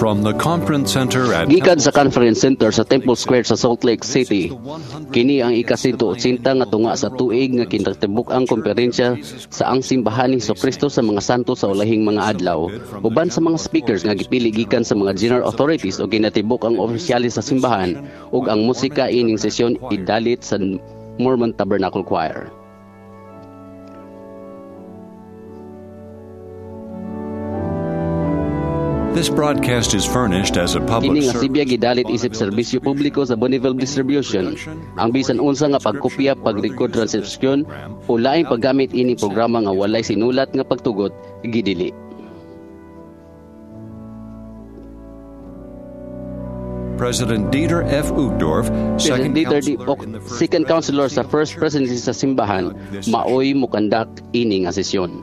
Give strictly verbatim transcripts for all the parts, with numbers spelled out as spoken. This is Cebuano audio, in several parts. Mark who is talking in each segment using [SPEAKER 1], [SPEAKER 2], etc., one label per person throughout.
[SPEAKER 1] From the conference center at
[SPEAKER 2] Gikan sa conference center sa Temple Square sa Salt Lake City. Kini ang ikasinto otsinta nga tunga sa tuig nga kinatibuk ang komperensya sa ang simbahan ni Kristo sa mga santo sa ulahing mga adlaw. Uban sa mga speakers nga gipili gikan sa mga general authorities o kinatibuk ang opisyalis sa simbahan ug ang musika ining sesyon idalit sa Mormon Tabernacle Choir.
[SPEAKER 1] This broadcast is furnished as a public
[SPEAKER 2] Kini nga
[SPEAKER 1] service.
[SPEAKER 2] sibya gidalit isip serbisyo publiko sa Bonneville Distribution. Ang bisan unsa nga pagkopya, pag-record, transcription o laing paggamit ini programa nga walay sinulat nga pagtugot gidili.
[SPEAKER 1] President Dieter F. Uchtdorf,
[SPEAKER 2] President
[SPEAKER 1] second
[SPEAKER 2] Dieter D.
[SPEAKER 1] counselor
[SPEAKER 2] Ock,
[SPEAKER 1] in the first
[SPEAKER 2] second counselor sa First Presidency sa simbahan, maoy mukandak ini nga sesyon.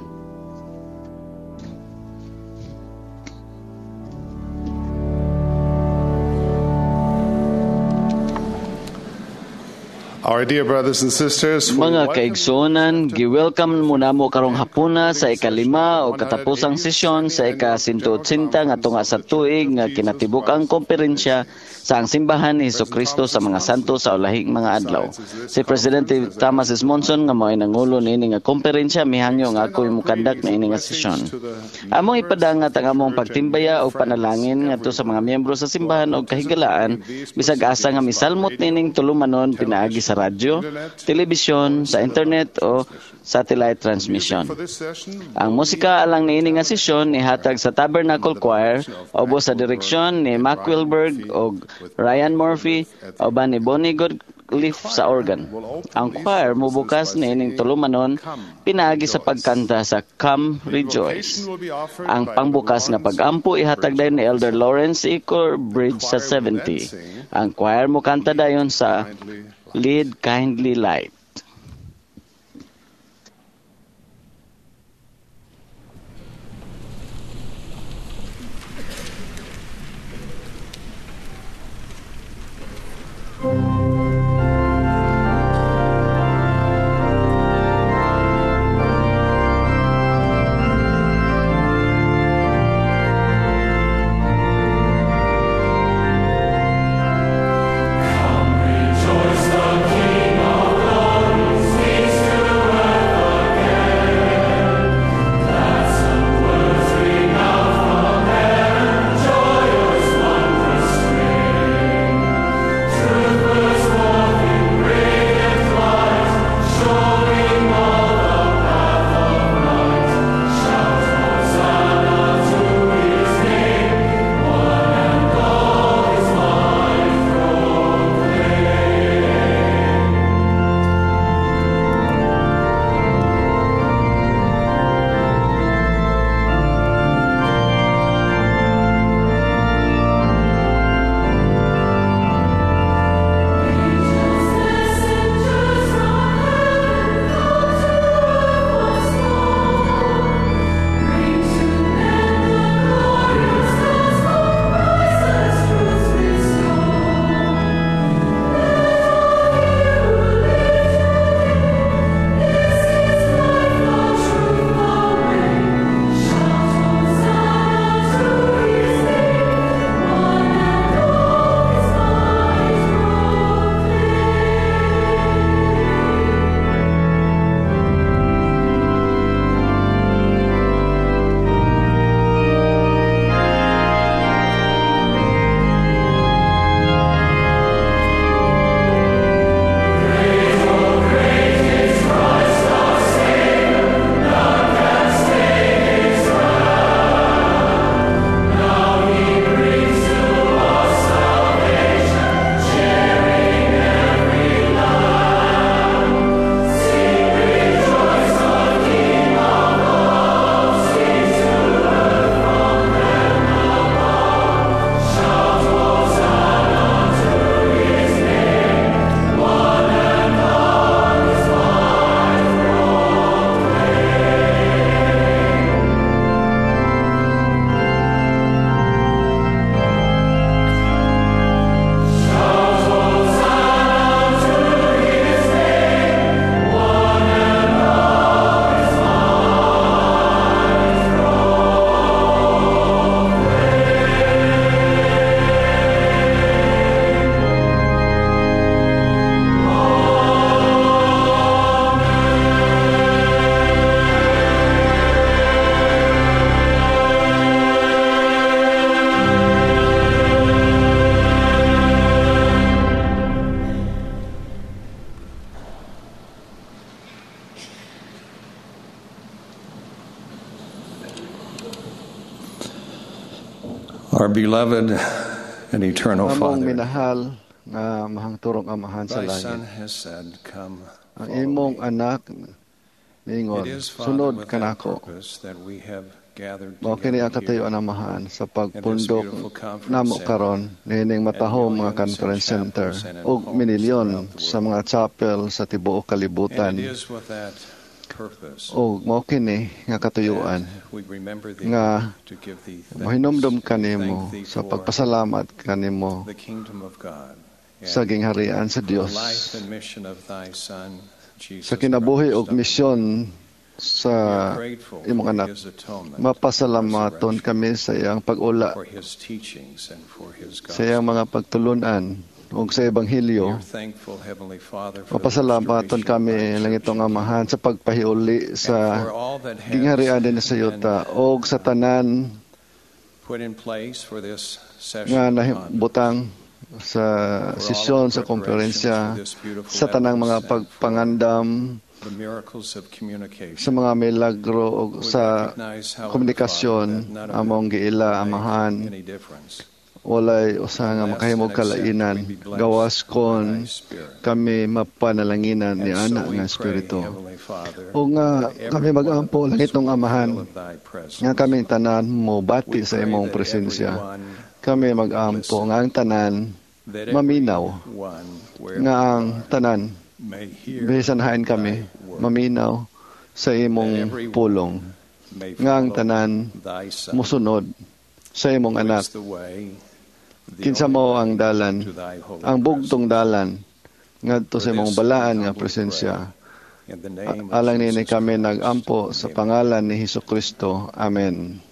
[SPEAKER 3] Our dear brothers and sisters, we
[SPEAKER 4] Mga
[SPEAKER 3] welcome
[SPEAKER 4] kaigsuonan, gi-welcome mo namo karong hapuna sa ikalima o katapusang sesyon sa ika-one eighty nga tunga sa tuig nga kinatibuk ang komperensya sa ang simbahan ni Kristo sa mga santo sa ulahing mga adlaw. Si Presidente Thomas S. Monson nga mao'y nangulo niini nga komperensya mihangyo nga ako'y mukandak niini nga sesyon. Among ipadangat ang among pagtimbaya o panalangin ngadto sa mga miyembro sa simbahan og kahigalaan bisag asa nga misalmot nining tulumanon pinaagi sa radyo, telebisyon, sa internet o satellite transmission.
[SPEAKER 3] For this session.
[SPEAKER 4] Ang musika alang niini nga sesyon ihatag sa Tabernacle Choir ubos sa direksyon ni Mac Wilberg og Ryan Murphy uban ni Bonnie Goodleaf sa organ. Ang choir mobukas niining tulumanon pinaagi sa pagkanta sa Come Rejoice. Ang pangbukas nga pagampo ihatag dayon ni Elder Lawrence E. Bridge sa seventy. Ang choir mokanta dayon sa Lead Kindly Light.
[SPEAKER 5] Rejoice, the King of
[SPEAKER 1] Our beloved and eternal
[SPEAKER 5] Among
[SPEAKER 1] Father,
[SPEAKER 5] minahal nga mahangturong Amahan sa
[SPEAKER 1] Thy Son
[SPEAKER 5] langit.
[SPEAKER 1] has said, "Come,
[SPEAKER 5] Ang
[SPEAKER 1] follow
[SPEAKER 5] imong
[SPEAKER 1] me."
[SPEAKER 5] anak niingon,
[SPEAKER 1] It is, Father,
[SPEAKER 5] sunod
[SPEAKER 1] with that
[SPEAKER 5] kanako.
[SPEAKER 1] purpose that we have gathered
[SPEAKER 5] Mao kini ang
[SPEAKER 1] together
[SPEAKER 5] katayuan
[SPEAKER 1] here
[SPEAKER 5] Amahan sa
[SPEAKER 1] at this
[SPEAKER 5] pagpundok
[SPEAKER 1] beautiful conference
[SPEAKER 5] namo
[SPEAKER 1] center
[SPEAKER 5] karon niining
[SPEAKER 1] at
[SPEAKER 5] matahom mga
[SPEAKER 1] millions in
[SPEAKER 5] conference center
[SPEAKER 1] chapels and in
[SPEAKER 5] ug
[SPEAKER 1] homes
[SPEAKER 5] minilyon
[SPEAKER 1] throughout the
[SPEAKER 5] sa
[SPEAKER 1] world.
[SPEAKER 5] mga chapel sa tibuok
[SPEAKER 1] And
[SPEAKER 5] kalibutan.
[SPEAKER 1] it is with that purpose
[SPEAKER 5] Ug mao kini nga katuyuan
[SPEAKER 1] that we remember thee
[SPEAKER 5] nga
[SPEAKER 1] to give thee thanks,
[SPEAKER 5] mohinumdom
[SPEAKER 1] to
[SPEAKER 5] kanimo
[SPEAKER 1] thank thee
[SPEAKER 5] sa
[SPEAKER 1] for
[SPEAKER 5] pagpasalamat kanimo
[SPEAKER 1] the kingdom of God
[SPEAKER 5] sa
[SPEAKER 1] and
[SPEAKER 5] gingharian sa
[SPEAKER 1] for the
[SPEAKER 5] Dios
[SPEAKER 1] life and mission of thy Son, Jesus
[SPEAKER 5] sa kinabuhi
[SPEAKER 1] Christ,
[SPEAKER 5] ug
[SPEAKER 1] our Lord.
[SPEAKER 5] misyon sa
[SPEAKER 1] We are grateful
[SPEAKER 5] imong
[SPEAKER 1] for
[SPEAKER 5] anak.
[SPEAKER 1] his atonement,
[SPEAKER 5] Mapasalamaton
[SPEAKER 1] resurrection,
[SPEAKER 5] kami sa iyang pag-ula,
[SPEAKER 1] for his teachings and for his
[SPEAKER 5] sa iyang
[SPEAKER 1] gospel.
[SPEAKER 5] mga pagtulunan ug sa
[SPEAKER 1] We
[SPEAKER 5] ebanghelyo.
[SPEAKER 1] are thankful, Heavenly Father, for the
[SPEAKER 5] Mapasalamaton
[SPEAKER 1] restoration of
[SPEAKER 5] kami
[SPEAKER 1] thy church
[SPEAKER 5] langitong
[SPEAKER 1] in thee,
[SPEAKER 5] Amahan sa pagpahiuli
[SPEAKER 1] and
[SPEAKER 5] sa
[SPEAKER 1] for all that has
[SPEAKER 5] gingharian din sa
[SPEAKER 1] been
[SPEAKER 5] yuta ug sa tanan
[SPEAKER 1] put in place for this session
[SPEAKER 5] nga
[SPEAKER 1] of conference,
[SPEAKER 5] nahibutang sa
[SPEAKER 1] for all
[SPEAKER 5] sesyon
[SPEAKER 1] the
[SPEAKER 5] sa
[SPEAKER 1] preparations
[SPEAKER 5] komperensya
[SPEAKER 1] for this beautiful
[SPEAKER 5] sa tanang mga
[SPEAKER 1] edifice and for
[SPEAKER 5] pagpangandam
[SPEAKER 1] the miracles of communication.
[SPEAKER 5] sa mga milagro ug
[SPEAKER 1] We
[SPEAKER 5] sa
[SPEAKER 1] recognize, however,
[SPEAKER 5] komunikasyon
[SPEAKER 1] Father, that none of it
[SPEAKER 5] among giila
[SPEAKER 1] will make
[SPEAKER 5] Amahan
[SPEAKER 1] any difference
[SPEAKER 5] walay usa nga
[SPEAKER 1] unless
[SPEAKER 5] makahimog
[SPEAKER 1] and except we
[SPEAKER 5] kalainan
[SPEAKER 1] be blessed
[SPEAKER 5] gawas
[SPEAKER 1] by
[SPEAKER 5] kon
[SPEAKER 1] thy Spirit.
[SPEAKER 5] kami mapanalanginan ni
[SPEAKER 1] And
[SPEAKER 5] ana
[SPEAKER 1] so we
[SPEAKER 5] nga
[SPEAKER 1] pray,
[SPEAKER 5] espiritu
[SPEAKER 1] Heavenly Father,
[SPEAKER 5] o nga
[SPEAKER 1] that every
[SPEAKER 5] kami
[SPEAKER 1] one of
[SPEAKER 5] magampo
[SPEAKER 1] us
[SPEAKER 5] langitong
[SPEAKER 1] will
[SPEAKER 5] Amahan
[SPEAKER 1] feel of thy presence.
[SPEAKER 5] nga kaming tanan mo
[SPEAKER 1] We
[SPEAKER 5] bati sa
[SPEAKER 1] pray
[SPEAKER 5] imong
[SPEAKER 1] that
[SPEAKER 5] presensya
[SPEAKER 1] everyone
[SPEAKER 5] kami magampo
[SPEAKER 1] listen,
[SPEAKER 5] nga ang tanan
[SPEAKER 1] that
[SPEAKER 5] maminaw
[SPEAKER 1] everyone, wherever
[SPEAKER 5] nga
[SPEAKER 1] they
[SPEAKER 5] ang
[SPEAKER 1] are,
[SPEAKER 5] tanan
[SPEAKER 1] may hear
[SPEAKER 5] bisan hain
[SPEAKER 1] thy
[SPEAKER 5] kami
[SPEAKER 1] word,
[SPEAKER 5] maminaw sa
[SPEAKER 1] that
[SPEAKER 5] imong
[SPEAKER 1] everyone
[SPEAKER 5] pulong
[SPEAKER 1] may
[SPEAKER 5] nga ang
[SPEAKER 1] follow
[SPEAKER 5] tanan
[SPEAKER 1] thy Son,
[SPEAKER 5] mosunod sa imong
[SPEAKER 1] who
[SPEAKER 5] anak
[SPEAKER 1] is the way, the
[SPEAKER 5] kinsa
[SPEAKER 1] only
[SPEAKER 5] mao ang
[SPEAKER 1] way
[SPEAKER 5] dalan
[SPEAKER 1] to thy holy
[SPEAKER 5] ang bugtong
[SPEAKER 1] presence.
[SPEAKER 5] dalan ngadto
[SPEAKER 1] For
[SPEAKER 5] sa imong
[SPEAKER 1] this we
[SPEAKER 5] balaan nga
[SPEAKER 1] humbly
[SPEAKER 5] presensya
[SPEAKER 1] pray in the name of
[SPEAKER 5] alang nini
[SPEAKER 1] Jesus
[SPEAKER 5] kami
[SPEAKER 1] Christ.
[SPEAKER 5] nagampo sa
[SPEAKER 1] Amen.
[SPEAKER 5] pangalan ni Hesus Kristo. Amen.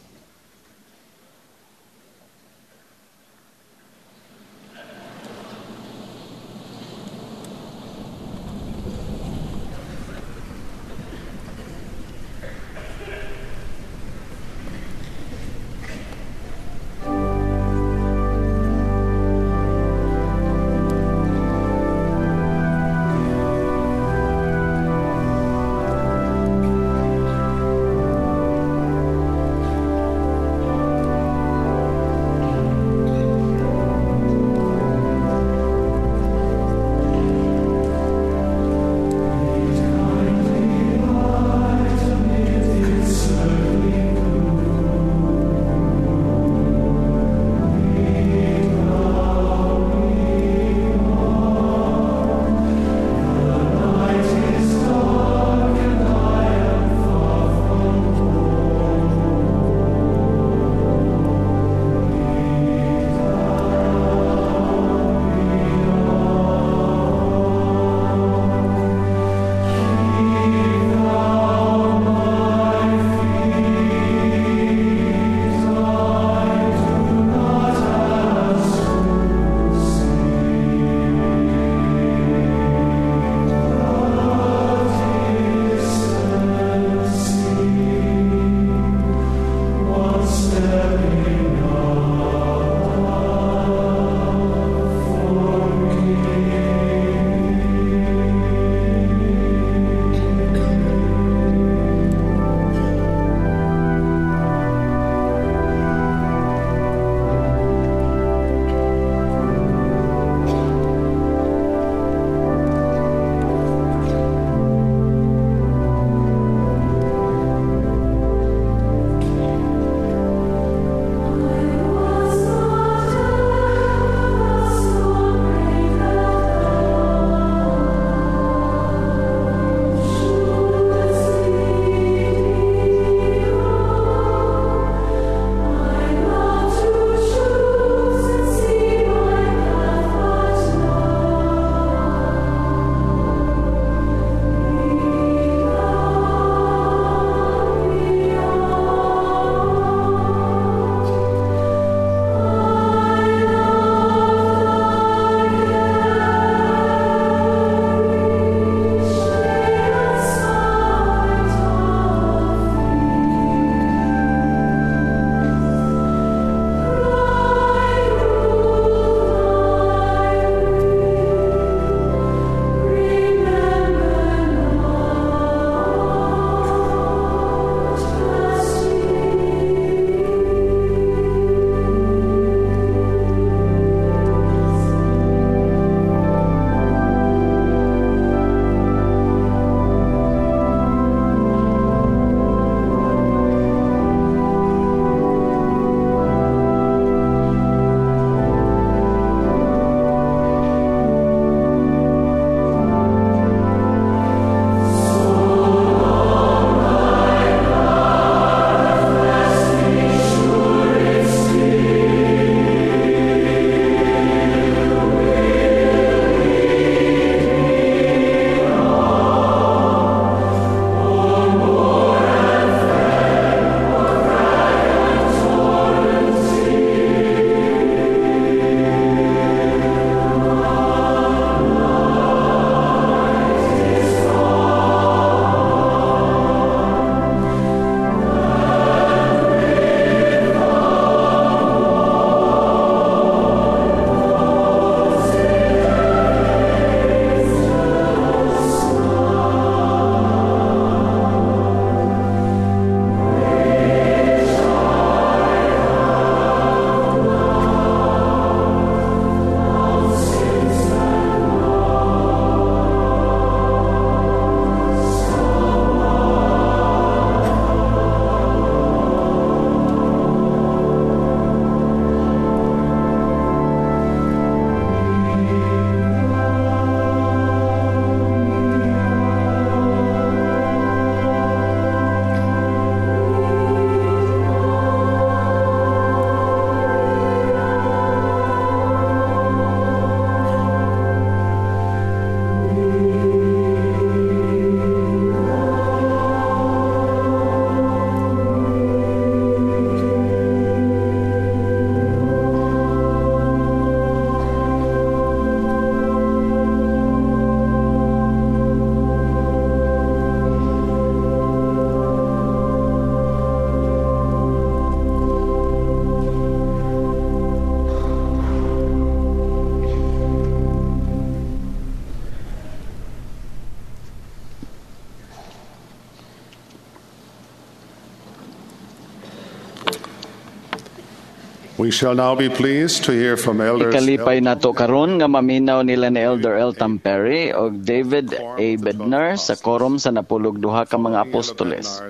[SPEAKER 3] We shall now be pleased to hear from Elders
[SPEAKER 4] Ikalipay nato karon nga maminaw nila ni Elder Elton Perry og David A. Bednar sa korom sa napulog duha ka mga apostoles.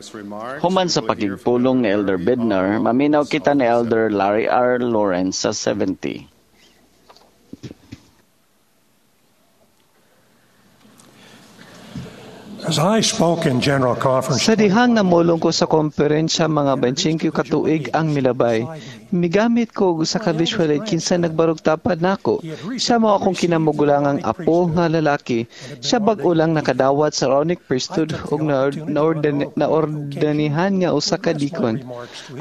[SPEAKER 4] Human sa pakigpulong ni Elder Bednar, maminaw kita ni Elder Larry R. Lawrence sa seventy.
[SPEAKER 6] As I spoke in General Conference,
[SPEAKER 7] Sa dihang namulong ko sa komperensya mga twenty-five ka tuig ang milabay, migamit ko og usa ka visual aid kinsa nagbarog tapad nako. Siya mao akong kinamugulangang apo nga lalaki. Siya bag-o lang nakadawat sa Aaronic priesthood ug naordanihan nga usa ka deacon.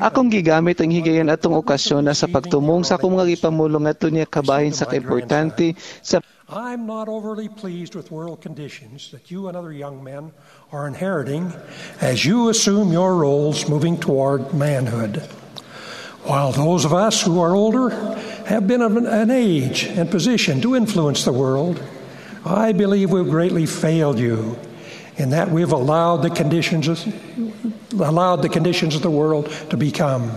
[SPEAKER 7] Akong gigamit ang higayon atong okasyon na sa pagtumong sa akong mga gipamulong ngadto niya kabahin sa kaimportante sa
[SPEAKER 6] I'm not overly pleased with world conditions that you and other young men are inheriting as you assume your roles moving toward manhood. While those of us who are older have been of an age and position to influence the world, I believe we've greatly failed you in that we've allowed the conditions of, allowed the conditions of the world to become.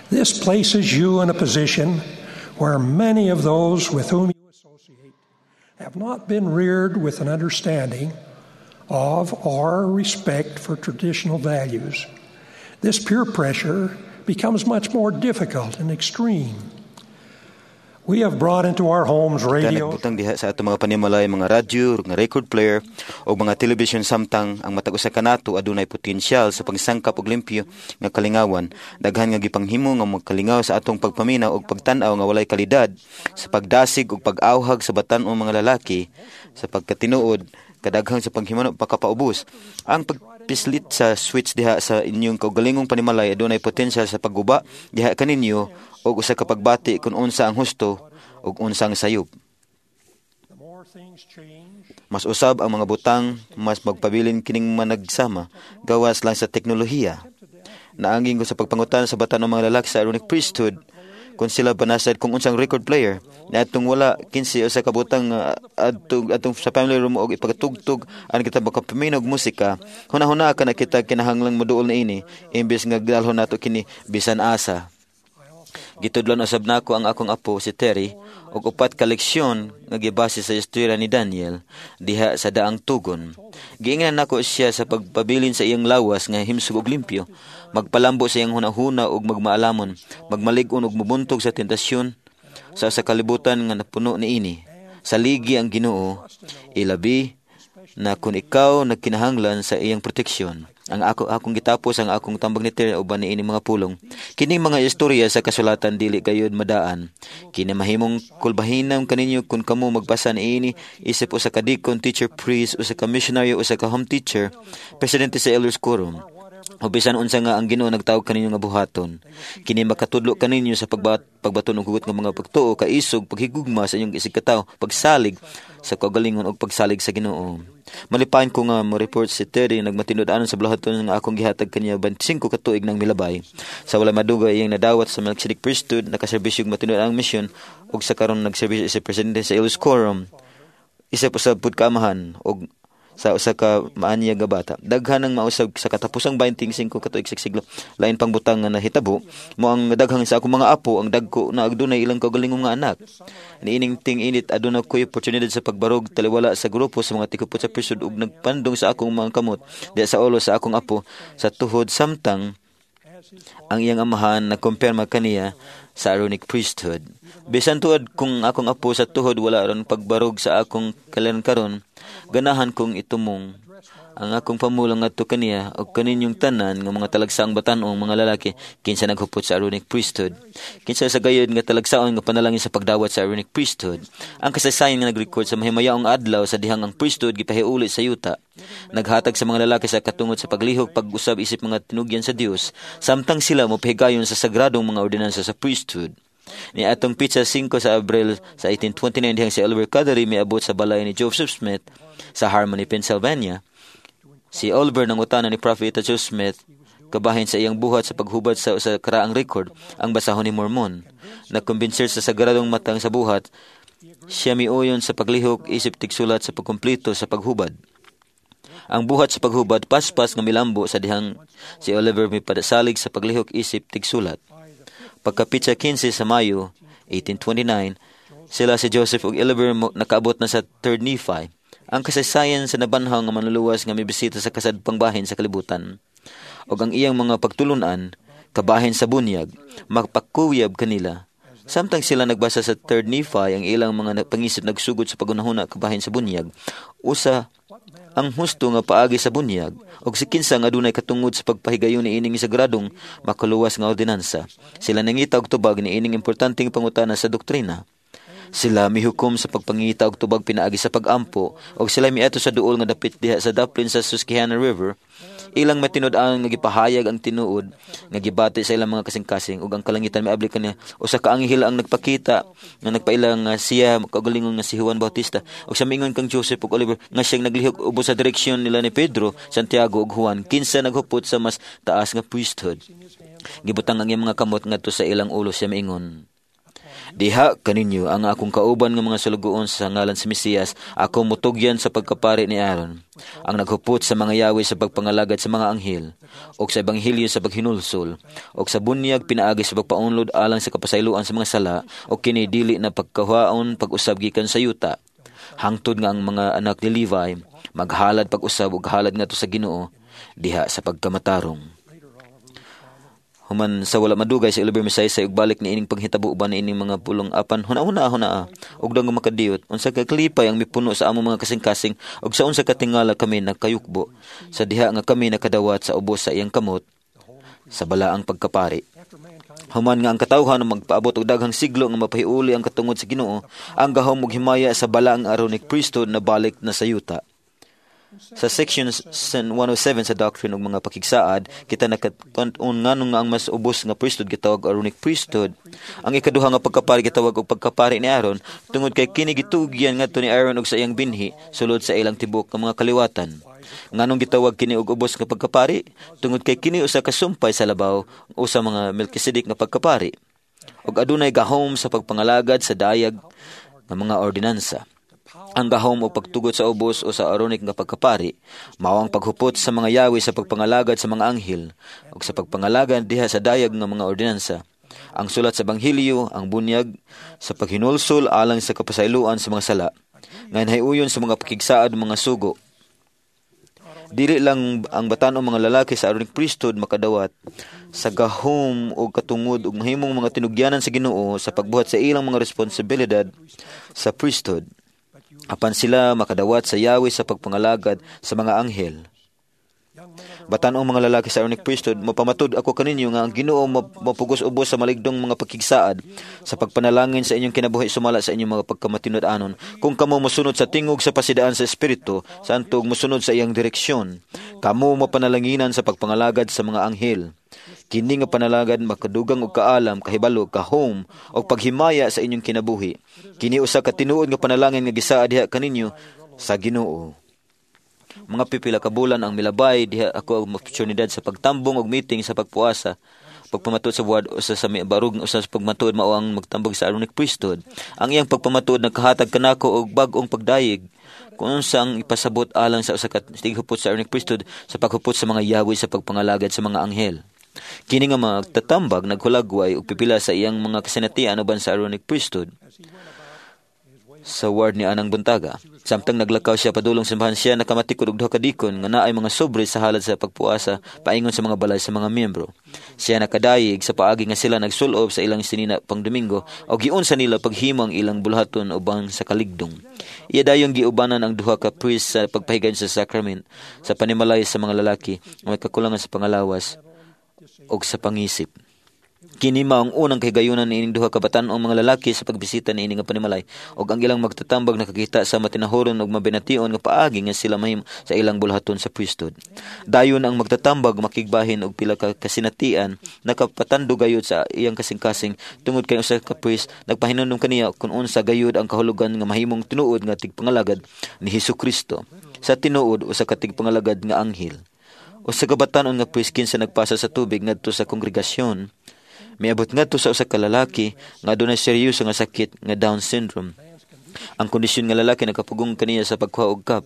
[SPEAKER 6] This places you in a position where many of those with whom you associate have not been reared with an understanding of or respect for traditional values. This peer pressure becomes much more difficult and extreme. We have brought into our homes radio.
[SPEAKER 8] Nagbutang diha sa ato mga panimalay, mga radyo, mga record player o mga television samtang ang matag usa kanato adunay potensyal sa pagsangkap og limpyo nga kalingawan. Daghan nga gipanghimo nga magkalingaw sa atong pagpaminaw og pagtan-aw nga walay kalidad sa pagdasig og pag-awhag sa batan-ong mga lalaki sa pagkatinuod kadaghan sa paghimano pagkapaubos. Ang pagpislit sa switch diha sa inyong kaugalingong panimalay adunay potensyal sa pagguba diha kaninyo og usa ka pagbati kung unsa ang husto ug unsa ang sayop. Mas usab ang mga butang, mas magpabilin kining managsama, gawas lang sa teknolohiya. Naangin ko sa pagpangutan sa batan ng mga lalaki sa Aaronic priesthood, kung sila banasad kung unsang record player, na atong wala kinsi usa ka butang uh, adtong atong sa family room og ipagtugtog an kita makapaminaw og musika, hunahuna ka na kita kinahanglang moduol na ini imbes nga dalhon nato kini bisan asa. Gitudlon usab nako ang akong apo si Terry og upat ka leksyon nga gibase sa istorya ni Daniel diha sa daang tugon. Giingnan nako siya sa pagpabilin sa iyang lawas nga himsog og limpyo, magpalambo sa iyang hunahuna og magmaalamon, magmalig-on og mubuntog sa tentasyon sa sa kalibutan nga napuno niini. Saligi ang Ginoo, ilabi na kung ikaw nagkinahanglan sa iyang proteksyon. Ang ako akong gitapos ang akong tambag ni Terry uban niini mga pulong. Kining mga istorya sa kasulatan dili gayud madaan. Kini mahimong kulbahinam kaninyo kun kamo magbasa niini isip usa ka deacon, teacher, priest, usa ka missionary, usa ka home teacher, presidente sa Elders Quorum. O bisan unsa nga ang Ginoo nagtawag kaninyo nga buhaton. Kini makatudlo kaninyo sa pagbat pagbaton og hugot nga mga pagtuo, kaisog, paghigugma sa inyong isig katawo, pagsalig sa kaugalingon og pagsalig sa Ginoo. Malipayon ko nga mo report si Terry nagmatinud-anon sa bulahaton nga akong gihatag kaniya twenty-five ka tuig nang milabay. Sa wala madugay iyang nadawat sa Melchizedek priesthood, nakaserbisyo og matinud-anong misyon ug sa karon nagserbisyo sa presidente sa Elders Quorum. Isa pa sa pud kaamahan og sa usa ka maanyag nga bata. Daghan ang mausab sa katapusang twenty-five ka tuig sa siglo. Lain pang butang nga nahitabo mo ang daghang sa akong mga apo ang dagko na adunay ilang kaugalingong nga anak. Niining ting-init aduna koy oportunidad sa pagbarog taliwala sa grupo sa mga tikupot sa priesthood ug nagpandong sa akong mga kamot diha sa ulo sa akong apo sa tuhod samtang ang iyang amahan nagkumpirma kaniya sa Aaronic priesthood. Bisan tuod kung akong apo sa tuhod wala ron pagbarog sa akong kaliran karon, ganahan kong itumong ang akong pamulong ngadto kaniya og kaninyong tanan nga mga talagsaong batan-ong mga lalaki kinsa naghupot sa Aaronic priesthood. Kinsa sa gayud nga talagsaon nga panalangin sa pagdawat sa Aaronic priesthood. Ang kasaysayan nga nagrekord sa mahimayaong adlaw sa dihang ang priesthood gipahiuli sa yuta. Naghatag sa mga lalaki sa katungod sa paglihok pag-usab isip mga tinugyan sa Dios samtang sila mopahigayon sa sagradong mga ordinansa sa priesthood. Ni atong pitsa singko sa Abril sa eighteen twenty-nine dihang si Oliver Cowdery miabot sa balay ni Joseph Smith sa Harmony, Pennsylvania. Si Oliver nangutana ni Prophet Joseph Smith kabahin sa iyang buhat sa paghubad sa usa karaang record ang basahon ni Mormon. Nagkumbinser sa sagradong matang sa buhat, siya miuyon sa paglihok isip tigsulat sa pagkumpleto sa paghubad. Ang buhat sa paghubad paspas nga milambo sa dihang si Oliver mipadasalig sa paglihok isip tigsulat. Pagka petsa kinse sa Mayo eighteen twenty-nine, sila si Joseph ug Oliver nakaabot na sa Third Nephi, ang kasaysayan sa nabanhaw nga Manluluwas nga mibisita sa kasadpang bahin sa kalibutan ug ang iyang mga pagtulunan kabahin sa bunyag magpakuyab kanila. Samtang sila nagbasa sa Third Nephi, ang ilang mga pangisip nagsugod sa paghunahuna kabahin sa bunyag. Usa ang husto nga paagi sa bunyag og si kinsa nga adunay katungod sa pagpahigayon ni ining sagradong makaluwas nga ordinansa. Sila nangita og tubag ni ining importanteng pangutana sa doktrina. Sila mihukom sa pagpangita og tubag pinaagi sa pagampo og sila miadto sa duol nga dapit diha sa daplin sa Susquehanna River. Ilang matinud-an nga gipahayag ang tinuod nga gibati sa ilang mga kasing-kasing ug ang kalangitan miabli kaniya. Usa ka anghel ang nagpakita nga nagpaila nga siya kaugalingon nga si Juan Bautista ug sa mingon kang Joseph ug Oliver nga siyang naglihok ubos sa direksyon nila ni Pedro, Santiago ug Juan, kinsa naghupot sa mas taas nga priesthood. Gibutang ang iyang mga kamot ngadto sa ilang ulo, siya miingon, "Diha kaninyo ang akong kauban nga mga sulugoon, sa ngalan sa Mesiyas, ako mutugyan sa pagkapari ni Aaron, ang naghupot sa mga yawi sa pagpangalagad sa mga anghel, ug sa ebanghelyo sa paghinulsol, ug sa bunyag pinaagi sa pagpaunlod alang sa kapasayloan sa mga sala, ug kini dili na pagkahuaon pag-usab gikan sa yuta, hangtod nga ang mga anak ni Levi maghalad pag-usab ug halad ngadto sa Ginoo diha sa pagkamatarong." Human sa wala madugay, si Oliver misaysay ug balik ni ining panghitabo uban ni ining mga pulong, apan huna-huna huna ug dang makadiyot unsa ka kalipay ang mipuno sa among mga kasing-kasing ug sa unsa ka tingala kami nakayukbo sa diha nga kami nakadawat sa ubos sa iyang kamot sa balaang pagkapari. Human nga ang katawhan magpaabot og daghang siglo nga mapahiuli ang katungod sa Ginoo, ang gahom ug himaya sa balaang Aaronic priesthood na balik na sa yuta. Sa section one oh seven sa Doctrine ug mga Pakigsaad, kita nakatun-on nganong nga ang mas ubos nga priesthood gitawag Aaronic priesthood. Ang ikaduha nga pagkapari gitawag og pagkapari ni Aaron tungod kay kini gitugyan ngadto ni Aaron ug sa iyang binhi sulod sa ilang tibuok nga mga kaliwatan. Nganong gitawag kini og ubos nga pagkapari? Tungod kay kini usa ka sumpay sa labaw o sa mga Melchizedek nga pagkapari. Ug adunay gahom sa pagpangalagad sa dayag nga mga ordinansa. Ang gahom o pagtugot sa ubos o sa Aaronic nga pagkapari mao ang paghupot sa mga yawi sa pagpangalagad sa mga anghel ug sa pagpangalagad diha sa dayag nga mga ordinansa. Ang sulat sa Ebanghelyo, ang bunyag sa paghinulsol alang sa kapasayloan sa mga sala, nga uyon sa mga pakigsaad, mga sugo. Dili lang ang batan-ong mga lalaki sa Aaronic priesthood makadawat sa gahom o katungod ug mahimong mga tinugyanan sa Ginoo sa pagbuhat sa ilang mga responsibilidad sa priesthood. Apan sila makadawat sa yawi sa pagpangalagad sa mga anghel. Batan-ong mga lalaki sa Aaronic priesthood, mapamatud ako kaninyo nga ang Ginoo mapugos ubos sa maligdong mga pakigsaad sa pagpanalangin sa inyong kinabuhi sumala sa inyong mga pagkamatinud-anon. Kung kamo mosunod sa tingog sa pasidaan sa Espiritu Santo ug mosunod sa iyang direksyon, kamo mapanalanginan sa pagpangalagad sa mga anghel. Kini nga panalagad makadugang og kaalam, kahibalo, gahom og paghimaya sa inyong kinabuhi. Kini usa ka tinuod nga panalangin nga gisaad diha kaninyo sa Ginoo. Mga pipila ka bulan ang milabay, diha ako ang oportunidad sa pagtambong og meeting sa pagpuasa pagpamatuod sa ward. Usa sa barug usa sa pagmatuod mao ang magtambog sa Aaronic priesthood. Ang iyang pagpamatuod nagkahatag kanako og bag-ong pagdayeg kung unsa ang ipasabot alang sa usa ka tighupot sa Aaronic priesthood sa paghupot sa mga yawi sa pagpangalagad sa mga anghel. Kini nga magtatambag naghulagway og pipila sa iyang mga kasinatian uban sa Aaronic priesthood sa ward ni anang buntaga. Samtang naglakaw siya padulong simbahan, siya nakamatikod og duha ka dikon nga naay mga sobre sa halad sa pagpuasa paingon sa mga balay sa mga miyembro. Siya nakadayeg sa paagi nga sila nagsulob sa ilang sinina pang Domingo o giunsa nila paghimo ang ilang buluhaton ubang sa kaligdong. Iya dayong giubanan ang duha ka priest sa pagpahigayon sa sacrament sa panimalay sa mga lalaki nga may kakulangan sa pangalawas og sa pangisip. Kini mao ang unang kahigayunan ni ining duha ka batan-ong mga lalaki sa pagbisita ni ini nga panimalay ug ang ilang magtatambag nakakita sa matinahuron ug mabination nga paagi nga sila mahimo sa ilang buluhaton sa priesthood. Dayon ang magtatambag makigbahin og pila ka kasinatian nakapatando gayud sa iyang kasing-kasing tungod kay usa ka priest nagpahinumdom kaniya kung unsa gayud ang kahulugan nga mahimong tinuod nga tigpangalagad ni Hesus Kristo. Sa tinuod, usa ka tigpangalagad nga anghel. Usa ka batan-on nga priest kinsa nagpasa sa tubig ngadto sa kongregasyon miabot ngadto sa usa ka lalaki nga adunay seryoso nga sakit nga Down syndrome. Ang kondisyon nga lalaki nakapugong kaniya sa pagkuha og cup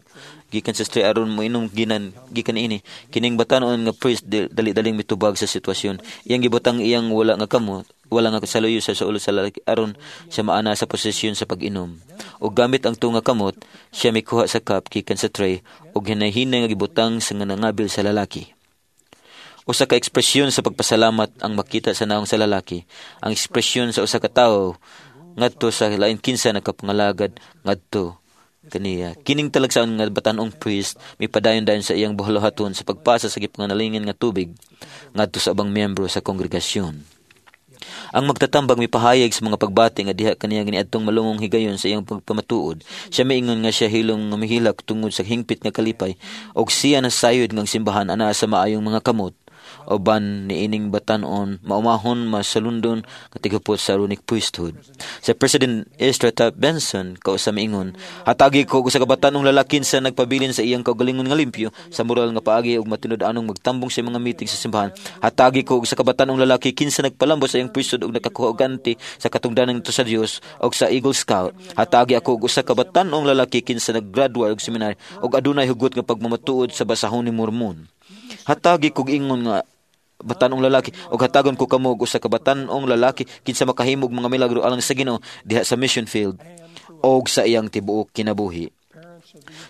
[SPEAKER 8] gikan sa tray aron moinom ginan gikan ini. Kining batan-on nga priest dali-daling mitubag sa sitwasyon. Iyang gibutang iyang wala nga kamot wala nga saluyo sa sa ulo sa lalaki aron siya maana sa posisyon sa pag-inom. Og gamit ang tunga kamot, siya mikuha sa cup gikan sa tray og hinay-hinay nga gibutang sa nga nangabil sa lalaki. Usa ka ekspresyon sa pagpasalamat ang makita sa naong sa lalaki. Ang ekspresyon sa usa ka tawo ngadto sa lain kinsa nakapangalagad ngadto kaniya. Kining talagsaon nga batan-ong priest mipadayon dayon sa iyang buhaton sa pagpasa sa gipanganalingan nga tubig ngadto sa ubang miyembro sa kongregasyon. Ang magtatambag mipahayag sa mga pagbati nga diha kaniya niadtong malungong higayon sa iyang pagpamatuod. Siya miingon nga siya hilom nga mihilak tungod sa hingpit nga kalipay og siya nasayod nga ang simbahan anaa sa maayong mga kamot uban niining batan-on maumahon masalundon nga tighupot sa Aaronic priesthood. Sa President Ezra Taft Benson kausa miingon, hatagi ko og usa ka batan-ong lalaki sa nagpabilin sa iyang kaugalingon nga limpyo sa moral nga paagi ug matinud-anong magtambong sa mga meeting sa simbahan. Hatagi ko og usa ka batan-ong lalaki kinsa nagpalambo sa iyang priesthood ug nakakuha og ganti sa katungdanan ngadto sa Dios ug sa Eagle Scout. Hatagi ako og usa ka batan-ong lalaki kinsa naggraduate og seminary ug adunay hugot nga pagmamatuod sa basahon ni Mormon. Hatagi kog ingon nga batan-ong lalaki og hatagon ko kamo og usa ka batan-ong lalaki kinsa makahimog mga milagro alang sa Ginoo diha sa mission field og sa iyang tibuok kinabuhi.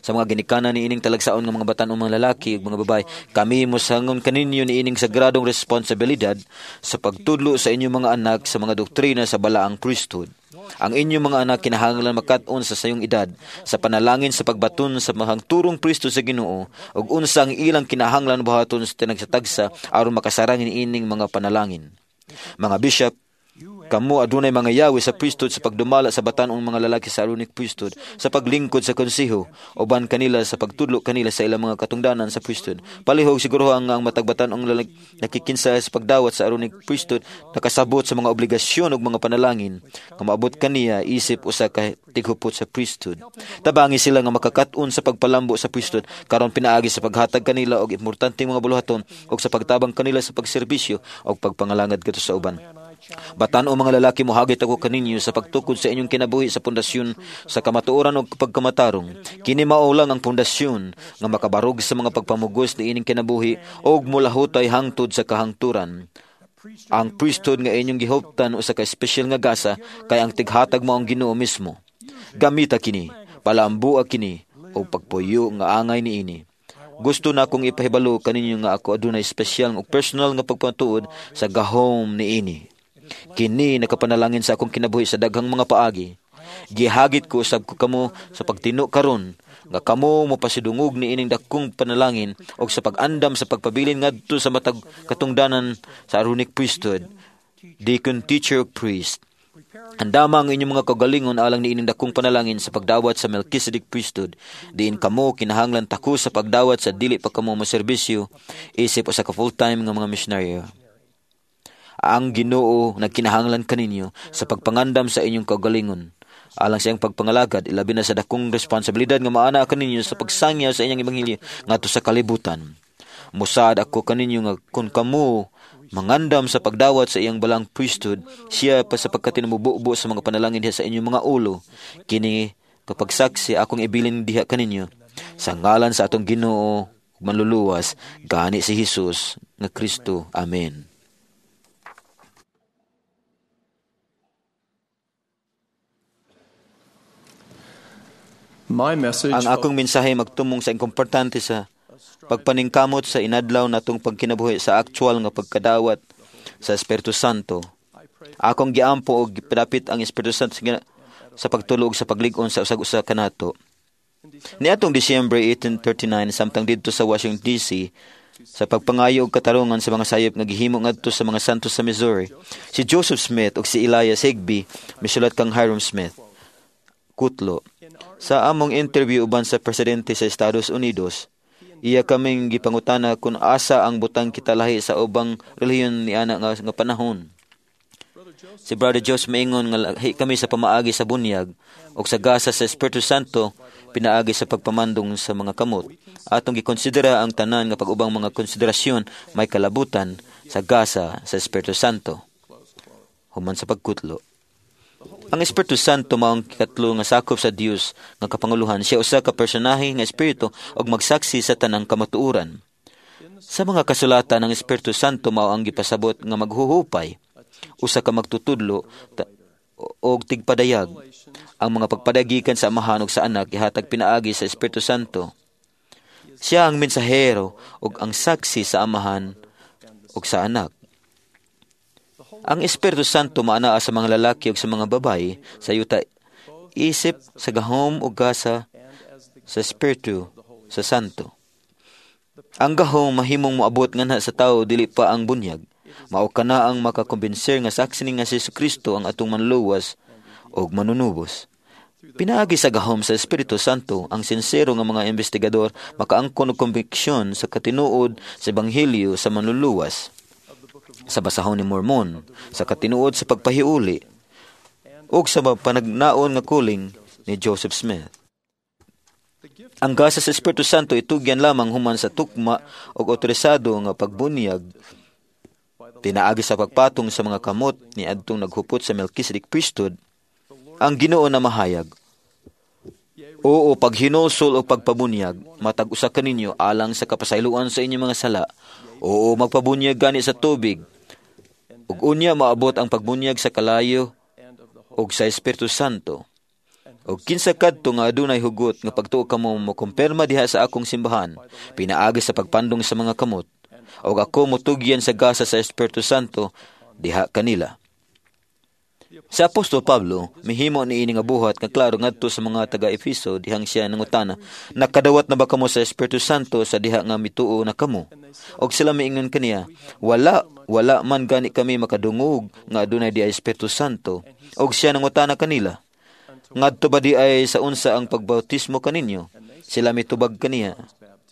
[SPEAKER 8] Sa mga ginikanan niining talagsaon nga mga batan-ong mga lalaki ug mga babae, kami mosangon kaninyo niining sagradong responsibilidad sa pagtudlo sa inyong mga anak sa mga doktrina sa balaang priesthood. Ang inyong mga anak kinahanglan makat-on sa sayong edad sa panalangin sa pagbaton sa mahangturong priesthood sa Ginoo ug unsa ang ilang kinahanglan buhaton sa tinagsa-tagsa aron makasarang ining mga panalangin. Mga bishop, kamo adunay mga yawi sa priesthood sa pagdumala sa batan-ong mga lalaki sa Aaronic priesthood, sa paglingkod sa konseho, uban kanila sa pagtudlo kanila sa ilang mga katungdanan sa priesthood. Palihog siguro ang, ang matag batan-ong lalaki nakikinsa sa pagdawat sa Aaronic priesthood, nakasabot sa mga obligasyon ug mga panalangin, nga maabot kaniya isip usa ka tighupot sa priesthood. Tabangi sila nga makakaton sa pagpalambo sa priesthood, karon pinaagi sa paghatag kanila og importanteng mga buluhaton ug sa pagtabang kanila sa pagserbisyo ug pagpangalagad kadto sa uban. Batan-ong mga lalaki, mohagit ako kaninyo sa pagtukod sa inyong kinabuhi sa pundasyon sa kamatuoran ug pagkamatarong. Kini mao lang ang pundasyon nga makabarog sa mga pagpamugos niining kinabuhi ug molahutay hangtod sa kahangturan. Ang priesthood nga inyong gihuptan usa ka espesyal nga gasa kay ang tighatag mao ang Ginoo mismo. Gamita kini, palambua kini ug pagpuyo nga angay niini. Gusto na akong ipahibalo kaninyo nga ako adunay espesyal ug personal nga pagpatuod sa gahom niini. Kini nakapanalangin sa akong kinabuhi sa daghang mga paagi. Gihagit ko usab ko kamo sa pagtino karon nga kamo mopasidungog niining dakong panalangin og sa pag-andam sa pagpabilin ngadto sa matag katungdanan sa Aaronic priesthood, deacon, teacher, ug priest. Andama ang inyong mga kaugalingon alang niining dakong panalangin sa pagdawat sa Melchizedek priesthood. Diin kamo kinahanglan tako sa pagdawat sa dili pa kamo moserbisyo isip usa ka full-time nga mga misyonaryo. Ang Ginoo nagkinahanglan kaninyo sa pagpangandam sa inyong kaugalingon. Alang sa iyang pagpangalagad, ilabi na sa dakong responsibilidad nga maana kaninyo sa pagsangyaw sa inyang ebanghelyo ngadto sa kalibutan. Musaad ako kaninyo nga kung kamo mangandam sa pagdawat sa iyang balang priesthood, siya pa sa pagkatinamububo sa mga panalangin diha sa inyong mga ulo. Kini kapag saksi akong ibilin diha kaninyo sa ngalan sa atong Ginoo manluluwas, gani si Hesus nga Kristo. Amen.
[SPEAKER 9] My message
[SPEAKER 8] Ang akong mensahe magtumong sa importante sa pagpaningkamot sa inadlaw natong pagkinabuhi sa aktual nga pagkadawat sa Espiritu Santo. Akong giampo og gipadapit ang Espiritu Santo sa, sa pagtulo ug sa paglig-on sa usag-usa kanato. Niadtong December eighteen thirty-nine, samtang didto sa Washington D C, sa pagpangayo og katarungan sa mga sayop nga gihimo ngadto sa mga santos sa Missouri, si Joseph Smith ug si Elias Higbee misulat kang Hyrum Smith. Kutlo. Sa among interview uban sa presidente sa Estados Unidos, iya kaming gipangutana kung asa ang butang kita lahi sa ubang relihiyon niana nga, nga panahon. Si Brother Joseph maingon nga lahi kami sa pamaagi sa bunyag ug sa gasa sa Espiritu Santo pinaagi sa pagpamandong sa mga kamot. Atong gikonsidera ang tanan nga pag-ubang mga konsiderasyon may kalabutan sa gasa sa Espiritu Santo. Human sa pagkutlo. Ang Espiritu Santo mao ang ikatlo nga sakop sa Dios nga kapanguluhan. Siya usa ka personahe nga espiritu ug magsaksi sa tanang kamatuoran. Sa mga kasulatan, ang Espiritu Santo mao ang gipasabot nga maghuhupay, usa ka magtutudlo ta- og tigpadayag. Ang mga pagpadayag gikan sa Amahan ug sa Anak gihatag pinaagi sa Espiritu Santo. Siya ang mensahero ug ang saksi sa Amahan ug sa Anak. Ang Espiritu Santo maanaa sa mga lalaki ug sa mga babaye sa yuta isip sa gahom ug gasa sa Espiritu sa Santo. Ang gahom mahimong moabot nganha sa tawo, dili pa ang bunyag. Mao kana ang makakumbinser nga saksi ni nga si Kristo ang atong manluwas ug manunubos. Pinaagi sa gahom sa Espiritu Santo, ang sinsero nga mga investigador makaangkon og kombiksyon sa katinuod sa ebanghelyo sa manluluwas, sa basahon ni Mormon, sa katinuod sa pagpahiuli, ug sa panagnaon nga kuling ni Joseph Smith. Ang gasa sa Espiritu Santo itugyan lamang human sa tukma ug otorisado nga pagbunyag pinaagi sa pagpatong sa mga kamot ni adtong naghupot sa Melchizedek priesthood. Ang Ginoo na mahayag. Oo, paghinulsol o pagpabunyag, matag usa kaninyo alang sa kapasayloan sa inyong mga sala. Oo, magpabunyag gani sa tubig. Ug unya maabot ang pagbunyag sa kalayo ug sa Espiritu Santo. Og kinsa kadto nga adunay hugot nga pagtuo kamo mokumpirma diha sa akong simbahan, pinaagi sa pagpandong sa mga kamot, og ako motugyan sa gasa sa Espiritu Santo diha kanila. Sa Apostol Pablo, mihimo ni ini nga buhat nga klaro ngadto sa mga taga-Efeso dihang siya nangutana, "Nakadawat na ba kamo sa Espiritu Santo sa diha nga mituo na kamo?" Og sila miingon kaniya, "Wala, wala man gani kami makadungog nga adunay di Espiritu Santo." Og siya nangutana kanila, "Ngadto ba di ay sa unsa ang pagbautismo kaninyo?" Sila mitubag kaniya,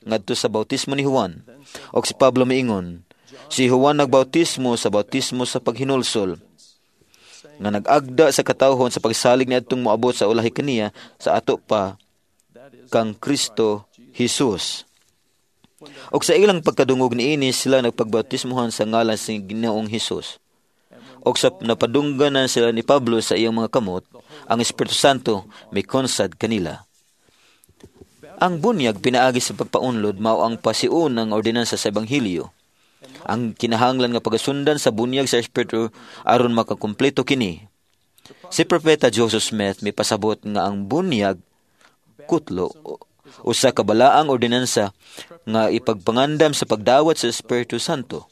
[SPEAKER 8] "Ngadto sa bautismo ni Juan." Og si Pablo miingon, "Si Juan nagbautismo sa bautismo sa paghinulsol, nga nag-agda sa katawhon sa pagsalig ni adtong moabot sa ulahi kaniya sa ato pa kang Kristo Jesus." Og sa ilang pagkadungog niini, sila nagpagbautismohan sa ngalan sa Ginoong Hesus. Og sa napadunggan na sila ni Pablo sa iyang mga kamot, ang Espiritu Santo mikonsad kanila. Ang bunyag pinaagi sa pagpaunlod mao ang pasiun ng ordinansa sa Ebanghelyo. Ang kinahanglan nga pagasundan sa bunyag sa Espiritu aron makakumpleto kini. Si Propeta Joseph Smith may pasabot nga ang bunyag kutlo usa ka balaang ordinansa nga ipagpangandam sa pagdawat sa Espiritu Santo.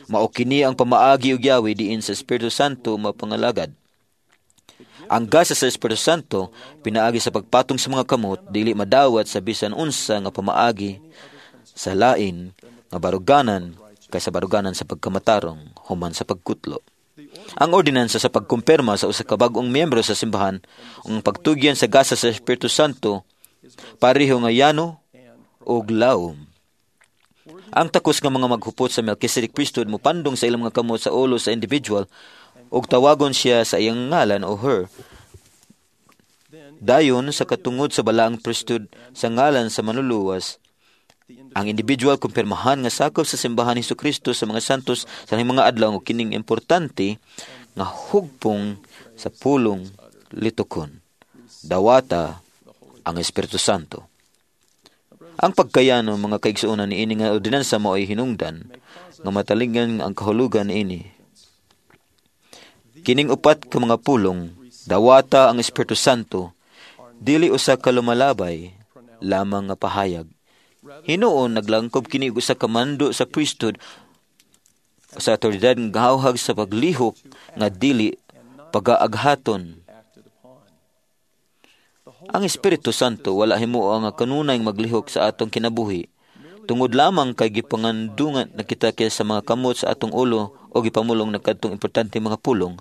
[SPEAKER 8] Mao kini ang pamaagi ug yawi diin sa Espiritu Santo mapangalagad. Ang gasa sa Espiritu Santo pinaagi sa pagpatong sa mga kamot dili madawat sa bisan unsa nga pamaagi sa lain nga baruganan kaysa baruganan sa pagkamatarong human sa pagkutlo. Ang ordinansa sa pagkumpirma sa usa ka bag-ong miyembro sa simbahan ang pagtugyan sa gasa sa Espiritu Santo pareho nga yano ug lawom. Ang takos nga mga maghupot sa Melchizedek priesthood mopandong sa ilang mga kamot sa ulo sa individual ug tawagon siya sa iyang ngalan o her. Dayon sa katungod sa balaang priesthood sa ngalan sa manluluwas, ang individual kumpirmahan nga sakop sa simbahan ni Kristo sa mga santos sa mga adlaw ug kining importante nga hugpong sa pulong litukon. Dawata ang Espiritu Santo. Ang pagkayano, mga kaigsuonan, niini nga ordinansa mao ay hinungdan nga matalingan ang kahulugan niini. Kining upat ka mga pulong, "Dawata ang Espiritu Santo," dili usa ka lumalabay lamang nga pahayag. Hinuon naglangkob kini og usa ka mando sa priesthood sa awtoridad nga gahawhag sa paglihok nga dili pagaaghaton. Ang Espiritu Santo wala himuo nga kanunay maglihok sa atong kinabuhi. Tungod lamang kay gipangandungan na kita kaya sa mga kamot sa atong ulo o gipamulong na kadtong importante mga pulong.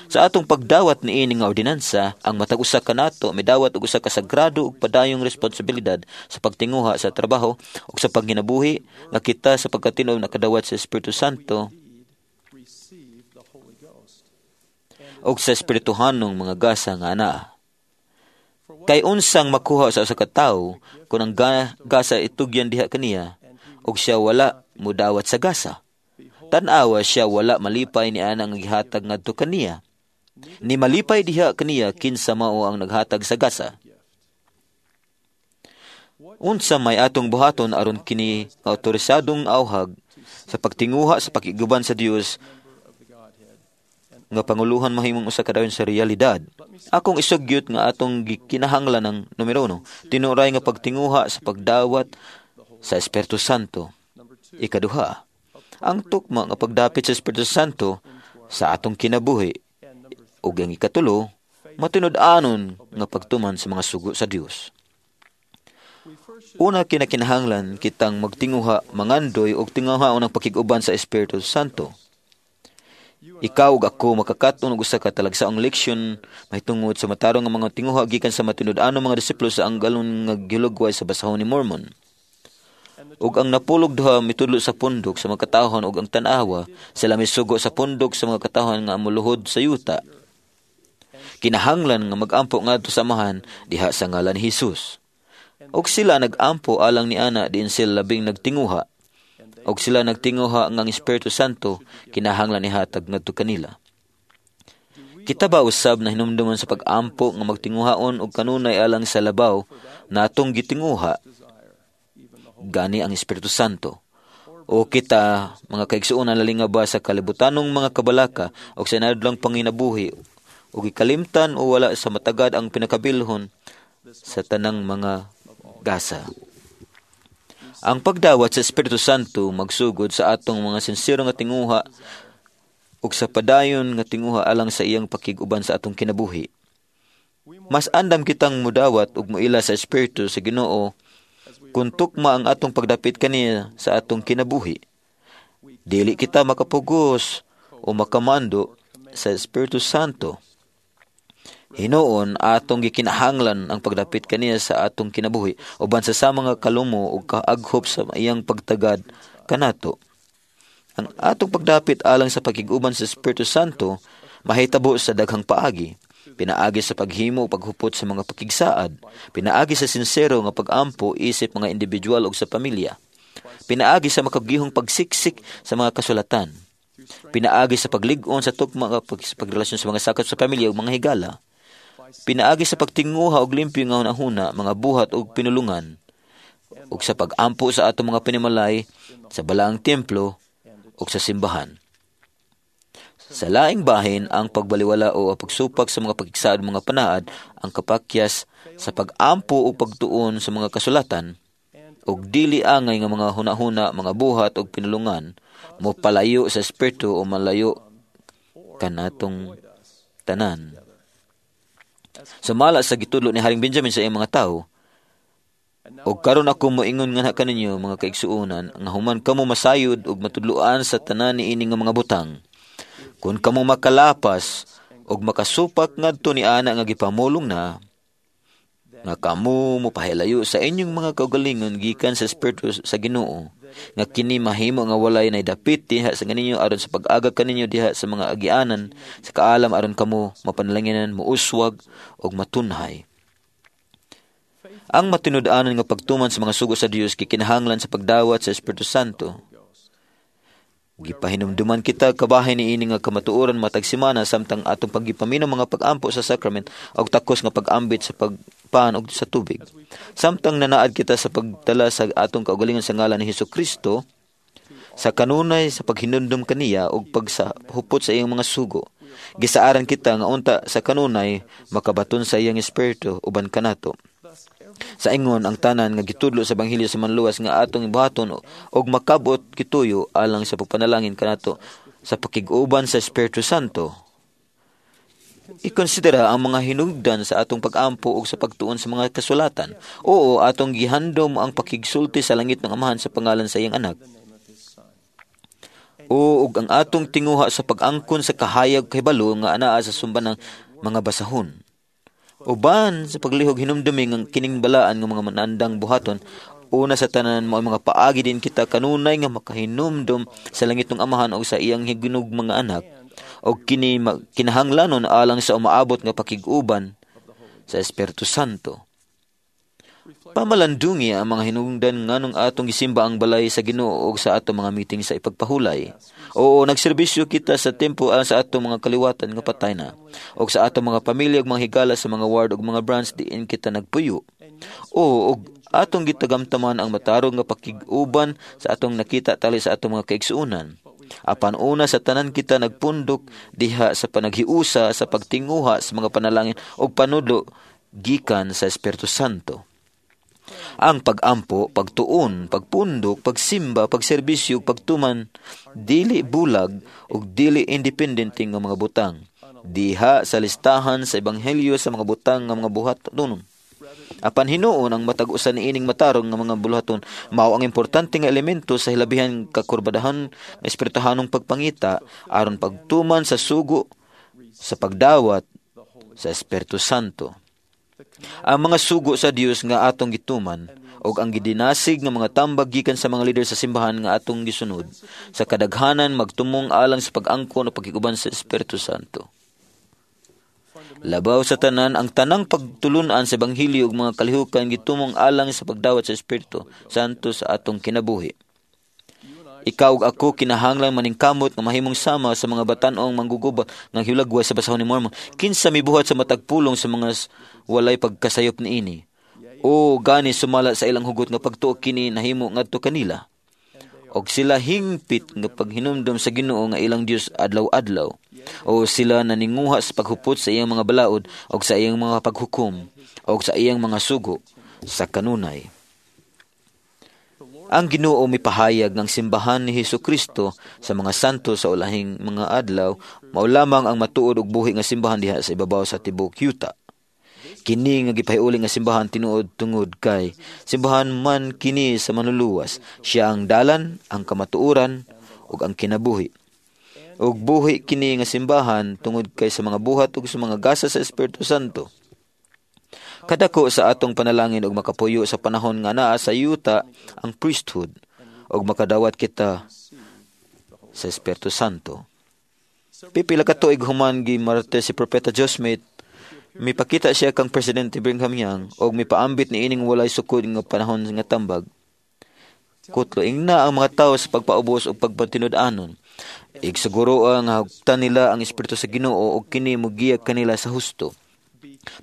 [SPEAKER 8] Sa atong pagdawat niini nga ordinansa, ang matag usa kanato midawat og usa ka sagrado ug padayong responsibilidad sa pagtinguha sa trabaho ug sa pagkinabuhi nga kita sa pagkatinuod nakadawat sa Espiritu Santo ug sa espirituhanong mga gasa nga anaa. Kay unsang makuha sa usa ka tawo kung ang ga- gasa itugyan diha kaniya ug siya wala mudawat sa gasa? Tan-awa, siya wala malipay ni anang gihatag ngadto kaniya. Ni malipay diha kaniya kinsa mao ang naghatag sa gasa. Unsa may atong buhaton aron kini nga awtorisadong awhag sa pagtinguha sa pakiguban sa Dios nga panguluhan mahimong usa ka dayon sa realidad. Akong isugyot nga atong gikinahanglan ng numero uno, tinuray nga pagtinguha sa pagdawat sa Espiritu Santo. Ikaduha, ang tukma nga pagdapit sa Espiritu Santo sa atong kinabuhi. Ug ang ikatulo, matinud-anon nga pagtuman sa mga sugo sa Dios. Una, kinakinahanglan kitang magtinguha, mangandoy og tinguha ang pakig-uban sa Espiritu Santo. Ikaw ug ako makakaton og usa ka talagsaong leksyon mahitungod sa matarong nga mga tinguha gikan sa matinud-anong mga disipulo sa ang galon nga gihulagway sa basahon ni Mormon. Ug ang napulog duha mitudlo sa pundok sa mga katawhan, ug ang tan-awa sila misugo sa pundok sa mga katawhan nga moluhod sa yuta. Kinahanglan nga magampo ngadto sa Amahan diha sa ngalan ni Hesus. Og sila nagampo alang ni ana diin sila labing nagtinguha. Og sila nagtinguha nga ang Espiritu Santo kinahanglan ihatag ngadto kanila. Kita ba usab na hinumduman sa pag-ampo nga magtinguhaon og kanunay alang sa labaw natong gitinguha, gani ang Espiritu Santo? O kita, mga kaigsuonan, lalinga ba sa kalibutanong mga kabalaka o sa inadlang panginabuhi o gikalimtan o wala sa matagad ang pinakabilhon sa tanang mga gasa? Ang pagdawat sa Espiritu Santo magsugod sa atong mga sinsero nga tinguha ug sa padayon nga tinguha alang sa iyang pakig-uban sa atong kinabuhi. Mas andam kitang mudawat ug muila sa Espiritu sa Ginoo kung tukma ang atong pagdapit kaniya sa atong kinabuhi. Dili kita makapugos o makamando sa Espiritu Santo. Hinuon atong gikinahanglan ang pagdapit kaniya sa atong kinabuhi uban sa sama nga kalumo ug kaaghop sa iyang pagtagad kanato. Ang atong pagdapit alang sa pakig-uban sa Espiritu Santo mahitabo sa daghang paagi. Pinaagi sa paghimo o paghupot sa mga pakigsaad, pinaagi sa sinsero nga pag-ampo isip mga individual ug sa pamilya, pinaagi sa makagihong pagsiksik sa mga kasulatan, pinaagi sa paglig-on sa tukma nga pag, pagrelasyon sa mga sakop sa pamilya ug mga higala, pinaagi sa pagtinguha og limpyo nga hunahuna, mga buhat ug pinulungan, ug sa pag-ampo sa atong mga panimalay sa balaang templo ug sa simbahan. Sa laing bahin, ang pagbaliwala o ang pagsupak sa mga pagkiksaad mga panaad ang kapakyas sa pag-ampo o pagtuon sa mga kasulatan ug dili angay nga mga hunahuna, mga buhat ug pinulungan mo palayo sa espiritu o malayo kanatong tanan. Sumala sa gitudlo ni Haring Benjamin sa iyang mga tao, "Og karon ako moingon nga kaninyo, mga kaigsuonan, nga human kamo masayod ug matudloan sa tanan niini nga mga butang, kun kamo makalapas ug makasupak ngadto ni ana nga gipamulong na, nga kamo mopahilayo sa inyong mga kaugalingon gikan sa Espiritu sa Ginoo, nga kini mahimo nga walay nay dapit diha sa kaninyo aron sa pag-aga kaninyo diha sa mga agianan sa kaalam aron kamo mapanalanginan, muuswag ug matunhay." Ang matinud-anon nga pagtuman sa mga sugo sa Dios gikinahanglan sa pagdawat sa Espiritu Santo. Gipahinumduman kita kabahin niini nga kamatuoran matag semana samtang atong paggipaminaw mga pag-ampo sa sacrament og takos nga pag-ambit sa pagpan og sa tubig. Samtang nanaad kita sa pagdala sa atong kaugalingon sa ngalan ni Hesus Kristo sa kanunay sa paghinumdum kaniya ug pagsahupot sa iyang mga sugo. Gisaaran kita nga unta sa kanunay makabaton sa iyang espiritu uban kanato. Sa ingon ang tanan nga gitudlo sa ebanghelyo sa manluwas nga atong buhaton og makabot kituyo alang sa pagpanalangin kanato sa pakig-uban sa Espiritu Santo. Ikonsidera ang mga hinugdan sa atong pag-ampo ug sa pagtuon sa mga kasulatan. Oo, atong gihandom ang pakigsulti sa langit ng Amahan sa pangalan sa iyang anak. O ug ang atong tinguha sa pag-angkon sa kahayag kahibalo nga anaa sa sumban ng mga basahon. Uban sa paglihog, hinumdumi nga kining balaan nga mga manandang buhaton, una sa tanan, mao mga paagi din kita kanunay nga makahinumdum sa langit ng Amahan o sa iyang higinog mga anak, og kini kinahanglanon alang sa umaabot nga pakig-uban sa Espiritu Santo. Pamalandungi ang mga hinungdan nganong atong gisimba ang balay sa Ginoo og sa atong mga meeting sa ipagpahulay. Oo, nagserbisyo kita sa tempo alang sa atong mga kaliwatan nga patay na, og sa atong mga pamilya ug mga higala sa mga ward ug mga branch diin kita nagpuyo. Oo, og atong gitagamtaman ang matarong nga pakig-uban sa atong nakita tali sa atong mga kaigsuonan. Apan una sa tanan kita nagpundok diha sa panaghiusa sa pagtinguha sa mga panalangin og panudlo gikan sa Espiritu Santo. Ang pag-ampo, pagtuon, pagpundok, pagsimba, pagserbisyo, pagtuman, dili bulag ug dili independente nga mga butang. Diha sa listahan sa ebanghelyo sa mga butang nga mga buhatonon. Apan hinuon ang matag usa niining matarong nga mga buluhaton mao ang importante nga elemento sa hilabihan kakurbadahan nga espirituhanong pagpangita aron pagtuman sa sugo sa pagdawat sa Espiritu Santo. Ang mga sugo sa Dios nga atong gituman og ang gidinasig nga mga tambag gikan sa mga leader sa simbahan nga atong gisunod sa kadaghanan magtumong alang sa pag-angkon o pagkiguban sa Espiritu Santo. Labaw sa tanan, ang tanang pagtulunan sa ebanghelyo ug mga kalihukan gitumong alang sa pagdawat sa Espiritu Santo sa atong kinabuhi. Ikaw ug ako kinahanglan maningkamot nga mahimong sama sa mga batan-ong manggugubat nga hilagway sa basahon ni Mormon. Kinsa mibuhat sa matag pulong sa mga walay pagkasayop niini? O gani sumala sa ilang hugot nga pagtuo kini nahimo ngadto kanila. Og sila hingpit nga paghinumdom sa Ginoo nga ilang Dios adlaw-adlaw. O sila naninguha sa paghupot sa iyang mga balaod og sa iyang mga paghukom og sa iyang mga sugo sa kanunay. Ang Ginoo mipahayag ng simbahan ni Hesus Kristo sa mga santo sa ulahing mga adlaw, mao lamang ang matuod og buhi nga simbahan diha sa ibabaw sa tibuok yuta. Kini nga gipahiuli nga simbahan tinuod tungod kay simbahan man kini sa manluluwas. Siya ang dalan, ang kamatuoran ug ang kinabuhi. Ug buhi kini nga simbahan tungod kay sa mga buhat ug sa mga gasa sa Espiritu Santo. Kadako sa atong panalangin og makapuyo sa panahon nga naa sa yuta ang priesthood ug makadawat kita sa Espiritu Santo. Pipila ka tuig human gi Martes si Propeta Joseph Smith, mipakita siya kang Presidente Brigham Young og mipaambit niining walay sukod nga panahon nga tambag. Kutlo ingna ang mga tawo sa pagpaubos og pagpatinud-anon. Igsiguro ang hagtan nila ang Espiritu sa Ginoo og kini mogiya kanila sa husto.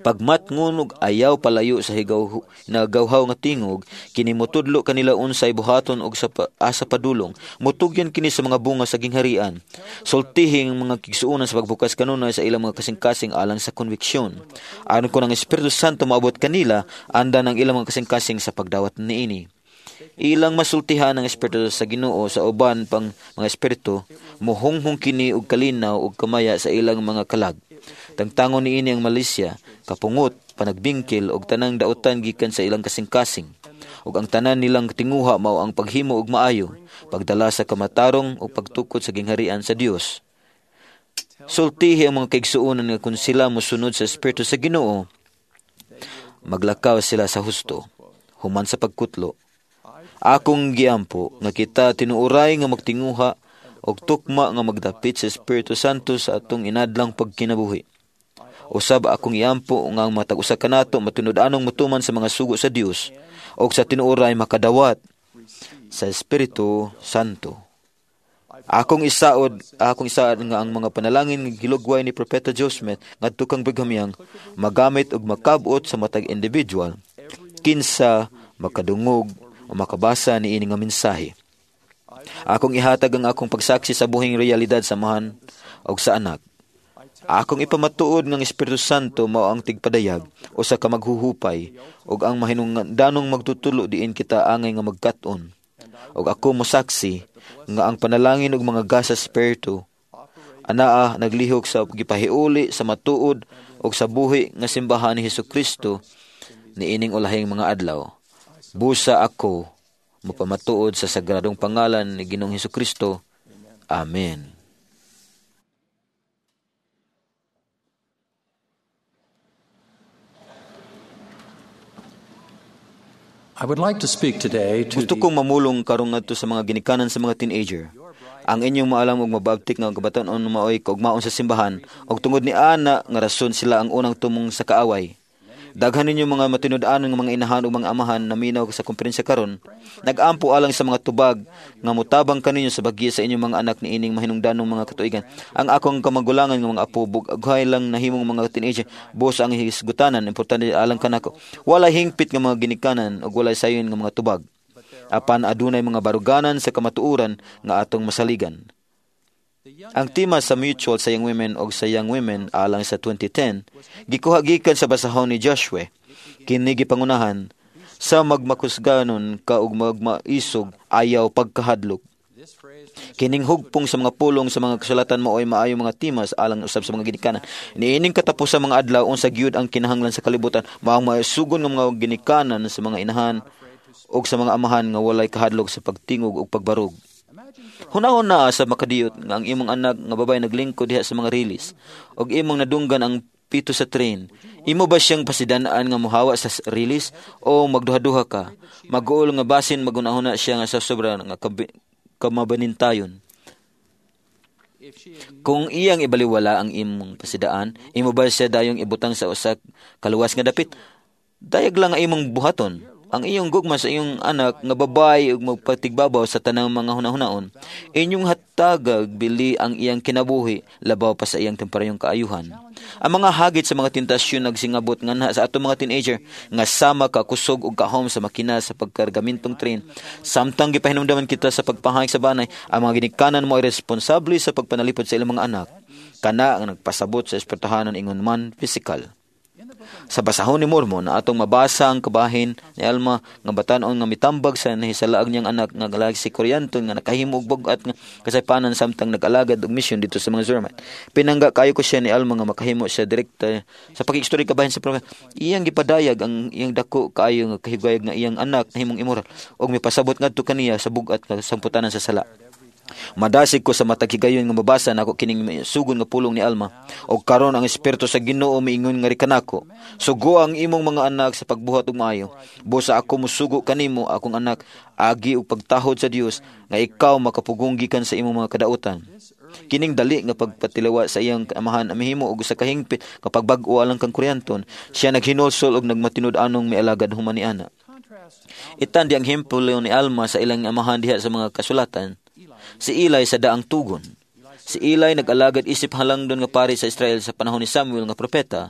[SPEAKER 8] Pagmatngon og ayaw palayo sa higaw nagawhaw nga tingog, kini motudlo kanila unsay buhaton og sa pa, asa padulong. Motugyan kini sa mga bunga sa gingharian. Sultihi ang mga kigsuonan sa pagbukas kanunay sa ilang mga kasing-kasing alang sa konviksyon. Aron kon ang Espiritu Santo moabot kanila, andan ang ilang mga kasing-kasing sa pagdawat niini. Ilang masultihan ang espiritu sa Ginoo sa uban pang mga espiritu, mohunghong kini og kalinaw og kamaya sa ilang mga kalag. Tangtangon niini ang malisya, kapungot, panagbingkil og tanang dautan gikan sa ilang kasing-kasing. Ug ang tanan nilang tinguha mao ang paghimo og maayo, pagdala sa kamatarong ug pagtukod sa gingharian sa Dios. Sultihi ang mga kaigsuonan nga kun sila mosunod sa espiritu sa Ginoo, maglakaw sila sa husto, human sa pagkutlo. Akong giampo nga kita tinuoray nga magtinguha og tukma nga magdapit sa Espiritu Santo sa atong inadlang pagkinabuhi. Usab akong iampo nga ang matag usa kanato matinud-anong motuman sa mga sugo sa Dios og sa tinuoray makadawat sa Espiritu Santo. Akong isaod, akong isaad nga ang mga panalangin nga gilugway ni Propeta Joseph Smith ngadto kang Brigham Young magamit og makab-ot sa matag individual kinsa makadungog o makabasa niini nga mensahe. Akong ihatag ang akong pagsaksi sa buhing realidad sa Amahan og sa Anak. Akong ipamatuod ng Espiritu Santo mao ang tigpadayag o sa kamaghuhupay ug ang mahinungdanong magtutulo diin kita angay nga magkat-on. Ug ako mosaksi nga ang panalangin ug mga gasa Espiritu anaa naglihok sa gipahiuli sa matuod ug sa buhi nga simbahan ni Hesus Kristo niining ulahing mga adlaw. Busa ako mapamatuod sa sagradong pangalan ni Ginoong Hesus Kristo. Amen.
[SPEAKER 1] I would like to speak today to
[SPEAKER 8] Gusto kong mamulong karong ngadto sa mga ginikanan sa mga teenager. Ang inyong maalam og mababtik nga kabataan-on maoy kaugmaon sa simbahan og tungod ni ana nga rason sila ang unang tumong sa kaaway. Daghan ninyo mga matinud-anon nga mga inahan ug mga amahan na minaw sa komperensya karon. Nag-ampo alang sa mga tubag nga motabang kaninyo sa bagya sa inyong mga anak niining mahinungdanong mga katuigan. Ang akong kamagulangan nga mga apo bughay lang nahimong mga teenager buos ang hisgutanan importante alang kanako. Walay hingpit nga mga ginikanan ug walay sayon nga mga tubag. Apan adunay mga baruganan sa kamatuoran nga atong masaligan. Ang tema sa mutual sa Young Women og sa Young Women alang sa twenty ten gikuha gikan sa basahon ni Joshua. Kini gipangunahan sa "Magmakusganon ka ug magmaisog, ayaw pagkahadlok." Kining hugpong sa mga pulong sa mga kasulatan maoy maayo mga tema sa alang usab sa mga ginikanan. Niining katapos sa mga adlaw, unsa gyud ang kinahanglan sa kalibutan? Maong maisugon nga mga ginikanan sa mga inahan ug sa mga amahan nga walay kahadlok sa pagtingog ug pagbarog. Hunahuna sa makadiyot nga ang imong anak nga babae naglingkod diha sa mga riles ug imong nadunggan ang pito sa train. Imo ba siyang pasidanaan nga mohawa sa riles o magduha-duha ka? Maguol nga basin magunahuna siya nga sa sobra nga kamabanintayon. Kung iyang ibaliwala ang imong pasidaan, imo ba siya dayong ibutang sa usa kaluwas nga dapit? Dayag lang ang imong buhaton. Ang iyong gugma sa iyong anak nga babae ug magpatigbabaw sa tanang mga hunahunaon. Inyong hatagag bili ang iyang kinabuhi labaw pa sa iyang temporayong kaayuhan. Ang mga hagit sa mga tentasyon nagsingabot nganha sa atong mga teenager nga sama ka kusog ug kahom sa makina sa pagkargamintong train. Samtang gipahinumdaman kita sa pagpahayag sa banay, ang mga ginikanan mo ay responsable sa pagpanalipod sa ilang mga anak. Kana ang nagpasabot sa espertahanon ingon man physical. Sa basahon ni Mormon na atong mabasa ang kabahin ni Alma nga batan-on nga mitambag sa nahisalaag niyang anak nga lalaki, si Corianton, nga nakahimo og bug-at nga kasaypanan samtang nag-alagad og misyon dito sa mga Zoromite. Pinangga kayo ko siya ni Alma nga makahimo siya direkta sa pakigstorya kabahin sa propeta. Iyang gipadayag ang iyang dako kaayo nga kahigayag nga iyang anak nahimong immoral ug mipasabot ngadto kaniya sa bug-at nga samputanan sa sala. "Madasig ko sa matag higayon nga mabasa nako kining sugon nga pulong ni Alma. Og karon ang Espiritu sa Ginoo miingon ngari kanako: Sugo ang imong mga anak sa pagbuhat og maayo. Busa ako musugo kanimo, akong anak, agi og pagtahod sa Dios, nga ikaw makapugong gikan sa imong mga kadautan." Kining dali nga pagpatilawa sa iyang amahan mihimo og usa ka hingpit nga pagbag-o alang kang Corianton. Siya naghinulsol og nagmatinud-anong mialagad human ni ana. Itandi ang ehemplo ni Alma sa ilang amahan diha sa mga kasulatan. Si Eli sa daang tugon. Si Eli nag-alagad isip halangdon nga pari sa Israel sa panahon ni Samuel nga propeta.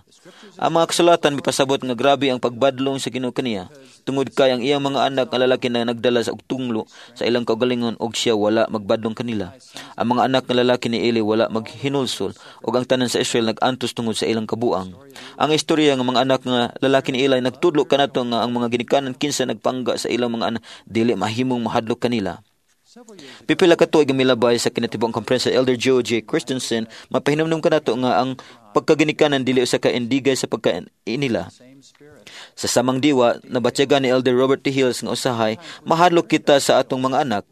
[SPEAKER 8] Ang mga kasulatan mipasabot nga grabe ang pagbadlong sa Ginoo kaniya tungod kay ang iyang mga anak nga lalaki na nagdala sa tunglo sa ilang kaugalingon og siya wala magbadlong kanila. Ang mga anak nga lalaki ni Eli wala maghinulsol og ang tanan sa Israel nag-antos tungod sa ilang kabuang. Ang istorya nga mga anak nga lalaki ni Eli nagtudlo kanato nga ang mga ginikanan kinsa nagpangga sa ilang mga anak dili mahimong mahadlok kanila. Pipila ka tuig ang milabay sa kinatibuk-ang komperensya, Elder Joe J. Christensen mapahinumdum kanato nga ang pagkaginikanan dili usa ka indigay sa pagkainila. Sa samang diwa, nabatyagan ni Elder Robert T. Hales nga usahay mahadlok kita sa atong mga anak.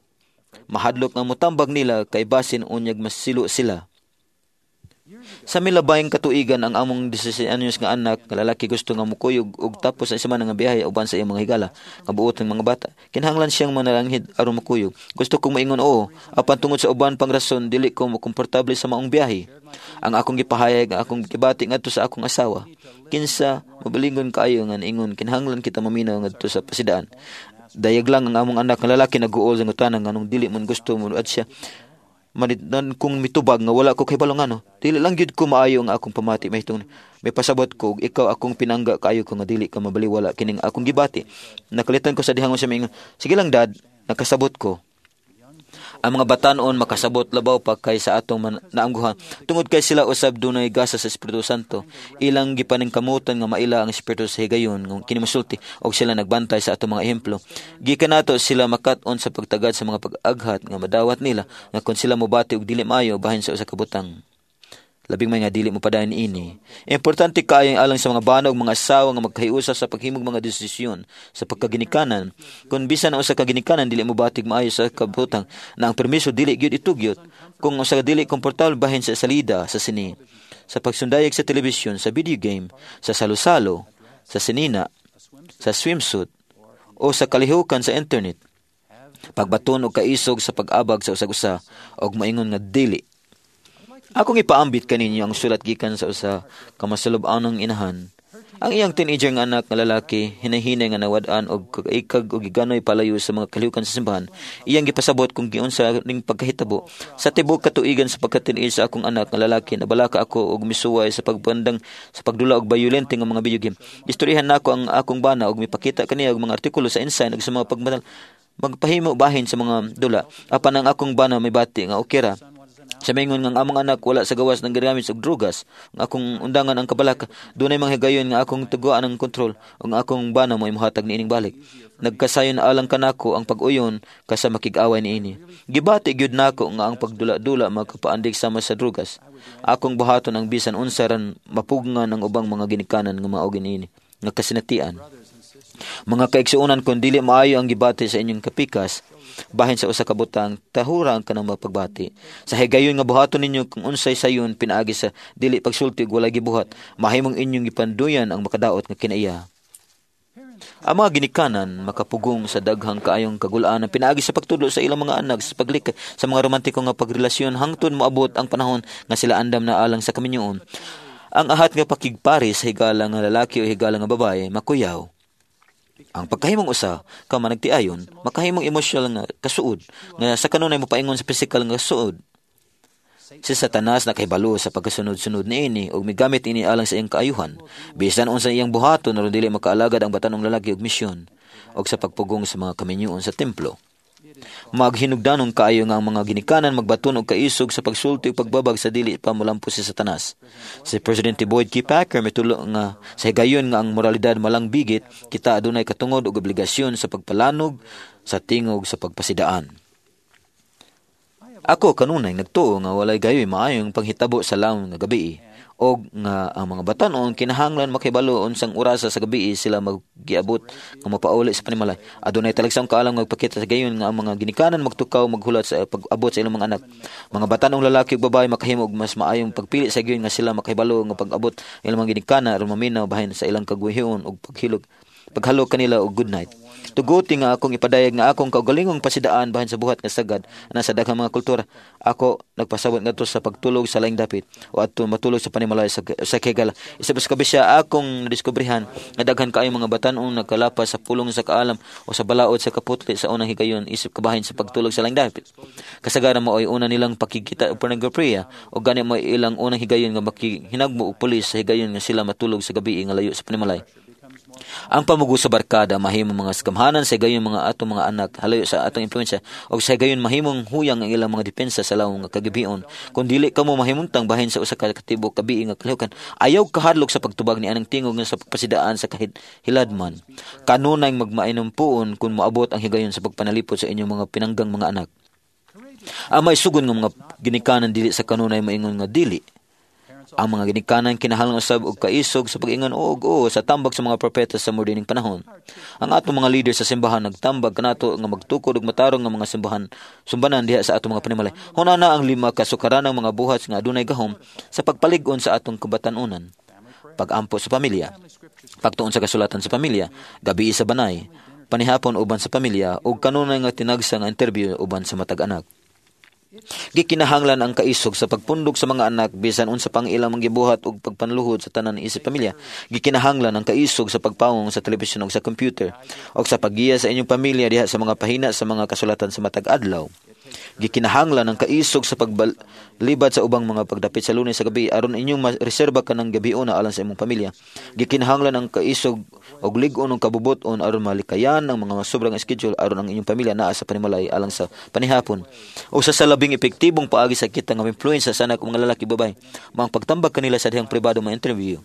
[SPEAKER 8] Mahadlok nga mutambag nila kay basin unyag masilo sila. Sa milabayng katuigan, ang among labing-anim anyos nga anak nga lalaki gusto nga mukuyog og tapos sa semana nga biyahe uban sa iyang mga higala nga buot ng mga bata. Kinahanglan siyang manalanghid aron makuyog. Gusto kong maingon oo, apan tungod sa uban pang rason dili ko komportable sa maong biyahe. Ang akong gipahayag ang akong gibati ngadto sa akong asawa. Kinsa mabalingon kaayo nga ingon kinahanglan kita maminaw ngadto sa pasidaan. Dayag lang ang among anak nga lalaki naguol sa ngutana nganong dili man gusto mo at siya manitnan kung mitubag nga wala ko kahibalo ngano. Dili lang gyud ko maayo ang akong pamati mahitungod may pasabot ko ikaw akong pinangga kaayo ko nga dili ka mabaliwala kining akong gibati. Nakalitan ko sa dihangon siya miingon, "Sige lang, Dad, nakasabot ko." Ang mga batanon makasabot labaw pa kay sa atong man, naamguhan tungod kay sila usab dunay gasa sa Espiritu Santo. Ilang gipaningkamutan nga maila ang Espiritu sa higayon nga kini mosulti og sila nagbantay sa atong mga ehemplo. Gikan nato sila makat-on sa pagtagad sa mga pag-aghat nga madawat nila nga kon sila mobati og dili maayo bahin sa usa ka butang, labing may nga dili mo padayon ini. Importante kaayo alang sa mga bana ug mga asawa nga magkahiusa sa paghimog mga desisyon sa pagkaginikanan. Kung bisan ang usa ka ginikanan dili mo batig maayo sa kabutang na ang permiso dili gyud itugyot. Kung usa ka dili komportable bahin sa salida sa sine, sa pagsundayag sa telebisyon, sa video game, sa salo-salo, sa sinina, sa swimsuit, o sa kalihukan sa internet. Pagbaton og kaisog sa pag-abag sa usag-usa og maingon nga dili. Akong ipaambit kaninyo ang sulat gikan sa usa ka masulub-anong inahan. Ang iyang teenager nga anak nga lalaki hinahinay nga nawad-an og kaikag og giganoy palayo sa mga kalihukan sa simbahan. Iyang gipasabot kung giunsa ning pagkahitabo. "Sa tibuok katuigan sa pagka-teenage sa akong anak nga lalaki, nabalaka ako og misuway sa pagbandang sa pagdula og bayolente nga mga video game. Istoryahan nako ang akong bana og mipakita kaniya og mga artikulo sa Ensign ug sa mga pagmadal magpahimo bahin sa mga dula. Apan ang akong bana may bati nga okay ra." Sa maingon nga ang among anak wala sa gawas ng gigamit og drugas, ang akong undangan ang kabalaka, dunay mga higayon nga akong tuguan ang kontrol ug ang akong bana mo mohatag niining balik. Nagkasayon alang kanako ang pag-uyon kaysa makig-away niini. Gibati gyud nako nga ang pagdula-dula makapaandig sama sa drugas. Akong buhaton ang bisan unsa ran mapugngan ang ubang mga ginikanan nga mao niini nga kasinatian. Mga kaigsuonan, kung dili maayo ang gibati sa inyong kapikas bahin sa usa ka butang, tahura ang kanang mapagbati. Sa higayon nga buhaton ninyo kung unsay sayon pinaagi sa dili pagsulti ug walay gibuhat, mahimong inyong gipanduyan ang makadaot nga kinaiya. Ang mga ginikanan makapugong sa daghang kaayong kagulaan pinaagi sa pagtudlo sa ilang mga anak sa paglikay sa mga romantiko nga pagrelasyon hangtod moabot ang panahon nga sila andam na alang sa kaminyoon. Ang ahat nga pakigpare sa higala nga lalaki o higala nga babaye makuyaw. Ang pagkahimong usa ka managtiayon, makahimong emosyonal nga kasuod nga sa kanunay mopaingon sa pisikal nga kasuod. Si Satanas nakahibalo sa pagkasunod-sunod niini ug migamit ini alang sa iyang kaayuhan. Bisan unsa iyang buhaton aron dili makaalagad ang batanong lalaki og misyon og sa pagpugong sa mga kaminyoon sa templo. Maghinugdanon kaayo nga ang mga ginikanan magbaton og kaisog sa pagsulti ug pagbabag sa dili pa molampos si Satanas. Si Presidente Boyd K. Packer mitulo nga sa higayon nga ang moralidad malang bigit, kita adunay katungod og obligasyon sa pagpalanog sa tingog sa pagpasidaan. Ako kanunay nagtuo nga walay gayoy maayong panghitabo sa lawom nga gabi og nga ang mga batan-on kinahanglan makahibalo unsang orasa sa gabi sila maggiabot nga mapauli sa panimalay. Adunay talagsaong kaalam nga magpakita sa gayon nga ang mga ginikanan magtukaw maghulat sa pag-abot sa ilang mga anak. Mga batan-ong lalaki ug babae makahimo og mas maayong pagpili sa gayon nga sila makahibalo nga pag-abot ilang mga ginikanan aron maminaw bahin sa ilang kaguhion ug paghilog paghalok kanila og good night. Tuguti nga akong ipadayag nga akong kaugalingong pasidaan bahin sa buhat nga sagad na sa daghang mga kultura. Ako nagpasabot ngadto sa pagtulog sa laing dapit o adto matulog sa panimalay sa, sa kegala. Isa pa sa kabisya akong nadiskubrehan nga daghan kaayo mga batan-ong nagkalapas sa pulong sa kaalam o sa balaod sa kaputli sa unang higayon isip kabahin sa pagtulog sa laing dapit. Kasagaran mo ay una nilang pakikita og pornografiya o gani mo ilang unang higayon nga makihinagmo og pulis sa higayon nga sila matulog sa gabi nga layo sa panimalay. Ang pamugo sa barkada mahimong mga gamhanan sa gayon mga atong mga anak halayo sa atong impluwensya og sa gayon mahimong huyang ang ilang mga depensa sa lawom nga kagabion. Kung dili kamo mahimuntang bahin sa usa ka katibok gabi nga kalihukan, ayaw kahadlok sa pagtubag ni anang tingog nga sa pagpasidaan sa kahit hiladman. Kanunay magmainom puon kung moabot ang higayon sa pagpanalipod sa inyong mga pinanggang mga anak. Ang maisugon nga mga ginikanan dili sa kanunay maingon nga dili. Ang mga ginikanan kinahanglan usab og kaisog sa pag-ingon og oo sa tambag sa mga propeta sa mordining panahon. Ang atong mga leader sa simbahan nagtambag kanato nga magtukod og matarong nga mga simbahan sumbanan diha sa atong mga panimalay. Hunana ang lima ka sukaranang mga buhat nga adunay gahom sa pagpalig-on sa atong kabatan-onan. Pag-ampo sa pamilya, pagtuon sa kasulatan sa pamilya, gabi sa banay, panihapon uban sa pamilya ug kanunay nga tinagsa nga interview uban sa matag anak. Gikinahanglan ang kaisog sa pagpundok sa mga anak bisan unsa pang ilang gibuhat og pagpanluhod sa tanan isip pamilya. Gikinahanglan ang kaisog sa pagpawong sa telebisyon ug sa computer og sa paggiya sa inyong pamilya diha sa mga pahina sa mga kasulatan sa matag adlaw. Gikinahanglan ang kaisog sa paglibad sa ubang mga pagdapit sa Lunes sa gabi aron inyong reserba kanang gabiona alang sa imong pamilya. Gikinahanglan ang kaisog og lig-on og kabubut-on aron malikayan ang mga sobrang schedule aron ang inyong pamilya naa sa panimalay alang sa panihapon. Usa sa labing epektibong paagi sa kita nga influensa sa anak mga lalaki babae, mga pagtambag kanila sa dihang pribado mga interview.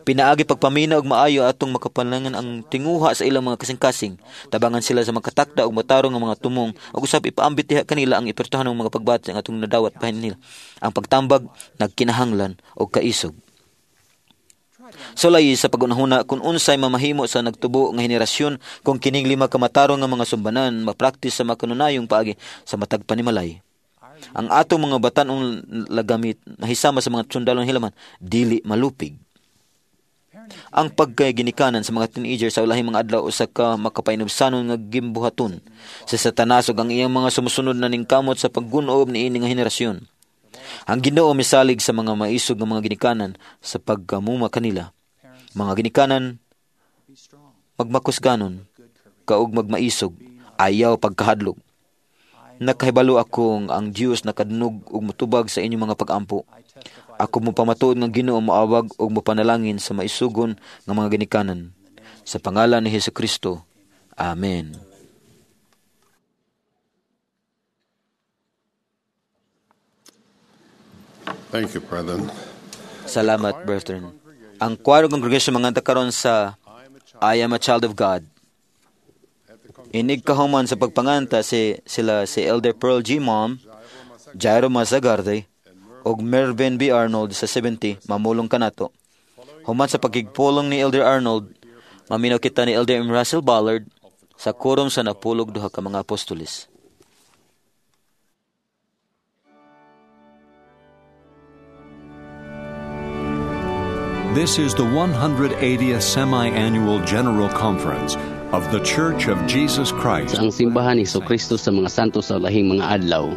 [SPEAKER 8] Pinaagi pagpamina og maayo atong makapalangan ang tinguha sa ilang mga kasing-kasing. Tabangan sila sa makatakda og matarong nga mga tumong ug usab ipaambit diha kanila ang ipertuhan ng mga pagbati ang atong nadawat bahin nila. Ang pagtambag nagkinahanglan og kaisog. Sulay sa pagunahuna kung unsay mamahimo sa nagtubo nga henerasyon kung kining lima ka matarong nga mga sumbanan mapraktis sa makanunayong paagi sa matag panimalay. Ang atong mga batan-ong lagamit nahisama sa mga sundalong hilaman dili malupig. Ang pagkaginikanan sa mga teenager sa ulahing mga adlaw usa ka makapainubsanon nga gimbuhaton sa Satanas ug ang iyang mga sumusunod na ningkamot sa paggunob niini nga henerasyon. Ang Ginoo misalig sa mga maisog nga mga ginikanan sa pagkamuma kanila. Mga ginikanan magmakusganon kaug magmaisog, ayaw pagkahadlok. Nakahibalo ako ang Dios nakadnog ug motubag sa inyong mga pag-ampo. Ako mopamatuod nga Ginoo moawag ug mopanalangin sa maisugon nga mga ginikanan. Sa pangalan ni Hesukristo. Amen.
[SPEAKER 3] Thank you, brethren.
[SPEAKER 8] Salamat, brethren. Ang choir congregation manganta karon sa I Am a Child of God. Inig kahuman sa pagpanganta si sila si Elder Pearl G. Mom, Jairo Mazagarde, ug Mervyn B. Arnold sa seventy, mamulong kanato. Human sa pagkigpulong ni Elder Arnold, maminaw kita ni Elder M. Russell Ballard sa kurom sa napulog duha ka mga apostoles.
[SPEAKER 9] This is the one hundred eightieth Semi-Annual General Conference of the Church of Jesus Christ.
[SPEAKER 2] Sa ang simbahan ni Jesucristo sa mga santo sa lahing mga adlaw.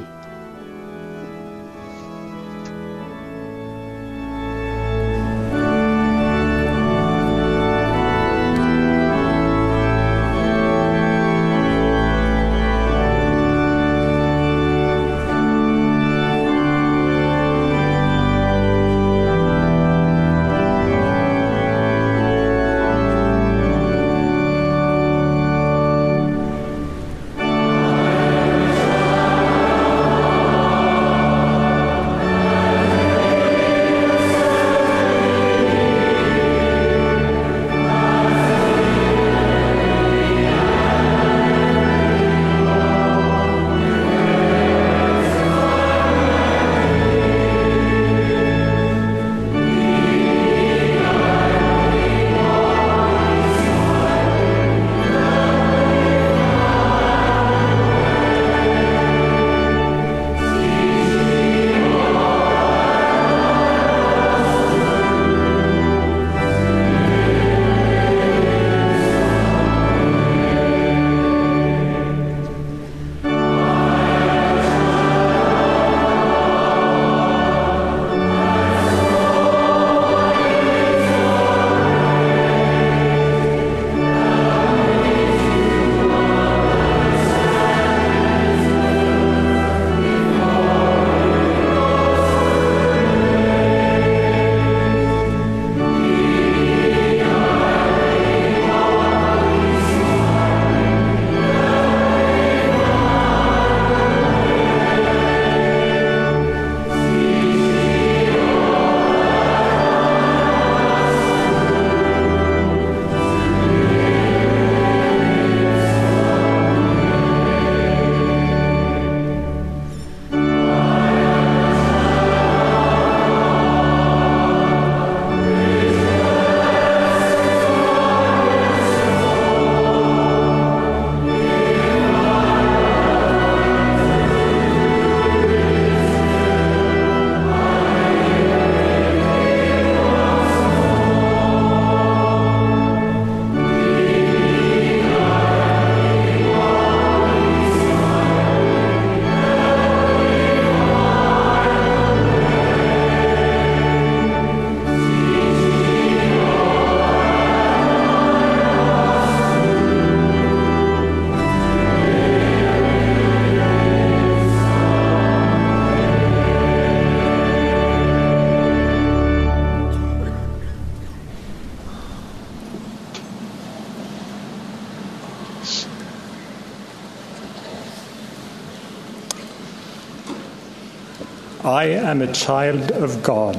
[SPEAKER 10] I am a child of God.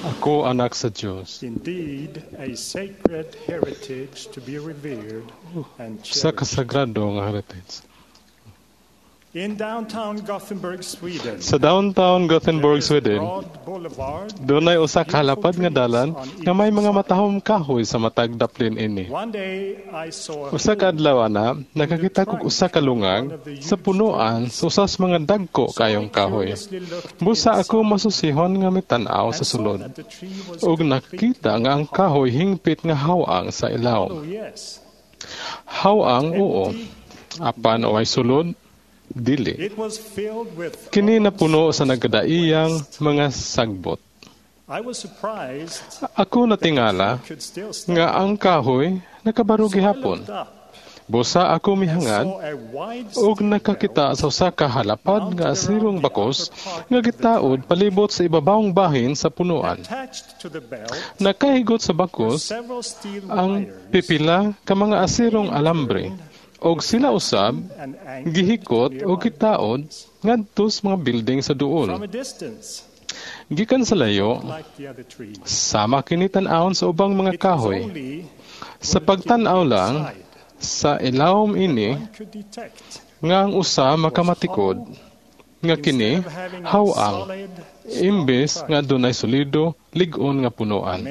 [SPEAKER 11] Ako anak sa Diyos.
[SPEAKER 10] Indeed, a sacred heritage to be revered and
[SPEAKER 11] Sa
[SPEAKER 10] cherished.
[SPEAKER 11] kasagrado nga heritage.
[SPEAKER 10] In downtown Gothenburg, Sweden,
[SPEAKER 11] Sa downtown Gothenburg, Sweden,
[SPEAKER 10] broad boulevard,
[SPEAKER 11] dunay usa ka halapad nga dalan nga may mga matahom kahoy sa matag daplin ini.
[SPEAKER 10] one day I saw a
[SPEAKER 11] Usa ka adlaw na nakakita kog usa ka lungag sa punuan sa usa sa mga dagko kayong kahoy. Busa ako masusihon nga mitan-aw sa sulod. Ug nakita nga ang kahoy hingpit nga hawang sa ilaw.
[SPEAKER 10] Oh yes,
[SPEAKER 11] Hawang oo. Apan o ay sulod, dili.
[SPEAKER 10] it was filled with.
[SPEAKER 11] Kini napuno sa nagkadaiyang mga sagbot.
[SPEAKER 10] I was surprised
[SPEAKER 11] Ako natingala
[SPEAKER 10] could still stand.
[SPEAKER 11] nga ang kahoy nakabaro gihapon.
[SPEAKER 10] Looked up
[SPEAKER 11] Busa ako mihangad
[SPEAKER 10] saw a wide
[SPEAKER 11] ug nakakita sa usa ka halapad nga asirong bakos nga gitaod palibot sa ibabawong bahin sa punuan.
[SPEAKER 10] attached to the belt
[SPEAKER 11] Nakahigot sa bakos
[SPEAKER 10] several steel
[SPEAKER 11] ang
[SPEAKER 10] wires
[SPEAKER 11] pipila ka mga asirong alambre og sila usab
[SPEAKER 10] and anchored
[SPEAKER 11] gihikot
[SPEAKER 10] nearby.
[SPEAKER 11] og gitaod ngadto sa mga building sa duol.
[SPEAKER 10] From a distance,
[SPEAKER 11] Gikan sa layo, sama kini tan-awon sa ubang mga kahoy. Sa pagtan-aw lang, sa ilawom ini, nga ang usa makamatikod, nga kini haw-ang, imbes nga adunay solido, lig-on nga punuan.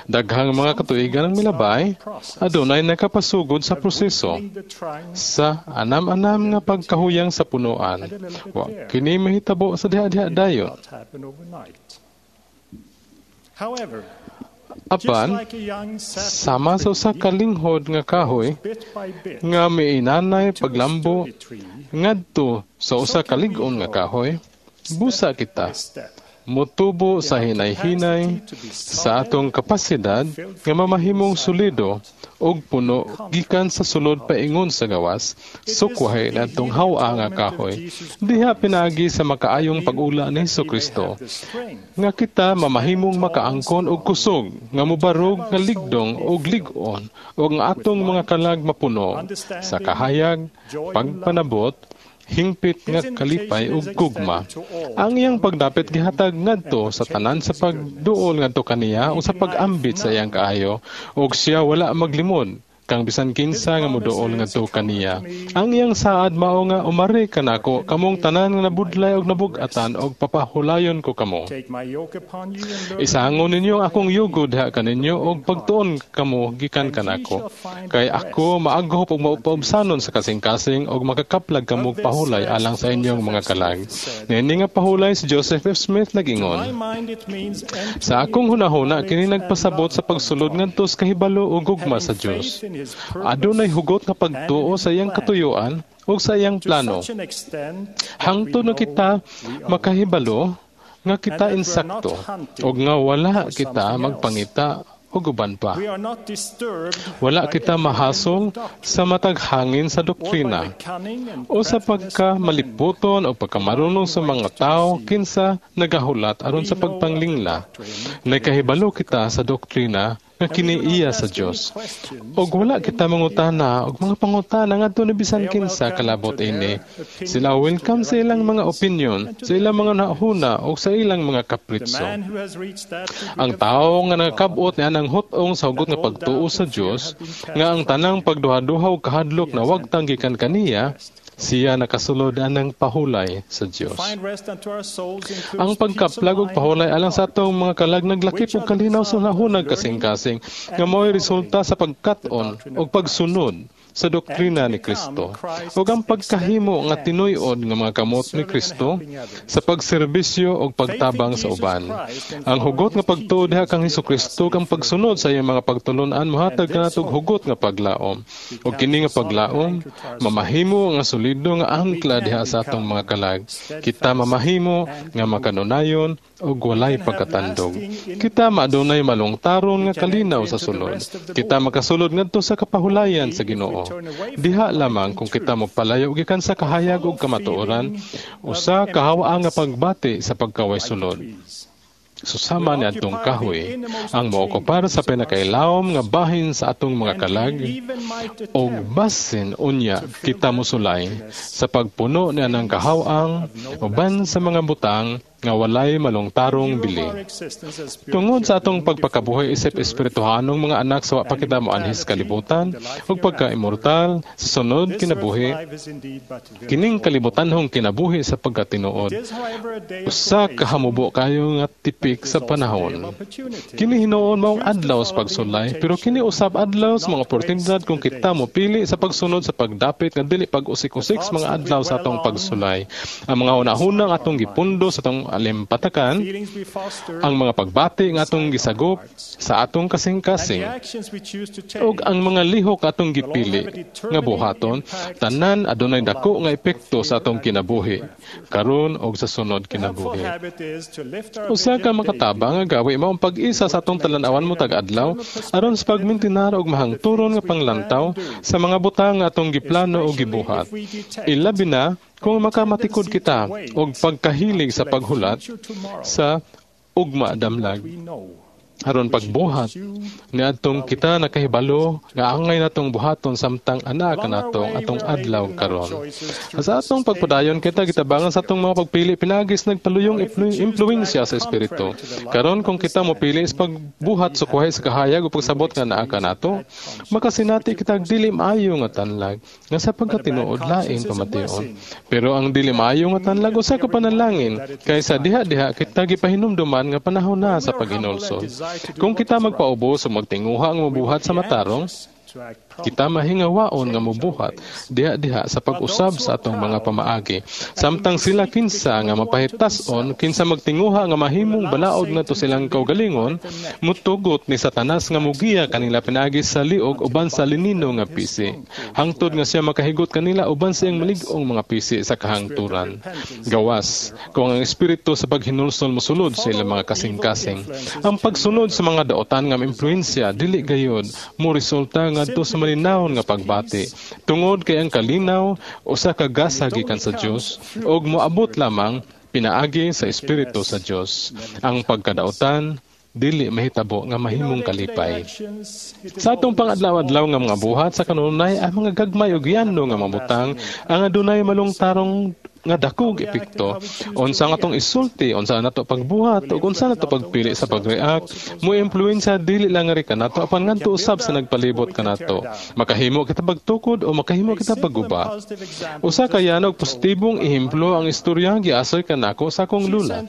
[SPEAKER 11] Daghang mga katuigan ang milabay, adunay nakapasugod sa proseso sa anam-anam nga pagkahuyang sa punuan. Wa kini mahitabo sa diha-diha dayon. Apan, sama sa usa ka linghod nga kahoy nga miinanay paglambo ngadto sa usa ka lig-on nga kahoy, busa kita motubo sa hinay-hinay sa atong kapasidad nga mamahimong solido og puno gikan sa sulod paingon sa gawas, sukwahi na atong haw-a nga kahoy diha pinaagi sa makaayong pag-ula ni Hesukristo nga kita mamahimong makaangkon og kusog nga mobarog nga ligdong og lig-on ug ang atong mga kalag mapuno sa kahayag, pagpanabot, hingpit nga kalipay ug gugma. Ang iyang pagdapit gihatag ngadto sa tanan sa pagduol ngadto kaniya o sa pag-ambit sa iyang kaayo, ug siya wala maglimod kang bisan kinsa nga moduol ngadto kaniya. Ang iyang saad mao nga umari kanako kamong tanan nga nabudlay og nabug-atan og papahulayon ko kamo. Isangon ninyo ang akong yugo diha kaninyo og pagtuon kamo gikan kanako. Kay ako maaghop og maupaubsanon sa kasing-kasing og makakaplag kamo pahulay alang sa inyong mga kalag. Niini nga pahulay si Joseph F. Smith nag-ingon, sa akong hunahuna kini nagpasabot sa pagsulod ngadto sa kahibalo ug gugma sa Dios. Adunay hugot nga pagtuo sa iyang katuyuan ug sa iyang plano. Hangtod na kita makahibalo nga kita insakto ug nga wala kita magpangita og uban pa. Wala kita mahasol sa matag hangin sa doktrina o sa pagkamaliputon o pagkamarunong sa mga tao kinsa nagahulat aron sa pagpanglingla. Nakahibalo kita sa doktrina nga kini iya sa Dios. Og wala kita mangutana og mga pangutana ngadto ni bisan kinsa kalabot ini. Sila welcome sa ilang mga opinion, sa ilang mga nahuna og sa ilang mga kapritso. Ang tawo nga nakabot ni anang hut-ong sa hugot nga pagtuo sa Dios, nga ang tanang pagduha-duha og kahadlok na wagtang gikan kaniya, siya nakasulod anang pahulay sa Dios. Ang pagkaplag og pahulay alang sa atong mga kalag naglakip og kalinaw sa nahunag kasing-kasing nga mao'y resulta sa pagkat-on og pagsunod sa doktrina ni Kristo ug ang pagkahimo nga tinuy-on nga mga kamot ni Kristo sa pagserbisyo ug pagtabang sa uban. Ang hugot nga pagtuo diha kang Hesukristo ug ang pagsunod sa iyang mga pagtulun-an mohatag kanatog hugot nga paglaom. Ug kini nga paglaom mamahimo nga solido nga angkla diha sa atong mga kalag. Kita mamahimo nga makanunayon ug walay pagkatandog. Kita maadunay malungtaron nga kalinaw sa sulod. Kita makasulod ngadto sa kapahulayan sa Ginoo. Diha lamang kung kita mopalayo gikan sa kahayag ug kamatuoran, usa kahawa nga pagbati sa pagkaway sulod. Susama ni atong kahoy ang mookupar sa pinakailawom nga bahin sa atong mga kalag og basin unya kita mosulay sa pagpuno ni anang kahawang uban sa mga butang nga walay malungtarong bili. Tungod sa atong pagpakabuhi isip espirituhanong mga anak sa wa pa kita moanhis kalibutan ug pagka-immortal sa sunod kinabuhi, kining kalibutanhong kinabuhi sa pagkatinuod, usa ka hamubo kayo nga tipik sa panahon. Kini hinuon maong adlaw sa pagsulay, pero kini usab adlaw sa mga oportunidad kung kita mopili sa pagsunod sa pagdapit nga dili pag-usik-usik sa mga adlaw sa atong pagsulay. Ang mga hunahuna nga atong gipundo sa atong alimpatakan, ang mga pagbati nga atong gisagop sa atong kasing-kasing, ug ang mga lihok atong gipili nga buhaton, tanan adunay dako nga epekto sa atong kinabuhi karon og sa sunod kinabuhi. Usa ka makatabang nga gawi mao ang pag-isa sa atong talan-awan mo tag-adlaw aron sa pagmintinar og mahangturon nga panglantaw sa mga butang nga atong giplano o gibuhat. Ilabi na kung makamatikod kita og pagkahilig sa paghulat sa ugma damlag. Aron pagbuhat niadtong kita nakahibalo nga angay natong buhaton samtang ana kanatong atong adlaw karon. Sa atong pagpadayon kita gitabangan sa atong mga pagpili pinaagis nagpaluyong impluwensya sa espiritu. Karon kung kita mopili sa pagbuhat sukuhay sa kahayag o pagsabot nga naa kanato, makasinati kita og dili maayo nga tanlag nga sa pagkatinuod lain pamation. Pero ang dili maayo nga tanlag usa ka panalangin kaysa diha-diha kita gipahinumduman nga panahon na sa paghinulsol. Kung kita magpaubos o magtinguha ang mabuhat sa matarong, kita mahingawaon nga mobuhat diha-diha sa pag-usab sa atong mga pamaagi. Samtang sila kinsa nga mapahitas-on, kinsa magtinguha nga mahimong balaod ngadto silang kaugalingon, mutugot ni Satanas nga mugiya kanila pinaagi sa liog uban sa linino nga pisi. Hangtod nga siya makahigot kanila uban sa iyang malig-ong mga pisi sa kahangturan. Gawas, kung ang espiritu sa paghinulsol mosulod sa ilang mga kasing-kasing. Ang pagsunod sa mga daotan nga impluwensya dili gayod mo resulta ngadto sa malinawon nga pagbati. Tungod kay ang kalinaw usa ka gasa gikan sa Dios ug moabot lamang pinaagi sa espiritu sa Dios. Ang pagkadautan dili mahitabo nga mahimong kalipay. Sa atong pangadlaw-adlaw nga mga buhat sa kanunay ang mga gagmay ug yano nga mga butang ang adunay malungtarong nga dakog epekto. Unsa nga atong isulti, unsa nato pagbuhat ug unsa nato pagpili sa pag-react, mo impluwensya dili lang ri kanato apan ngadto usab sa nagpalibot kanato. Makahimo kita pagtukod o makahimo kita pagguba. Usa ka yanog positibong ehemplo ang istorya giasoy kanako sa akong lula.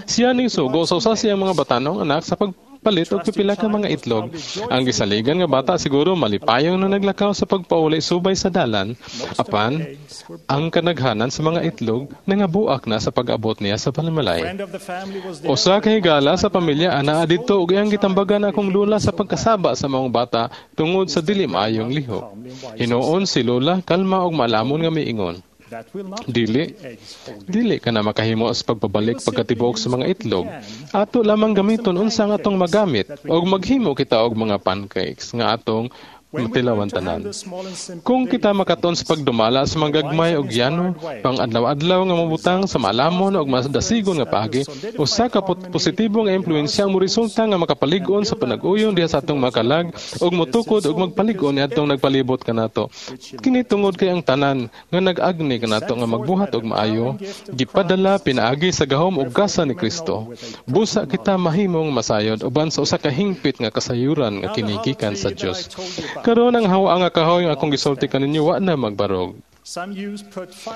[SPEAKER 11] Siya ning sugo sa usa siyang mga batanong anak sa pag palit og pipila ka mga itlog. Ang gisaligan nga bata siguro malipayong na naglakaw sa pagpauli subay sa dalan. Apan, ang kanaghanan sa mga itlog nangabuak na sa pag-abot niya sa panimalay. Usa ka higala sa pamilya anaa didto ug iyang gitambagan akong lula sa pagkasaba sa maong bata tungod sa dili maayong lihok. Hinuon si lola kalma ug maalamon nga miingon. Dili, dili ka na makahimo sa pagpabalik pagkatibok sa mga itlog. Ato lamang gamiton unsa nga atong magamit og maghimo kita og mga pancakes nga atong matilawan tanan. Kung kita makaton sa pagdumala sa mga gagmay og yano, pang adlaw-adlaw nga mabutang sa maalamon og mas dasigon nga paagi, usa ka positibo nga impluwensya ang moresulta nga makapalig-on sa panag-uyon diha sa atong makalag og motukod og magpalig-on niadtong nagpalibot kanato. Kini tungod kay ang tanan nga nag-agni kanato nga magbuhat og maayo, gipadala pinaagi sa gahom og gasa ni Kristo. Busa kita mahimong masayod uban sa usa ka hingpit nga kasayuran nga kinigikan sa Dios. Karon ang hawa nga kahoy nga akong gisulti kaninyo wa na magbarog.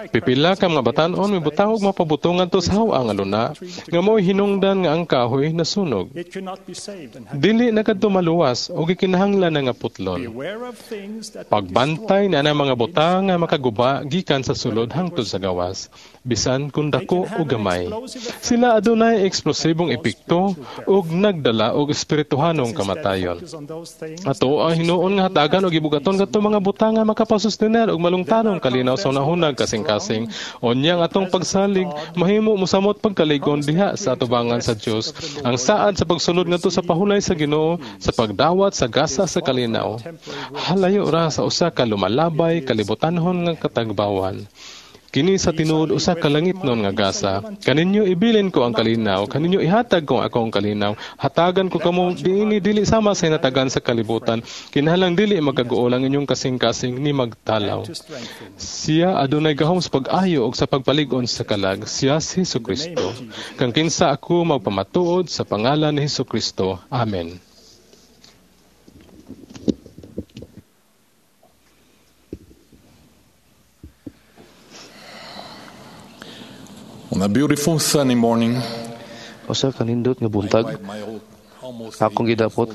[SPEAKER 11] Pipila ka mga batan-on mibutang og mapabutongan to sa hawa nga luna nga mo'y hinungdan nga ang kahoy nasunog. Dili na kadto maluwas o gikinahanglan na nga putlon. Pagbantay na ang mga butang nga makaguba gikan sa sulod hangtod sa gawas, bisan kung dako o gamay. Sila adunay eksplosibong epekto ug nagdala og espirituhanong kamatayon. Ato ang hinuon nga hatagan og gibugaton kadto mga butang nga makapasustener og malungtarong kalinaw sa unahunag kasing-kasing. Unya ang atong pagsalig mahimo mosamot pagkaligon diha sa atubangan sa Dios. Ang saad sa pagsulod ngadto sa pahulay sa Ginoo sa pagdawat sa gasa sa kalinaw. Halayo ra sa usa ka lumalabay kalibutanhon nga katagbawan. Kini sa tinuod usa ka langitnon nga gasa. Kaninyo ibilin ko ang kalinaw, kaninyo ihatag ko ang akong kalinaw. Hatagan ko kamo diini dili sama sa hinatagan sa kalibutan. Kinahanglan dili magkaguol ang inyong kasing-kasing ni magtalaw. Siya adunay gahom sa pag-ayo ug sa pagpalig-on sa kalag. Siya si Hesukristo. Kang kinsa ako magpamatuod sa pangalan ni Hesukristo. Amen.
[SPEAKER 12] On a beautiful sunny morning,
[SPEAKER 13] Usa ka nindot nga buntag, akong gidapot